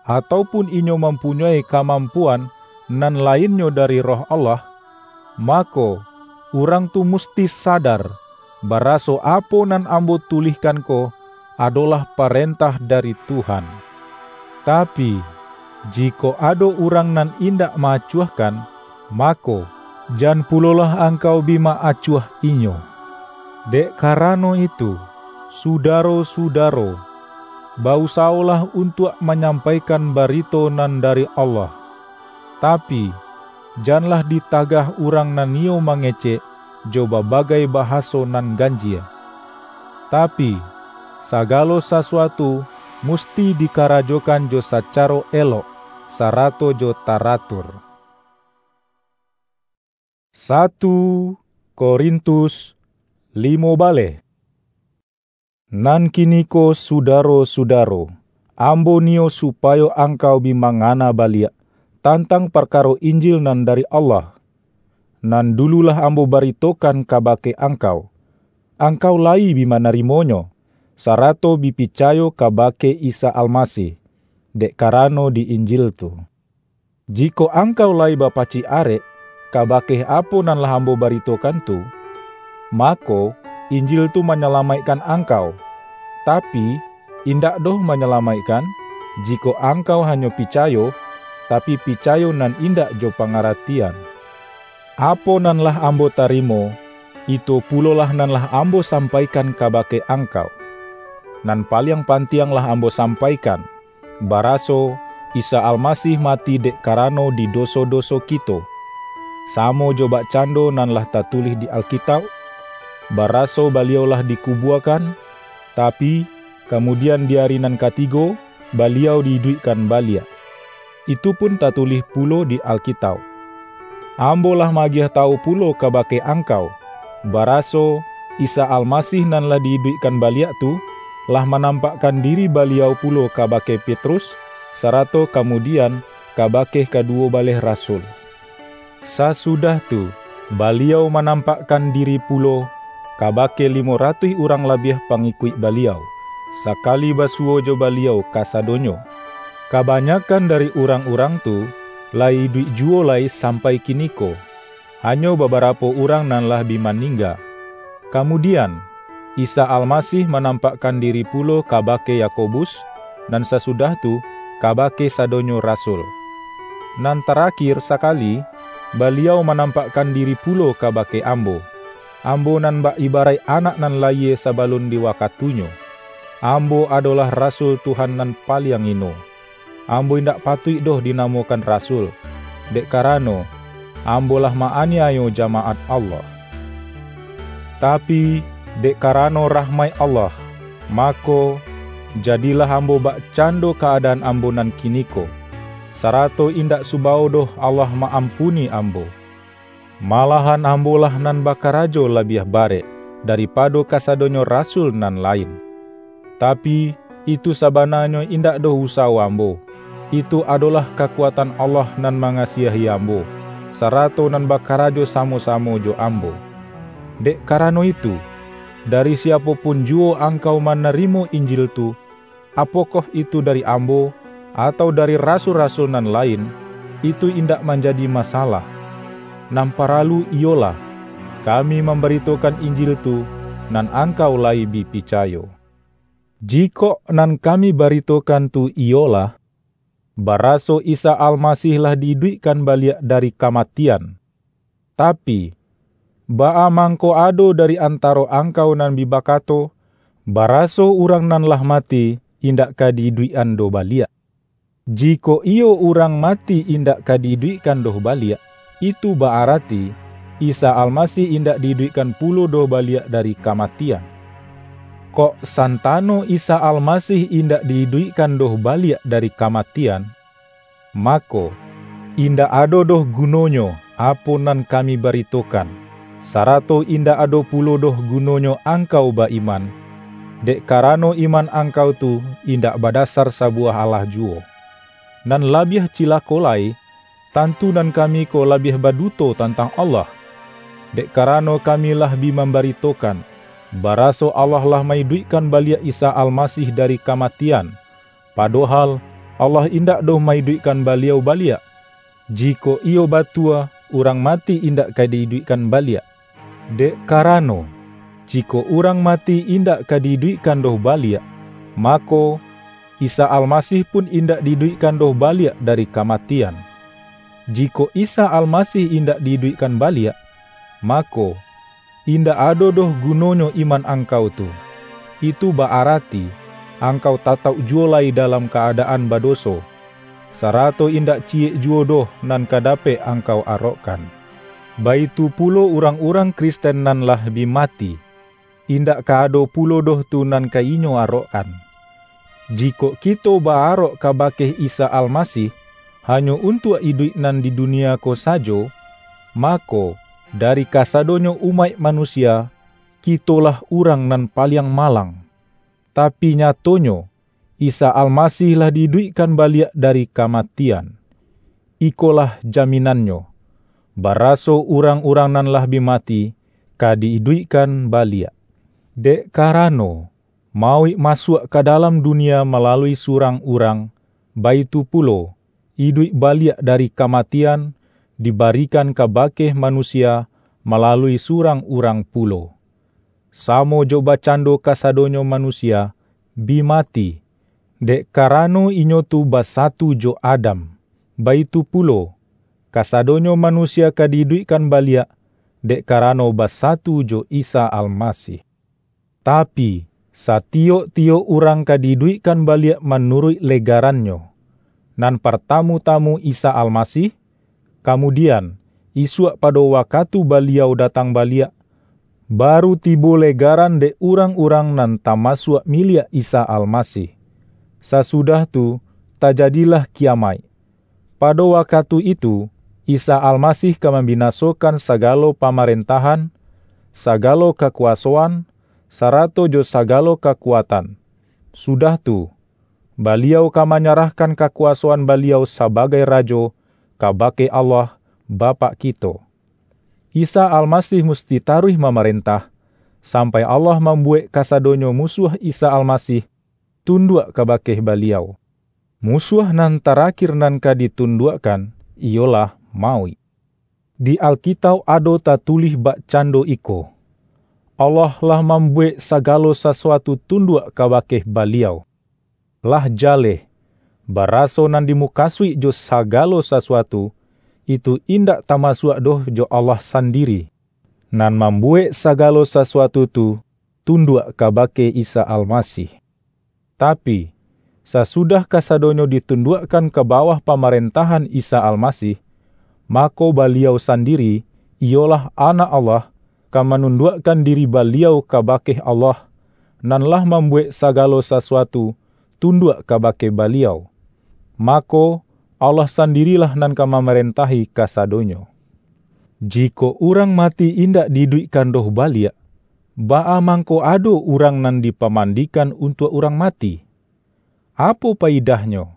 atau pun inyo mampunyoi kamampuan nan lainnyo dari Roh Allah, mako, urang tu musti sadar, baraso apo nan ambo tulihkan ko adolah parentah dari Tuhan. Tapi, jikok ado urang nan indak ma-acuahkan, mako, jan pulolah angkau bi ma-acuah inyo. Dek karano itu, sudaro-sudaro, ba-usawolah untuak manyampaikan barito nan dari Allah. Tapi, janlah ditagah urang nan iyo mangecek jo babagai bahaso nan ganjie. Tapi, sagalo sasuatu musti dikarajokan jo sacaro elok, sarato jo taratur. Satu Korintus limo baleh. Nan kiniko, sudaro-sudaro, ambo niyo supayo angkau bi mangana baliak tantang parkaro Injil nan dari Allah, nan dulu lah ambo baritokan kabake angkau. Angkau layi bi manarimonyo, sarato bi picayo kabake Isa Almasih, dek karano di Injil tu. Jikok angkau layi bapacik arek kabake apo nan lah ambo baritokan tu, mako, Injil tu manyalamaikkan angkau. Tapi, indak doh manyalamaikkan, jikok angkau hanyo picayo, tapi picayo nan indak jo pangaratian. Apo nan lah ambo tarimo, itu pulolah nan lah ambo sampaikan kabake angkau. Nan paliang pantiang lah ambo sampaikan, baraso Isa Almasih mati dek karano di doso-doso kito, samo jo bakcando nan lah tatulih di Alkitauk, baraso Baliau lah dikubuakan, tapi, kamudian di ari nan katigo, Baliau di-iduikkan baliak. Itu pun tatulih pulo di Alkitauk. Ambo lah maagiah tawu pulo kabake angkau, baraso Isa Almasih nan lah di-iduikkan baliak tu, lah manampakkan diri Baliau pulo kabake Petrus, sarato kamudian kabake kaduwo baleh rasul. Sasudah tu, Baliau manampakkan diri pulo kabake limo ratuih urang labiah pangikuik Baliau, sakali basuwo jo Baliau kasadonyo. Kabanyakan dari urang-urang tu layi iduik juwo lai sampai kiniko, hanyo babarapo urang nan lah bi maningga. Kamudian, Isa Almasih manampakkan diri pulo kabake Yakobus, nan sasudah tu, kabake sadonyo rasul. Nan tarakhir sakali, Baliau manampakkan diri pulo kabake ambo. Ambo nan bak ibaraik anak nan layie sabalun di wakatunyo. Ambo adolah rasul Tuhan nan paliang ino. Ambo indak patuik doh dinamokan rasul, dek karano, ambo lah ma-aniayo jamaat Allah. Tapi, dek karano rahmaik Allah, mako, jadilah ambo bakcando kaadaan ambo nan kiniko, sarato indak subawo doh Allah ma-ampuni ambo. Malahan ambo lah nan bakarajo labiah barek daripado kasadonyo rasul nan lain. Tapi, itu sabananyo indak doh usawo ambo. Itu adolah kakuatan Allah nan mangasiahi ambo, sarato nan bakarajo samo-samo jo ambo. Dek karano itu, dari siapo pun juwo angkau manarimo Injil tu, apokoh itu dari ambo, atau dari rasul-rasul nan lain, itu indak manjadi masalah. Nan paralu iyolah, kami mambaritokan Injil tu, nan angkau layi bi picayo. Jikok nan kami baritokan tu iyolah, baraso Isa Almasih lah di-iduikkan baliak dari kamatian, tapi, baa mangko ado dari antaro angkau nan bi bakato, baraso urang nan lah mati indak ka di-iduikan doh baliak? Jikok iyo urang mati indak ka di-iduikan doh baliak, itu ba-arati Isa Almasih indak di-iduikan pulo doh baliak dari kamatian. Kok santano Isa Almasih indak di-iduikan doh baliak dari kamatian, mako, indak ado doh gunonyo apo nan kami baritokan. sarato indak ado pulo doh gunonyo angkau ba-iman, dek karano iman angkau tu indak badasar sabuwah alah juwo. Nan labiah cilako lai, tantu nan kami ko labiah baduto tantang Allah, dek karano kami lah bi mambaritokan, baraso Allah lah ma-iduikkan baliak Isa Almasih dari kamatian, padohal Allah indak doh ma-iduikkan Baliau baliak. Jikok iyo batua, urang mati indak ka di-iduikkan baliak. Dek karano, jikok urang mati indak ka di-iduikkan doh baliak, mako, Isa Almasih pun indak di-iduikkan doh baliak dari kamatian. Jikok Isa Almasih indak di-iduikkan baliak, mako, indak ado doh gunonyo iman angkau tu. Itu ba-arati, angkau tatauk juwo lai dalam ka-adaan badoso, sarato indak ciyek juwo doh nan ka dapek angkau arokkan. Baitu pulo urang-urang Kristen nan lah bi mati, indak ka ado pulo doh tu nan ka inyo arokkan. Jikok kito ba-arok kabake Isa Almasih, hanyo untuak iduik nan di dunia ko sajo, mako, dari kasadonyo umaik manusia, kitolah urang nan paliang malang. Tapi nyatonyo, Isa Almasih lah di-iduikkan baliak dari kamatian. Ikolah jaminannyo, baraso urang-urang nan lah bi mati ka di-iduikkan baliak. Dek karano, mauik masuak ka dalam dunia malalui surang urang, baitu pulo, iduik baliak dari kamatian dibarikan kabake manusia malalui surang urang pulo. Samo jo bakcando kasadonyo manusia bi mati, dek karano inyo tu basatu jo Adam, baitu pulo, kasadonyo manusia ka di-iduikkan baliak, dek karano basatu jo Isa Almasih. Tapi, satiyok-tiyok urang ka di-iduikkan baliak manuruik legarannyo. Nan partamu-tamu Isa Almasih, kamudian, isuak pado wakatu Baliau datang baliak, baru tibo legaran dek urang-urang nan tamasuak miliak Isa Almasih. Sasudah tu, tajadilah kiyamaik. Pado wakatu itu, Isa Almasih ka mambinasokan sagalo pamarentahan, sagalo kakuwasoan, sarato jo sagalo kakuatan. Sudah tu, Baliau ka manyarahkan kakuwasoan Baliau sabagai Rajo kabake Allah, Bapak kito. Isa Almasih musti taruih mamarentah, sampai Allah mambuwek kasadonyo musuah Isa Almasih tunduak kabake Baliau. Musuah nan tarakhir nan ka ditunduakkan, iyolah mauik. Di Alkitauk ado tatulih bakcando iko, "Allah lah mambuwek sagalo sasuatu tunduak kabake Baliau." Lah jaleh, baraso nan dimukasuik jo sagalo sasuatu, itu indak tamasuak doh jo Allah sandiri, nan mambuwek sagalo sasuatu tu tunduak kabake Isa Almasih. Tapi, sasudah kasadonyo ditunduakkan ka bawah pamarentahan Isa Almasih, mako Baliau sandiri, iyolah Anak Allah, ka manunduakkan diri Baliau kabake Allah, nan lah mambuwek sagalo sasuatu tunduak kabake Baliau. Mako, Allah sandirilah nan ka mamarentahi kasadonyo. Jikok urang mati indak di-iduikkan doh baliak, baa mangko ado urang nan dipamandikan untuak urang mati? Apo paidahnyo,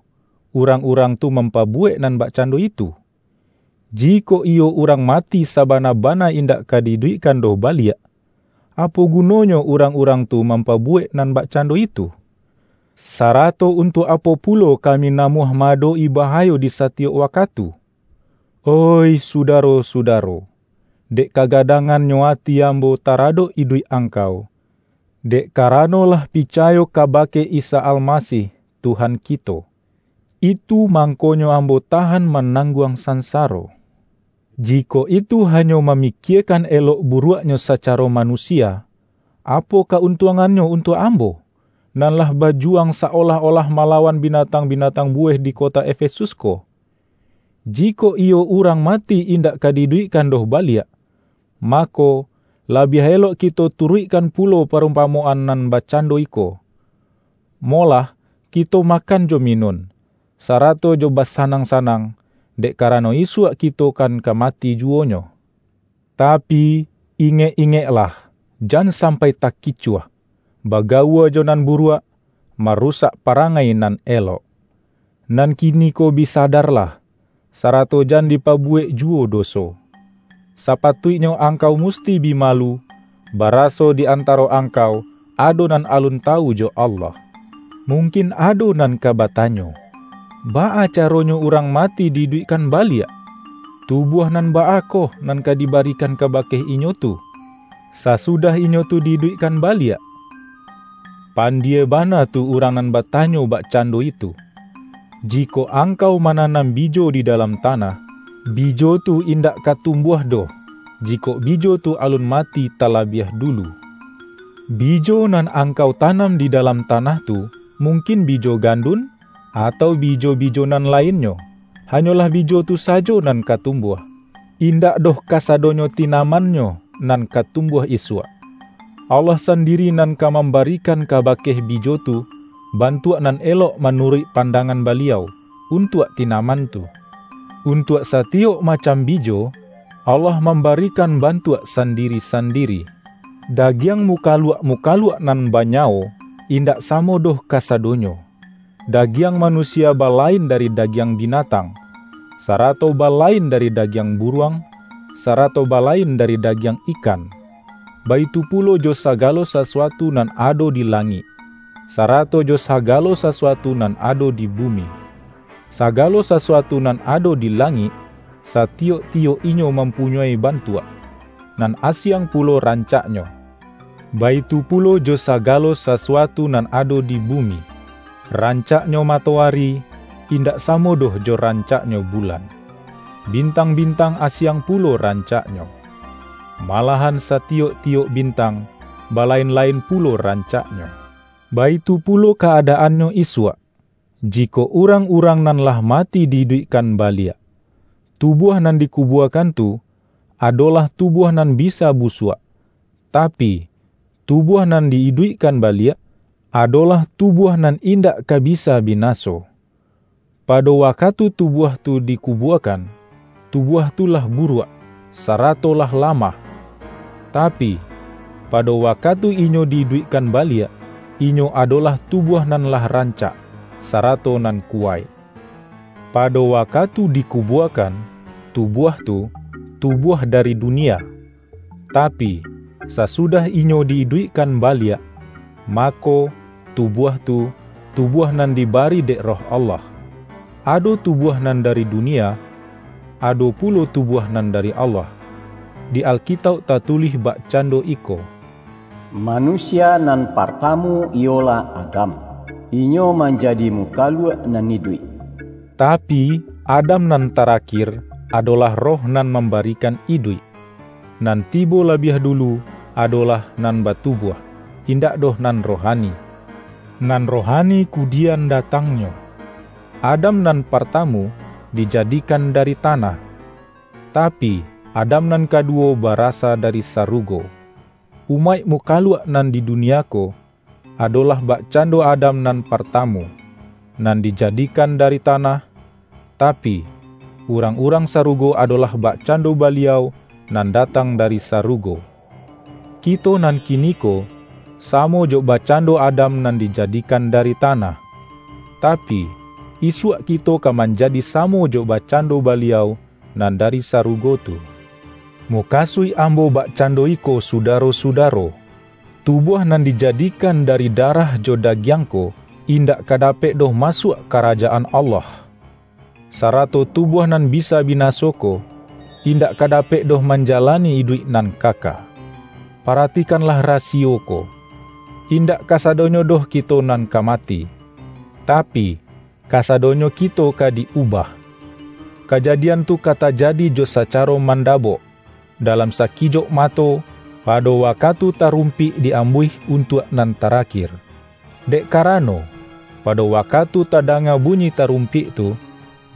urang-urang tu mampabuwek nan bakcando itu? Jikok iyo urang mati sabana-bana indak ka di-iduikkan doh baliak, apo gunonyo urang-urang tu mampabuwek nan bakcando itu? Sarato untuak apo pulo kami namuah ma-adok-i bahayo di satiyok wakatu? Oih sudaro-sudaro, dek kagadangannyo ati ambo taradok iduik angkau, dek karano lah picayo kabake Isa Almasih, Tuhan kito, itu mangkonyo ambo tahan manangguang sansaro. Jikok itu hanyo mamikiekan elok buruaknyo sacaro manusia, apo kauntuangannyo untuak ambo, nan lah bajuwang sa-olah-olah malawan binatang-binatang buweh di kota Efesus ko? Jikok iyo urang mati indak ka di-iduikkan doh baliak, mako, labiah elok kito turuikkan pulo parumpamoan nan bakcando iko, "Molah, kito makan jo minun, sarato jo basanang-sanang, dek karano isuak kito kan ka mati juwonyo." Tapi, Ingek-ingeklah, jan sampai takicuah, bagaua jo nan buruak, marusak parangai nan elok. Nan kiniko bi sadarlah, sarato jan dipabuwek juwo doso. Sapatuiknyo angkau musti bi malu, baraso di antaro angkau ado nan alun tawu jo Allah. Mungkin ado nan ka batanyo, "Baa caronyo urang mati di-iduikkan baliak? Tubuah nan baakoh nan ka dibarikan kabake inyo tu, sasudah inyo tu di-iduikkan baliak?" Pandie bana tu urang nan batanyo bakcando itu. Jikok angkau mananam bijo di dalam tanah, bijo tu indak ka tumbuah doh, jikok bijo tu alun mati talabiah dulu. Bijo nan angkau tanam di dalam tanah tu, mungkin bijo gandun, atau bijo-bijo nan lainnyo, hanyolah bijo tu sajo nan ka tumbuah. Indak doh kasadonyo tinamannyo nan ka tumbuah isuak. Allah sandiri nan ka mambarikan kabake bijo tu bantuak nan elok manuruik pandangan Baliau untuak tinaman tu. Untuak satiyok macam bijo, Allah mambarikan bantuak sandiri-sandiri. Dagiang mukaluak-mukaluak nan banyawo indak samo doh kasadonyo. Dagiang manusia balain dari dagiang binatang, sarato balain dari dagiang buruang, sarato balain dari dagiang ikan. Baitu pulo jo sagalo sasuatu nan ado di langik, sarato jo sagalo sasuatu nan ado di bumi. Sagalo sasuatu nan ado di langik, satiyok-tiyok inyo mampunyoi bantuak, nan asiang pulo rancaknyo. Baitu pulo jo sagalo sasuatu nan ado di bumi. Rancaknyo matoari indak samo doh jo rancaknyo bulan. Bintang-bintang asiang pulo rancaknyo. Malahan satiyok-tiyok bintang balain-lain pulo rancaknyo. Baitu pulo kaadaannyo isuak. Jikok urang-urang nan lah mati di-iduikkan baliak, tubuah nan dikubuakan tu adolah tubuah nan bisa busuak, tapi, tubuah nan di-iduikkan baliak adolah tubuah nan indak ka bisa binaso. Pado wakatu tubuah tu dikubuakan, tubuah tu lah buruak, sarato lah lamah. Tapi, pado wakatu inyo di-iduikkan baliak, inyo adolah tubuah nan lah rancak, sarato nan kuwaik. Pado wakatu dikubuakan, tubuah tu, tubuah dari dunia. Tapi, sasudah inyo di-iduikkan baliak, mako, tubuah tu, tubuah nan dibari dek Roh Allah. Ado tubuah nan dari dunia, ado pulo tubuah nan dari Allah. Di Alkitauk tatulih bakcando iko, "Manusia nan partamu iyolah Adam. Inyo manjadi mukaluak nan iduik." Tapi, Adam nan tarakhir adolah Roh nan mambarikan iduik. Nan tibo labiah dulu adolah nan batubuah, indak doh nan rohani. Nan rohani kudian datangnyo. Adam nan partamu dijadikan dari tanah, tapi, Adam nan kaduwo barasa dari sarugo. Umaik mukaluak nan di dunia ko adolah bakcando Adam nan partamu, nan dijadikan dari tanah, tapi, urang-urang sarugo adolah bakcando Baliau nan datang dari sarugo. Kito nan kiniko, samo jo bakcando Adam nan dijadikan dari tanah, tapi, isuak kito ka manjadi samo jo bakcando Baliau nan dari sarugo tu. Mukasuik ambo bakcando iko, sudaro-sudaro, tubuah nan dijadikan dari darah jo dagiang ko, indak ka dapek doh masuak Karajaan Allah. Sarato tubuah nan bisa binaso ko, indak ka dapek doh manjalani iduik nan kaka. Paratikanlah rasiyo ko. Indak kasadonyo doh kito nan ka mati, tapi, kasadonyo kito ka di-ubah. Kajadian tu ka tajadi jo sacaro mandabok, dalam sakijok mato, pado wakatu tarumpik di-ambuih untuak nan tarakhir. Dek karano, pado wakatu tadanga bunyi tarumpik tu,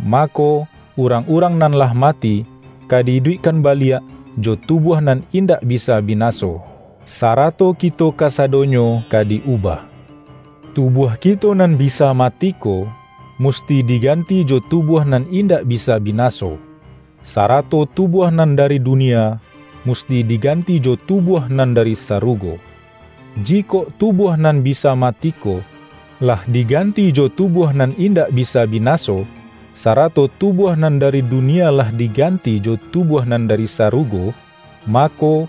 mako, urang-urang nan lah mati ka di-iduikkan baliak jo tubuah nan indak bisa binaso, sarato kito kasadonyo ka di-ubah. Tubuah kito nan bisa mati ko, musti diganti jo tubuah nan indak bisa binaso, sarato tubuah nan dari dunia musti diganti jo tubuah nan dari sarugo. Jikok tubuah nan bisa mati ko, lah diganti jo tubuah nan indak bisa binaso, sarato tubuah nan dari dunia lah diganti jo tubuah nan dari sarugo, mako,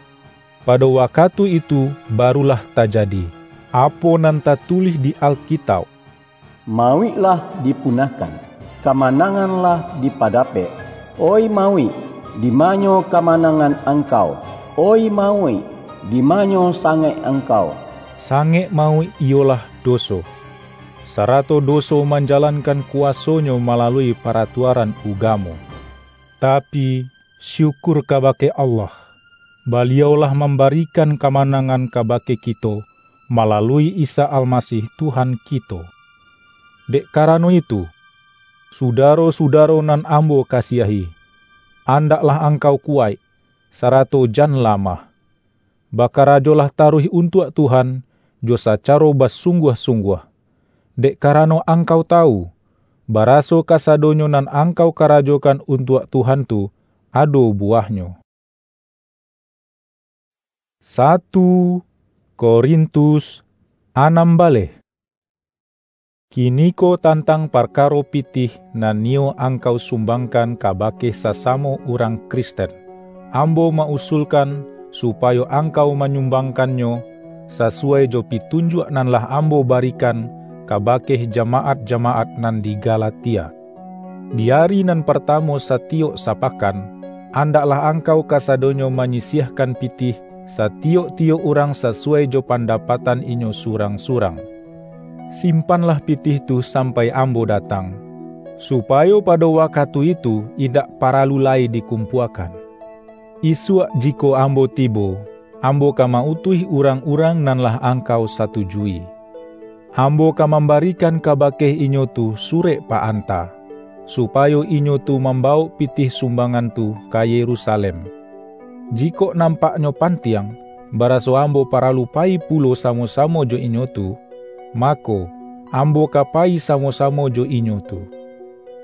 pado wakatu itu barulah tajadi, apo nan tatulih di Alkitauk. Mauik lah dipunahkan, kamanangan lah dipadapek. Oi mauik, di manyo kamanangan angkau? Oi mauik, di manyo sangek angkau? Sangek mauik iyolah doso, sarato doso manjalankan kuwasonyo malalui paratuaran ugamo. Tapi, syukur kabake Allah, Baliau lah mambarikan kamanangan kabake kito malalui Isa Almasih Tuhan kito. Dek karano itu, sudaro-sudaro nan ambo kasiahi, andaklah angkau kuwaik, sarato jan lamah. Bakarajolah taruih untuak Tuhan jo sacaro basungguah-sungguah, dek karano angkau tawu, baraso kasadonyo nan angkau karajokan untuak Tuhan tu ado buwahnyo. Satu Korintus anam baleh. Kiniko tantang parkaro pitih nan niyo angkau sumbangkan kabake sasamo urang Kristen, ambo ma-usulkan supayo angkau manyumbanggannyo sasuwai jo pitunjuak nan lah ambo barikan kabake jamaat-jamaat nan di Galatia. Di ari nan partamo satiyok sapakan, andaklah angkau kasadonyo manyisiahkan pitih satiyok-tiyok urang sasuwai jo pandapatan inyo surang-surang. Simpanlah pitih tu sampai ambo datang, supayo pado wakatu itu indak paralu lai dikumpuakan. Isuak jikok ambo tibo, ambo ka ma-utuih urang-urang nan lah angkau satujui. Ambo ka mambarikan kabake inyo tu surek pa-anta, supayo inyo tu mambawok pitih sumbangan tu ka Yerusalem. Jikok nampaknyo pantiang, baraso ambo paralu payi pulo samo-samo jo inyo tu, mako, ambo ka payi samo-samo jo inyo tu.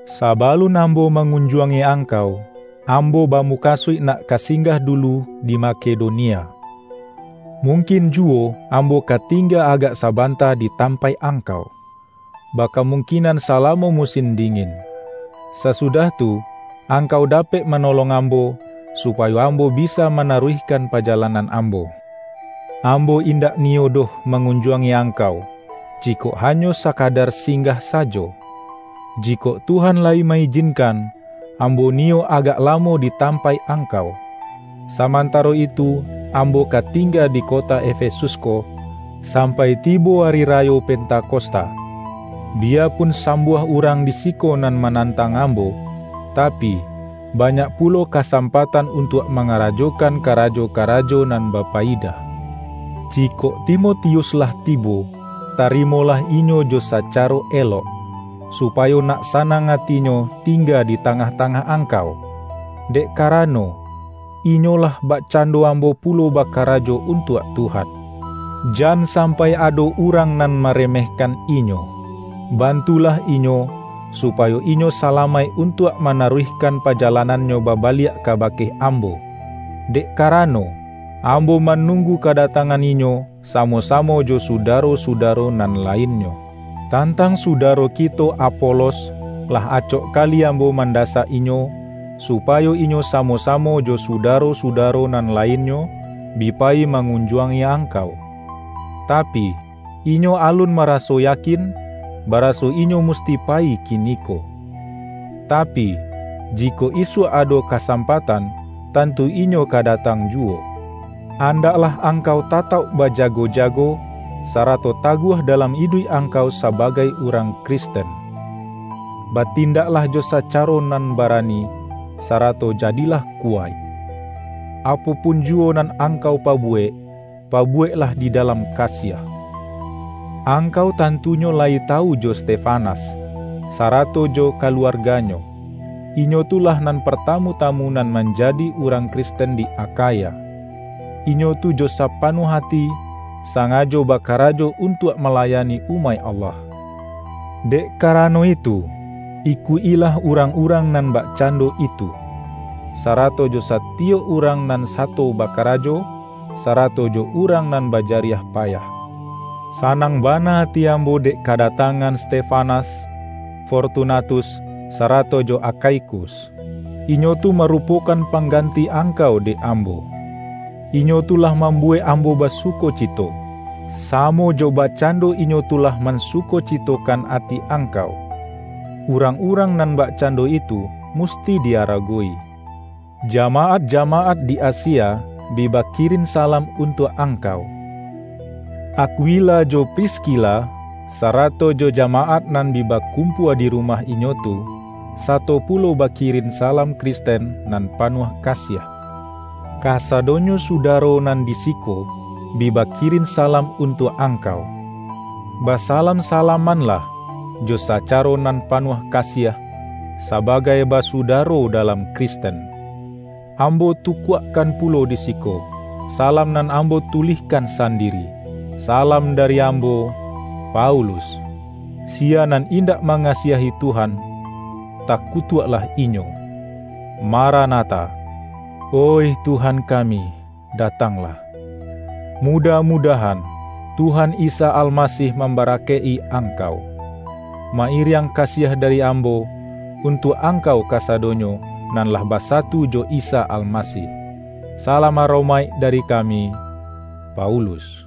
Sabalun ambo mangunjuangi angkau, ambo bamukasuik nak ka singgah dulu di Makedonia. Mungkin juwo ambo ka tingga agak sabanta di tampaik angkau, bakamungkinan salamo musin dingin. Sasudah tu, angkau dapek manolong ambo, supayo ambo bisa manaruihkan pajalanan ambo. Ambo indak niyo doh mangunjuangi angkau, jikok hanyo sakadar singgah sajo. Jikok Tuhan layi ma-ijinkan, ambo niyo agak lamo di tampaik angkau. Samantaro itu, ambo ka tingga di kota Efesus ko, sampai tibo ari rayo Pentakosta. Biyapun sambuah urang di siko nan manantang ambo, tapi, banyak pulo kasampatan untuak mangarajokan karajo-karajo nan bapayidah. Jikok Timotius lah tibo, tarimolah inyo jo sacaro elok, supayo nak sanang atinyo tingga di tangah-tangah angkau, dek karano, inyo lah bakcando ambo pulo bakarajo untuak Tuhan. Jan sampai ado urang nan maremehkan inyo. Bantulah inyo, supayo inyo salamaik untuak manaruihkan pajalanannyo babaliak kabake ambo. Dek karano, ambo manunggu kadatangan inyo samo-samo jo sudaro-sudaro nan lainnyo. Tantang sudaro kito Apolos, lah acok kali ambo mandasak inyo, supayo inyo samo-samo jo sudaro-sudaro nan lainnyo bi payi mangunjuangi angkau. Tapi, inyo alun maraso yakin, baraso inyo musti payi kiniko. Tapi, jikok isuak ado kasampatan, tantu inyo ka datang juwo. Andaklah angkau tatauk bajago-jago, sarato taguah dalam iduik angkau sabagai urang Kristen. Batindaklah jo sacaro nan barani, sarato jadilah kuwaik. Apo pun juwo nan angkau pabuwek, pabuweklah di dalam kasiah. Angkau tantunyo layi tawu jo Stefanas, sarato jo kaluarganyo. Inyo tu lah nan partamu-tamu nan manjadi urang Kristen di Akhaya. Inyo tu jo sapanuah ati, sangajo bakarajo untuak malayani umaik Allah. Dek karano itu, ikuik-ilah urang-urang nan bakcando itu. sarato jo satiyok urang nan sato bakarajo, sarato jo urang nan bajariah payah. Sanang bana ati ambo dek kadatangan Stefanas, Fortunatus, sarato jo Akhaikus. Inyo tu marupokan pangganti angkau dek ambo. Inyo tu lah mambuwek ambo basukocito, samo jo bakcando inyo tu lah mansukocitokan ati angkau. Urang-urang nan bakcando itu musti diaragowi. Jamaat-jamaat di Asia bi bakirin salam untuak angkau. Akwila jo Priskila, sarato jo jamaat nan bi bakumpua di rumah inyo tu, sato pulo bakirin salam Kristen nan panuah kasiah. Kasadonyo sudaro nan di siko bi bakirin salam untuak angkau. Basalam-salamanlah jo sacaro nan panuah kasiah, sabagai basudaro dalam Kristen. Ambo tukuakkan pulo di siko, salam nan ambo tulihkan sandiri. Salam dari ambo, Paulus. Sia nan indak mangasiahi Tuhan, takutuaklah inyo. Maranatha! Oih Tuhan kami, datanglah! Mudah-mudahan Tuhan Isa Almasih mambarakaik-i angkau. Ma-iriang kasiah dari ambo untuak angkau kasadonyo nan lah basatu jo Isa Almasih. Salam aromaik dari kami, Paulus.